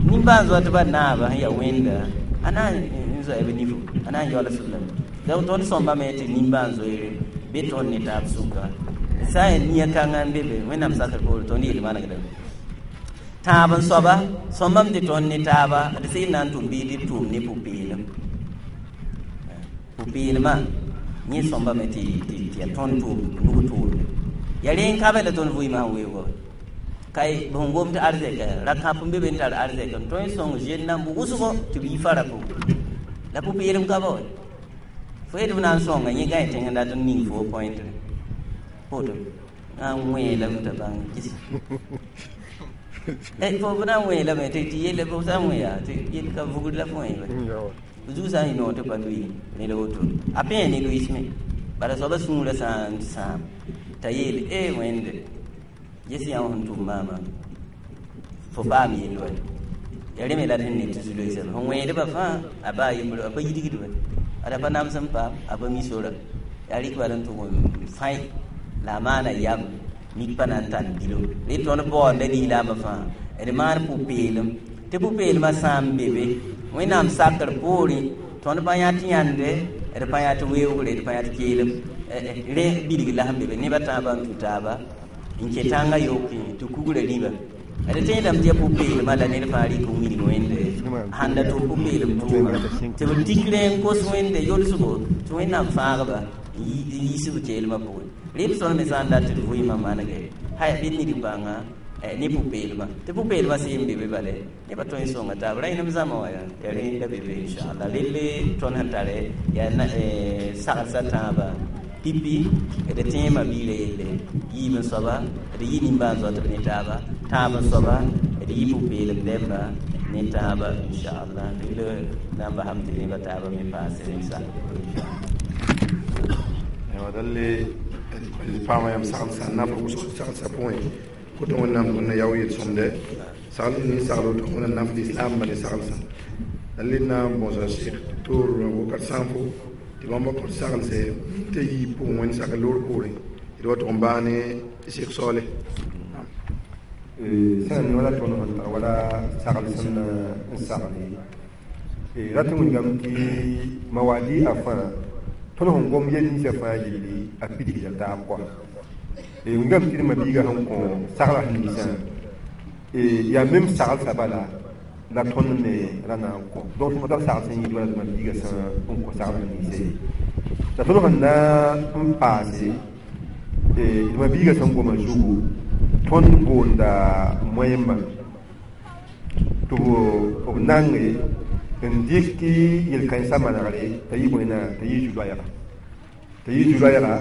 nimbãan zoa tɩ ba naaba sẽn yaa wẽnda a na n zoa b nifo a na n yaols b lame donc tõnd sõmbame tɩ nimbãan-zoeere be tõnd ne taab sʋka sã n yaa nia kãngã n be be wẽnnaam sakr poore tõnd yel manegdame tãab n soaba sõmbame tɩ tõnd ne taaba d sɩd na n tʋm bɩ d tʋʋm ne pʋ-peelem pʋ-peelmã yẽ sõmbame tɩ yaa tõnd tʋʋm nug tʋʋmde yaa rẽ n ka be la tõnd vɩɩmã sẽn weoogã kay sẽn gom tɩ arzɛka ra-kãp n be be n tar arzɛk n tõe n sõng zen namb wʋsgo tɩ b yi fara pʋgẽ la pʋ-peelem ka ba wa fo yet b na n sõnga yẽ gãe tẽng n dat n ning fo pointre poto na n wẽelame t'a bãng kis fo b na n wẽelame tɩ tɩ yelle b sã n wẽ yaa tɩ yel ka vugd la fo wẽebe zug sã n yɩ noog tɩ pa lʋɩ ne la woto a pẽ ne lʋɩsme bala soaba sũurã sã n sãam t'a yeel e wẽnde ges yã sẽn tʋm maama fo paam yell wa ya rẽ me la d sẽn ne tɩ zu-loeesã sẽn wẽedbã fãa a baa yembr a pa yidgdba ad a pa nams n paam a pa mi sora yaa rɩk bala n tʋg n fãe la a maana yam mik pa na n tall bilo rẽ tõnd baoonda lislaambã fãa d maan pʋ-peelem tɩ pʋ-peelmã sã n be be wẽnnaam sakr poorẽ tõnd pa yã tɩ yãnde d pa yã tɩ weoogre d pa yã tɩ keelem rẽ bilg la sẽn be be nebã tãabã n tũ taaba n kẽ tãngã yokẽ tɩ kugrã rĩba d tẽedame tɩ yaa pʋ-peelmã la ned fãa rɩk n wilg wẽnde sãn da tʋm pʋ-peelem tʋʋma tɩ b tikre n kos wẽnde yolsgo tɩ wẽnnaam fãagba n yiis b keelmã pʋgẽ rɩ b sõn me sã n dat tɩ d vɩɩmã manege haya bɩ ned bãnga ne pʋ-peelmã tɩ pʋ-peelmã seen be be bale nebã tõe n sõnga taab rãenem zãma wã yaa rẽnda be be inchallah relle tõnd sẽn tare yaa saglsa tãabã pipi d tẽemã biirã yelle yiib n soaba d yɩ nimbãan zoa tɩ b ne taaba tãab n soaba d yɩ pʋ-peelem dɛmba ne taaba inchallah relle na n basame tɩ nebã taaba me paase rẽn-sa dalle paama yam saglsa naf wʋsg saglsa pʋgẽ koto wẽnnaam tõnd yao yel-sõmde sagl ne sagl woto wẽnnaam naf lislaambã ne saglsã dalle na n bõsa sɩk toor wakat sãnfo tɩ bãmba kõt saglse tɩ yii pʋgẽ wẽnd sak loor poorẽ d wa tʋg n baa ne sɩk saoole sã n wala tõnd sẽn tar wala sagl sẽn n sagle rat n wilgame tɩ mawadi a fãa tõnd sẽn gom yel ninsã fãa yelle a pidgda taab kɔa wilgame tɩ d mabiiga sẽn kõ sagla sẽn ninsã yaa mem saglsã bala la tõnd me ra na n kõ donc tɩ b sagl sẽn yɩɩd wala tɩ mabiiga sã n kõ sagl sẽn ninsa ye la tõnd sẽn na n paase d mabiiga sẽn goma zugu tõnd boonda moẽmba tɩ b nange n dɩk yel-kãensã manegre t'a yɩ bõe t'a yɩ zu-loɛɛga t'a yɩ zu-loɛɛga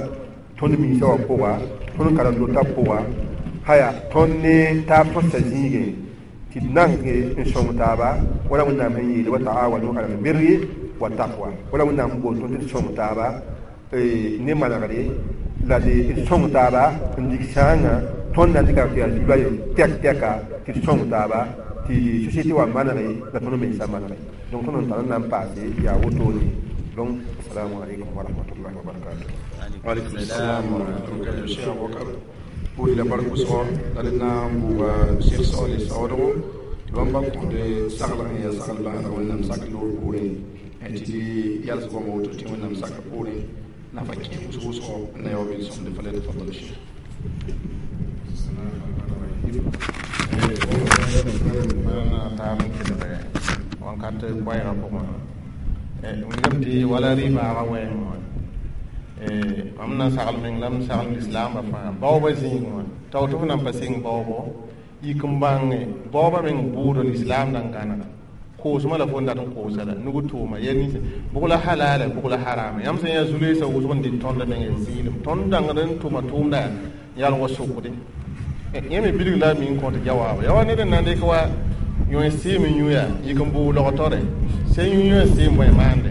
tõnd minsã wã pʋga tõnd karen-dotã pʋga haya tõnd ne taab tõsã zĩigẽ tɩ d nange n sõng taaba wala wẽnnaam sẽn yeele wa taawanu ala lbirri wa taqwa wala wẽnnaam sẽn boond tõnd tɩ d sõng taaba ne manegre la d sõng taaba n dig sãangã tõnd na n dɩka tɩ yaa zu-loɛɛg tɛk tɛka tɩ d sõng taaba tɩ société wã manege la tõnd mensã manege donc tõnd n tar n na n paase yaa wotone donc assalamu alaikum wa rahmatullahi wa barakatuh waalaikum salam wa rahmatullahi wa barakatuh cheikh abubakar pʋʋs la bark wʋsgo la d na n buuga sɩk saoole saoodgo tɩ bãmba kõt sagl n yaa sagl bãadg wẽnnaam sak loor poorẽ tɩ d yals goama woto tɩ wẽnnaam sakr poorẽ nafa kẽ wʋsg wʋsgo n na yao bɩ-sõmde falyatafadal cheikh wãnkat koɛɛgã pʋgẽ wilgame tɩ wala rɩ-baagã wɛɛngẽ wã mam na n sagl meng la m sagl lislaambã fãa baoobã zĩigẽ wã tao tɩ f nan pa sɩng baoobo yik n bãnge baoobã meng bʋʋd lislaam na n gãnega koosmã la fo n dat n koosa la nug tʋʋma yɛl nins bʋg la halala bʋg la harama yãmb sẽn yaa zu-loeesã wʋsg n dɩt tõnd meng zɩɩlem tõnd dãngd n tʋma tʋʋmda yãl wa sokde yẽ me bilg la mi n kõt jawaaba ya wa ned n na n dɩk wa yõe sɩɩm n yũ yaa yik n bʋʋg logtore sẽn yũ yõe sɩɩm bõe maande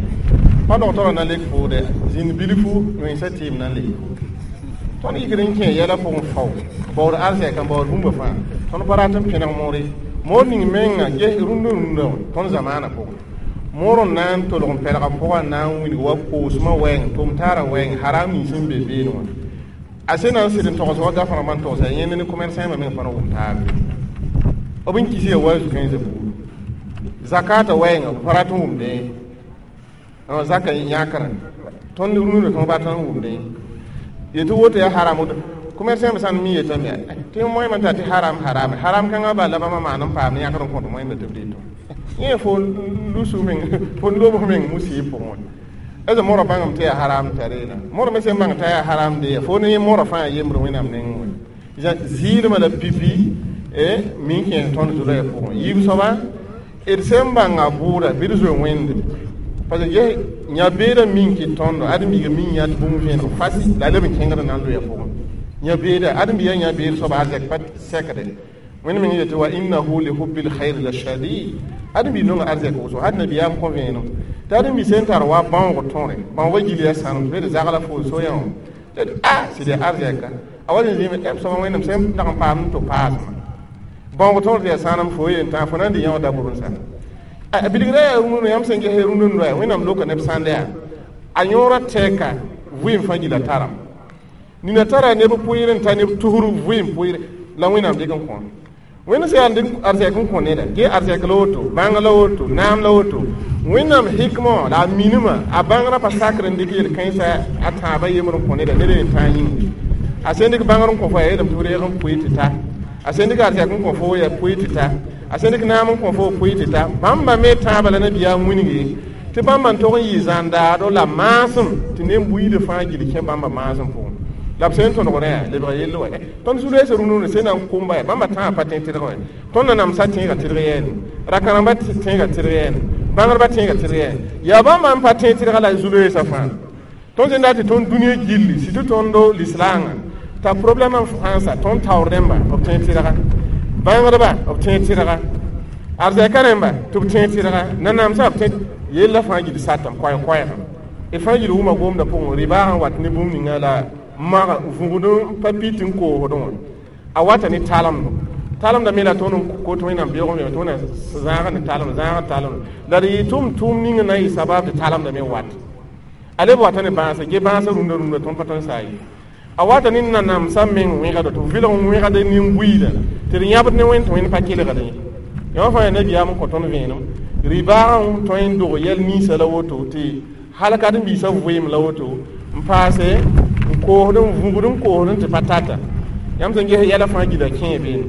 Pa dogtorã na lek fo dɛ zĩnd bilfu wẽnsa tɩɩm na n lek fo tõnd yikd n kẽ yɛla pʋgẽ fao baood arzɛk n baood bũmba fãa tõnd pa rat n pẽneg moore moor ning menga ges rũndã rũndã wã tõnd zamaanã pʋgẽ moor n na n tolg n pɛlga pʋgã n na n wilg wa koosmã wɛɛng tʋm taarã wɛɛng haram nins sẽn be beene wã a sẽn na n sɩd n togs wa gafrãmbã n togsa yẽnd ne commerçant meng pa na wʋm taabe b n kis ya wa zu-kãensã buud zakata wɛɛngã b pa rat n wʋmdẽ zaka yãkrã tõnd rũndã tõnd bat n wʋmdẽ yetɩ woto yaa haram commerçant me sãn mi yetame tɩ moẽmã t'a tɩ haram haram haram kãngã bala la bãmba maan n paam ne yãkd n kõt moẽmda tɩ b dɩtõ yẽ fo lusu meng fo lobs meng musib pʋgẽ wã eza morã bãngame tɩ yaa haram tareena morã me sẽn bãng t'a yaa haram de fo ne morã fãa yembr wẽnnaam nengẽ wã zɩɩdmã la pipi min kẽes tõnd zulaya pʋgẽ yiib soaba d sẽn bãnga bʋʋda bɩ d zoe wẽnde parce que ges yã-beedã min kɩt tõndo ãdem-biiga min yã tɩ bũmb vẽeneg fasi la a leb n kẽngd n na n loya pʋgẽ yã-beeda ãdem-biiga yã-beed soaba arzɛk pa sɛkde wẽnd meng yetɩ wa innahu li hubbil khair la shadid ãdem-biig nonga arzɛk wʋsgo had nabiyaam kõ vẽenem tɩ ãdem-biig sẽn tar wa bãoog tõre bãoogã gil yaa sãnem tɩ d zagla fo soyã wã tɩ a sɩd yaa arzɛka a wa zĩ zĩime m soaba wẽnnaam sẽn dag n paam tɩ paasmã bãoog tõr tɩ yaa sãnem fo yen tã fo na n dɩ yã wã dabʋr n sa a bilgra yaa rũndã yãmb sẽn ges rũndã noya wẽnnaam loka neb sãnda yaa a yõora tɛɛka vɩɩm fãa gila taram nina tara neb pʋɩɩr n ta neb tusr vɩɩm pʋɩɩr la wẽnnaam dɩk n kõ wẽnd sẽn yaa n dɩk arzɛk n kõ neda ge arzɛk la woto bãng la woto naam la woto wẽnnaam hikmã wã la a minimã a bãngrã pa sakr n dɩk yel-kãensã a tãabã yembr n kõ neda ned n tãag yĩnga a sẽn dɩk bãngr n kõ fo yaa yeelame tɩ f reeg n pʋɩ tɩ ta a sẽn dɩk arzɛk n kõ fo yaa pʋɩ tɩ ta a sẽn dɩk naam n kõ fo pʋɩ tɩ ta bãmba me tãabã la nabiyaam wilge tɩ bãmba n tog n yɩ zãndaado la maasem tɩ neb buiidã fãa gil kẽ bãmba maasem pʋgẽ la b sẽn tõdgdã yaa lebg yell wa tõnd zu-loeesã rũndã sẽn na n komba yaa bãmba tãagã pa tẽ tɩrg wã tõnd na namsa tẽegã tɩrg yɛɛne ra-kãrembã tẽegã tɩrg yɛɛne bãngdbã tẽegã tɩrg yɛɛne yaa bãmba n pa tẽ tɩrga la zu-loeesã fãa tõnd sẽn dat tɩ tõnd dũniyã gilli surtout tõndo lislaangã t'a problème n fãansa tõnd taoor rẽmba b tẽ tɩrga bãngdba b tẽ tɩrga arzɛka rẽmba tɩ b tẽ tɩrga nanamsã b tẽ yella fãa gil satame koɛɛ-koɛɛgã d fãa gil wʋma gomdã pʋgẽ rɩbaagã n wat ne bũmb ninga la mag vũgd pa pi tɩ n koosdẽ wã a wata ne talemdo talemda me la tõnd n kot wẽnnaam beoog n tɩ wẽnnaam zãag ne talem zãag talem la d yɩ tʋm tʋʋm ning na n yɩ sabab tɩ talemda me wat a leb wata ne bãasã ge bãasã rũndã rũndã tõnd pa tõe n saa ye a wata ne nanamsã meng wẽgda tɩ vɩlg n wẽgd nin-buiidã tɩ d yãbd ne wẽnd tɩ wẽnd pa kelgd ye yã fãa yaa nabiyaam n kõ tõnd vẽenem rɩbaagã n tõe n dog yɛl ninsã la woto tɩ hal ka d-n-biisã vɩɩm la woto n paase n koosd n vũgd n koosd n tɩ pa tata yãmb sẽn ges yɛla fãa gila kẽe beene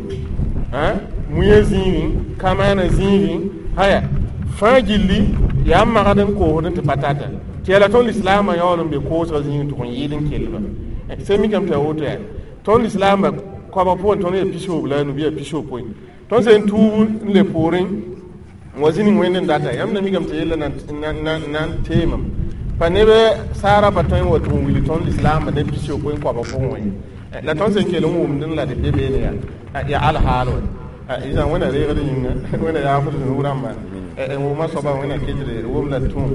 mũyã zĩigẽ kamaanã zĩigẽ haya fãa gilli yaa n magd n koosd n tɩ pa tata tɩ yaa la tõnd lislaamã yaool n be koosgã zĩigẽ tɩ n yɩɩd n kellba sẽn mikame tɩ yaa woto yaa tõnd lislaambã koabg pʋgẽ tõnd yaa pisob la a nu bɩ yaa pisopoe tõnd sẽn tuub n le poorẽ n wa zĩ ning wẽnd n data yãmb na mikame tɩ yella na n teemam pa neb saara pa tõe n wa tɩ n wilg tõnd lislaambã ne pisopoe n koabg pʋgẽ wã ye la tõnd sẽn kell n wʋmdẽ la d be beene yaa yaa alhaal wa izã wẽnna reegd yĩnga wẽnna yaafd zũnug rãmba n wʋma soaba wẽnna ketd wom la tũum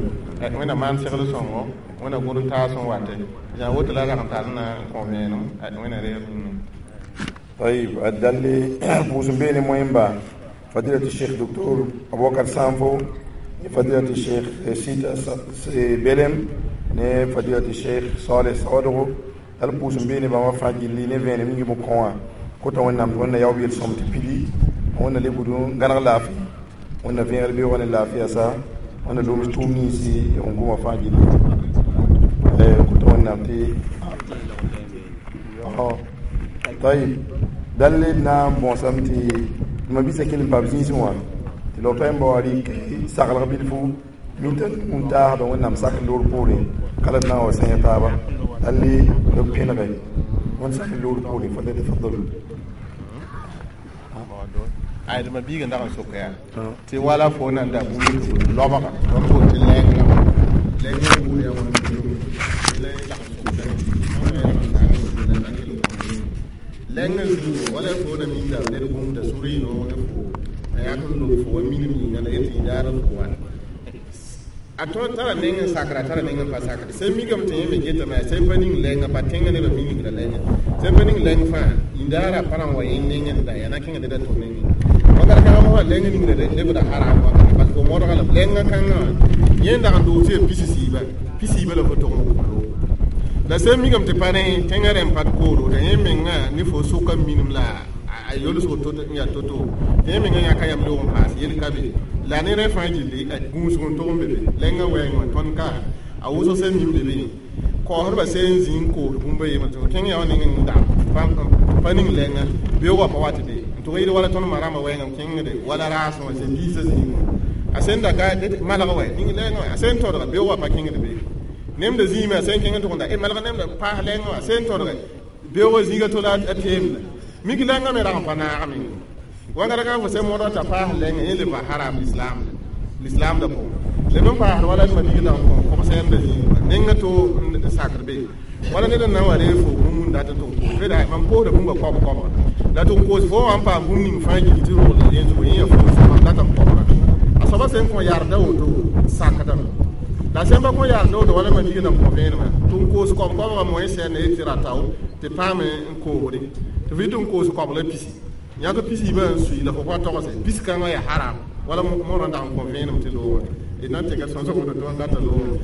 wẽnna maan segl sõngo wẽnna gʋd n taas n wate izã woto la rag n tar na n kõ vẽenem wẽnna reegd yĩnga طيب الدلي بوسن بيني مهم فضيلة الشيخ دكتور أبو بكر سانفو فضيلة الشيخ سيتا بيلم ne فضيلة الشيخ صالح سوادغو dal pʋʋs n beene bãmba fãa gilli ne vẽenem ning b kõ wã kota wẽnnaam tɩ wẽnna yaoog yel-sõm tɩ pidi wẽnna le bud n gãneg laafɩ wẽnna vẽegr beoogã ne laafɩya sa wẽnna loms tʋʋm ninsi n goma fãa gilli kota wẽnnaam tɩ tayib dal d na n bõosame tɩ ma bisa kell n paam zĩisẽ wã tɩ log n ba wa rɩk saglg bilfu minta n taasdã wẽnnaam sak loor poorẽ kala d na n wa sẽeg taaba dal b pẽnege wẽnd sak loor poorẽ falyatafadal ay ma biiga ndag n sok yaa tɩ wala fo nan da bũmb tɩ loabga tõnd bool tɩ lɛɛngã lɛɛngã buud yaa wãn lɛngã zĩngo wala fo na minda ned gũmda sʋr yɩ noog ne fo a yak n lob fo wa minim yĩnga la yet tɩ yaar fo wa A tõe tara neng n sakra, a tara neng n pa sakre. Sẽn mikame tɩ yẽ me getame, a sẽn pa ning lɛnga pa tẽngã nebã mingra lɛnga, sẽn pa ning lɛng fãa yĩndaara pa na n wa yẽ nengẽ n da yaa na kẽnga ned a to nengẽ. Wakat kãngã mosã lɛng ningra lebda haram wakate, parce que fo modga lame lɛngã kãngã wã yẽ n dag n doog tɩ yaa pis-siiba, pis-siiba la fo tog n wʋm loog. La sẽn mikame tɩ pa rẽ tẽngã rẽmb pa d kooro t'a yẽ mengã ne fo sʋka minim la a yolsg to n yaa to-to, tɩ yẽ mengã yãka yam loog n paas yel ka be la ne rẽ fãa gilli gũusg n tog n be be lɛngã wɛɛngẽ wã. Tõnd ka a wʋsg sẽn mim be be kaoosdbã sẽn zĩ n koos bũmba yembre tɩ kẽng yaa wã neng n dag pa ning lɛnga beoogã pa wat be n tʋg yɩl wala tõnd ma rãmbã wɛɛngã n kẽngde wala raasẽ wã sẽn diisã zĩig wã, a sẽn da ka malg wɛ ning lɛngã wã, a sẽn tõdga beoogã pa kẽngd be nemda zĩime, a sẽn kẽng n tʋg n da malg nemda paas lɛngã wã, a sẽn tõdga beoogã zĩiga to la a teemda mik lɛngã me rag n pa naagame. Wãngr kãng fo sẽn modg t'a paas lɛngã, yẽ lebga haram l'islam l'islam da pʋgẽ leb n paasd wala ma dig dag n kõ kog-sɛɛmda zĩig wã nengã to n sakd be wala ned n na n wa reeg fo bũmb n dat n tʋg koos beda mam koosda bũmba koab koabga la tɩ n koos fo wã n paam bũmb ning fãa gilli tɩ rogl yẽ zugu yẽ ya fo mam dat n kobga. A soaba sẽn kõ yarda woto sakdame, la sẽn pa kõ yarda woto wala ma dig n kõ vẽenemã tɩ n koos koab koabga moẽ sɛɛn ye tɩ ra tao tɩ paam n koosde tɩ f yɩ tɩ n koos koabg la pisi yãk pisi ba n sui la fo pa togse pis kãngã yaa haram wala morã dag n kõ vẽenem tɩ loogã d na n tɩka sõsg woto tɩ wã data loog.